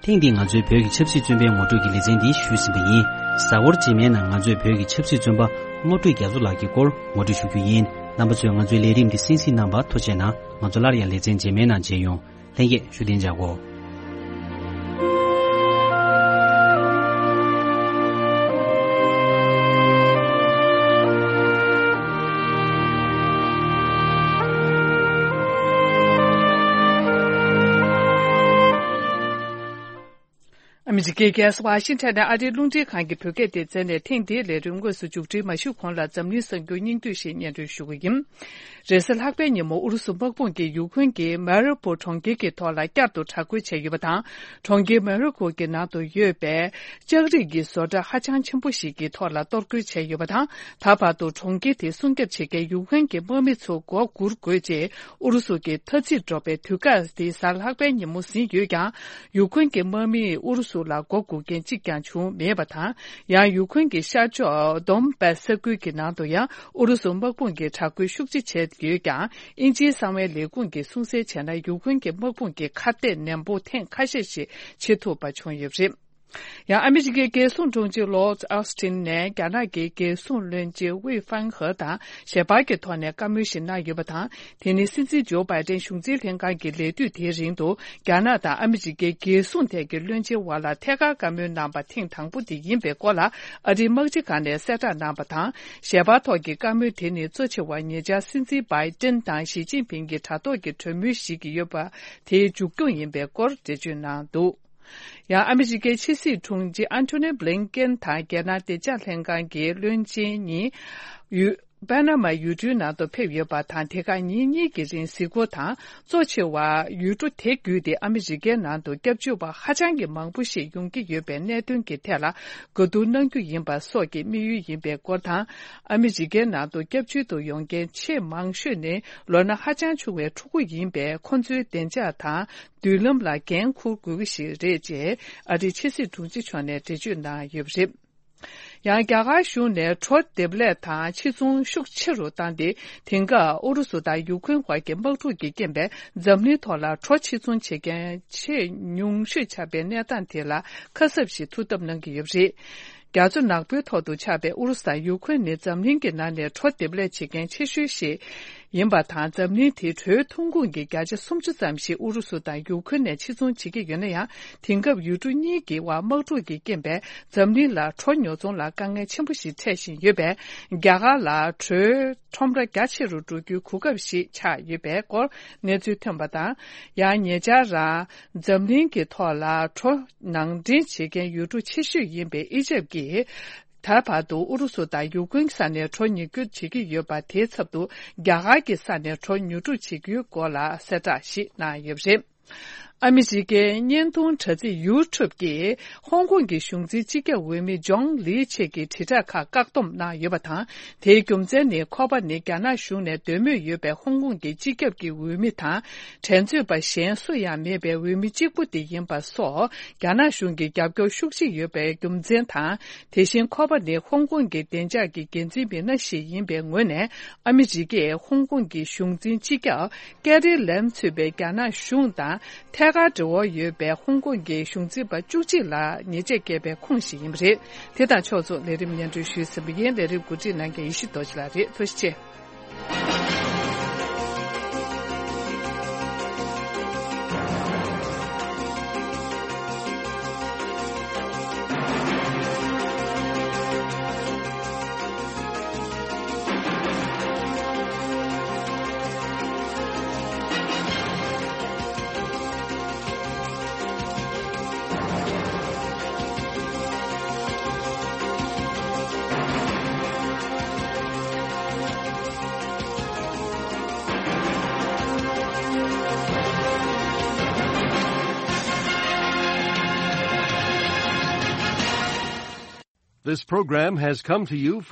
ཐེངས་འདིའི་ང་ཚོའི་བོད་ཀྱི་ཆབ་སྲིད་བཙོན་པའི་ངོ་སྤྲོད་ཀྱི་ལེ་ཚན་འདི་ཞུས་ཟིན་པ་ཡིན། གཟའ་འཁོར་རྗེས་མའི་ནང་ང་ཚོས་བོད་ཀྱི་ཆབ་སྲིད་བཙོན་པ་བློ་གྲོས་རྒྱ་མཚོ་ལགས་ཀྱི་སྐོར་ངོ་སྤྲོད་ཞུ་རྒྱུ་ཡིན། རྣམ་པ་ཚོས་ང་ཚོའི་ལས་རིམ་འདི་གསན་གཟིགས་གནང་བར་ཐུགས་རྗེ་གནང་། ང་ཚོ་སླར་ཡང་ལེ་ཚན་རྗེས་མའི་ནང་མཇལ་ཡོང་། ལྷན་རྒྱས་བཞུགས་གདན་འཇགས་གོ། ཨ་མི་རི་ཀའི་རྒྱལ་ས་ཝ་ཤིང་ཊོན་ནས་ཨ་རིའི་རླུང་འཕྲིན་ཁང་གི་བོད་སྐད་སྡེ་ཚན་ནས་ཐེངས་འདིའི་ལས་རིམ་དངོས་སུ་མཇུག་སྒྲིལ་མ་ཞུས་གོང་ལ་འཛམ་གླིང་གསར་འགྱུར་སྙིང་བསྡུས་ཤིག་སྙན་སྒྲོན་ཞུ་གི་ཡིན། རེས་གཟའ་ལྷག་པའི་ཉིན་མོ་ཨུ་རུ་སུ་དམག་དཔུང་གིས་ཡུ་ཁུན་གྱི་མ་རི་པོ་གྲོང་ཁྱེར་གྱི་ཐོག་ལ་བསྐྱར་དུ་དྲག་རྒོལ་བྱས་ཡོད་པ་དང་། གྲོང་ཁྱེར་མ་རི་པོ་གྱི་ནང་དུ་ཡོད་པའི་ལྕགས་རིགས་ཀྱི་བཟོ་གྲྭ་ཧ་ཅང་ཆེན་པོ་ཞིག་གི་ཐོག་ལ་གཏོར་རྒོལ་བྱས་ཡོད་པ་དང་། ད་བར་དུ་གྲོང་ཁྱེར་དེ་སྲུང་སྐྱོབ་བྱེད་མཁན་ཡུ་ཁུན་གྱི་དམག་མི་ཚོ་མགོ་སྒུར་དགོས་ཅེས་ཨུ་རུ་སུ་གྱི་འཐབ་འཛིང་འགྲོ་བའི་དུས་བཀག་དེ་གཟའ་ལྷག་པའི་ཉིན་མོ་ཟིན་ཡོད་ཀྱང་། ཡུ་ཁུན་གྱི་དམག་མིས་ཨུ་རུ་སུ་ལ་མགོ་སྒུར་མཁན་གཅིག་ཀྱང་བྱུང་མེད་པ་དང་། ཡང་ཡུ་ཁུན་གྱི་ཤར་ཕྱོགས་དོམ་པ་ས་ཁུལ་གྱི་ནང་དུ་ཡང་ཨུ་རུ་སུ་དམག་དཔུང་གིས་དྲག་རྒོལ་ཤུགས་ཆེ་བྱས་ཡོད་ཀྱང་། དབྱིན་ཇིའི་གསང་བའི་ལས་ཁུངས་ཀྱིས་གསུངས་གསལ་བྱས་ན། ཡུ་ཁུན་གྱི་དམག་དཔུང་གིས་ཁ་གཏད་ནན་པོ་ཐེངས་ཁ་ཤས་ཤིག་བྱེད་ཐུབ་པ་བྱུང་ཡོད་པ་རེད། ཡང་ཨ་མི་རི་ཀའི་རྒྱལ་སྲུང་དྲུང་ཆེ་ལོར་ཨོ་སི་ཊིན་ནས་རྒྱ་ནག་གི་རྒྱལ་སྲུང་བློན་ཆེན་ཝེ་ཧྥང་ཧེ་དང་ཞལ་པར་གྱི་ཐོག་ནས་བཀའ་མོལ་ཞིག་གནང་ཡོད་པ་དང་། དེ་ནི་སྲིད་འཛིན་ཇོ་བྷའི་ཏན་གཞུང་འཛིན་ལྷན་ཁང་གི་ལས་དུས་དེའི་རིང་དུ་རྒྱ་ནག་དང་ཨ་མི་རི་ཀའི་རྒྱལ་སྲུང་ཐད་ཀྱི་བློན་ཆེན་དབར་ལ་ཐད་ཀར་བཀའ་མོལ་གནང་པ་ཐེངས་དང་པོ་དེ་ཡིན་པའི་སྐོར་ལ་ཨ་རིའི་དམག་སྤྱི་ཁང་ནས་གསལ་བསྒྲགས་གནང་པ་དང་། ཞལ་པར་ཐོག་གི་བཀའ་མོལ་དེ་ནི་གཙོ་ཆེ་བ་ཉེ་ཆར་སྲིད་འཛིན་བྷའི་ཏན་དང་ཞི་ཅིན་ཕིང་གི་དྲ་ཐོག་གི་གྲོས་མོལ་ཞིག་ཡོད་པ་དེའི་མཇུག་སྐྱོང་ཡིན་པའི་སྐོར་འགྲེལ་བརྗོད་གནང་འདུག་ཡང་ཨ་མི་རི་ཀའི་ཕྱི་སྲིད་དྲུང་ཆེ་ཨན་ཐོ་ནི་བྷི་ལིན་ཀེན་དང་རྒྱལ་ནང་བདེ་འཇགས་ལྷན་ཁང་གི་བློན་ཆེན་གཉིས་ཡུལ་པ་ན་མ་ཡུལ་གྲུའི་ནང་དུ་ཕེབས་ཡོད་པ་དང་། དེ་ཁག་ཉིན་གཉིས་ཀྱི་རིང་གཟིགས་སྐོར་དང་། གཙོ་ཆེ་བ་ཡུལ་གྲུ་དེ་བརྒྱུད་དེ་ཨ་མི་རི་ཀའི་ནང་དུ་སྐྱབས་བཅོལ་བ་ཧ་ཅང་གི་མང་པོ་ཞིག་ཡོང་གི་ཡོད་པའི་གནད་དོན་གྱི་ཐད་ལ་གོ་བསྡུར་གནང་རྒྱུ་ཡིན་པ་སོགས་ཀྱི་དམིགས་ཡུལ་ཡིན་པའི་སྐོར་དང་། ཨ་མི་རི་ཀའི་ནང་དུ་སྐྱབས་བཅོལ་དུ་ཡོང་མཁན་ཆེས་མང་ཤོས་ནི་ལོ་ན་ཧ་ཅང་ཆུང་བའི་ཕྲུ་གུ་ཡིན་པས། ཁོ་ཚོའི་བདེ་འཇགས་དང་མདུན་ལམ་ལ་འགན་འཁུར་དགོས་ཀྱི་ཞིག་རེད་ཅེས་ཨ་རིའི་ཕྱི་སྲིད་དྲུང་ཆེ་མཆོག་ནས་འགྲེལ་བརྗོད་གནང་ཡོད་པ་རེད། ཡང་རྒྱ་གར་གཞུང་ནས་གྲོ་འདེབས་ལས་དང་ཕྱིར་ཚོང་ཤུགས་ཆེ་རུ་བཏང་སྟེ། དེང་སྐབས་ཨུ་རུ་སུ་དང་ཡུ་ཁུན་བར་གྱི་དམག་འཁྲུག་གི་རྐྱེན་པས་འཛམ་གླིང་ཐོག་ལ་གྲོ་ཕྱིར་ཚོང་བྱེད་མཁན་ཆེས་ཉུང་ཤོས་ཆགས་པའི་གནས་སྟངས་དེ་ལ་ཁ་གསབ་ཞིག་ཐུགས་འདེབས་གནང་གི་ཡོད་པ་རེད། རྒྱ་མཚོ་ནག་པོའི་ཐོག་ཏུ་ཆགས་པའི་ཨུ་རུ་སུ་དང་ཡུ་ཁུན་ནི་འཛམ་གླིང་གི་ནང་ནས་གྲོ་འདེབས་ལས་བྱེད་མཁན་ཆེ་ཤོས་ཤིག་ཡིན་པ་དང་། འཛམ་གླིང་དེའི་གྲོའི་ཐོན་ཁུངས་ཀྱི་བརྒྱ་ཆ་སུམ་ཅུ་ཙམ་ཞིག་ཨུ་རུ་སུ་དང་ཡུ་ཁུན་ནས་ཕྱིར་ཚོང་བྱེད་ཀྱི་ཡོད་ན་ཡང་། དེང་སྐབས་ཡུལ་གྲུ་གཉིས་ཀྱི་དབར་དམག་འཁྲུག་གི་རྐྱེན་པས་འཛམ་གླིང་ལ་གྲོ་ཉོ་ཚོང་ལ་དཀའ་ངལ་ཆེན་པོ་ཞིག་འཕྲད་བཞིན་ཡོད་པས། རྒྱ་གར་ལ་གྲོའི་ཁྲོམ་ར་རྒྱ་ཆེ་རུ་འགྲོ་རྒྱུའི་གོ་སྐབས་ཤིག་ཆགས་ཡོད་པའི་སྐོར་གནས་ཚུལ་ཐོན་པ་དང་། ཡང་ཉེ་ཆར་རང་འཛམ་གླིང་གི་ཐོག་ལ་གྲོ་ནང་འདྲེན་བྱེད་མཁན་ཡུལ་གྲུ་ཆེ་ཤོས་ཡིན་པའི་ཨི་ཇེབ་ཀྱིས། ད་བར་དུ་ཨུ་རུ་སུ་དང་ཡུ་ཀེ་རེན་ས་ནས་གྲོ་ཉོ་སྒྱུར་བྱེད་ཀྱི་ཡོད་པ། དེའི་ཚབ་ཏུ་རྒྱ་གར་གྱི་ས་ནས་གྲོ་ཉོ་སྒྲུབ་བྱེད་རྒྱུའི་སྐོར་ལ་གསལ་བསྒྲགས་ཤིག་གནང་ཡོད་པ་རེད། ཨ་མི་རི་ཀའི་བརྙན་ཐུང་དྲ་ཚིགས་ཡུ་ཊུབ་ཀྱིས་ཧོང་ཀོང་གི་གཞུང་འཛིན་སྤྱི་ཁྱབ་འོས་མི་ཇོང་ལི་ཆེད་ཀྱི་དྲིལ་བསྒྲགས་ཁག་བཀག་སྡོམ་གནང་ཡོད་པ་དང་། དེའི་རྒྱུ་མཚན་ནི། ཁོ་པ་ནི་རྒྱ་ནག་གཞུང་ནས་འདོད་མོས་ཡོད་པའི་ཧོང་ཀོང་གི་སྤྱི་ཁྱབ་ཀྱི་འོས་མི་དང་། འགྲན་རྩོད་པ་གཞན་སུ་ཡང་མེད་པའི་འོས་མི་གཅིག་པུ་དེ་ཡིན་པ་སོགས། རྒྱ་ནག་གཞུང་གི་རྒྱབ་སྐྱོར་ཤུགས་ཆེ་ཡོད་པའི་རྒྱུ་མཚན་དང་། དེ་བཞིན་ཁོ་པ་ནི་ཧོང་ཀོང་གི་བདེ་འཇགས་ཀྱི་འགན་འཛིན་མི་སྣ་ཞིག་ཡིན་པའི་ངོས་ནས། ཨ་མི་རི་ཀས་ཧོང་ཀོང་གི་གཞུང་འཛིན་སྤྱི་ཁྱབ་ཀེ་རི་ལེམ་གཙོས་པའི་རྒྱ་ནག་གཞུང་དང་ཐད་ཀར་འབྲེལ་བ་ཡོད་པའི་ཧོང་ཀོང་གི་གཞུང་འཛིན་པ་བཅུ་གཅིག་ལ་ཉེས་ཆད་བཀལ་བའི་ཁུངས་ཤིག་ཡིན་པ་རེད། དེ་དང་ཕྱོགས་མཚུངས་ལས་རིམ་སྙན་སྒྲོན་ཞུས་ཟིན་པ་ཡིན། ལས་རིམ་གོ་སྒྲིག་གནང་མཁན་ཡེ་ཤེས་རྡོ་རྗེ་ལགས་རེད། ཐུགས་རྗེ་ཆེ། This program has come to you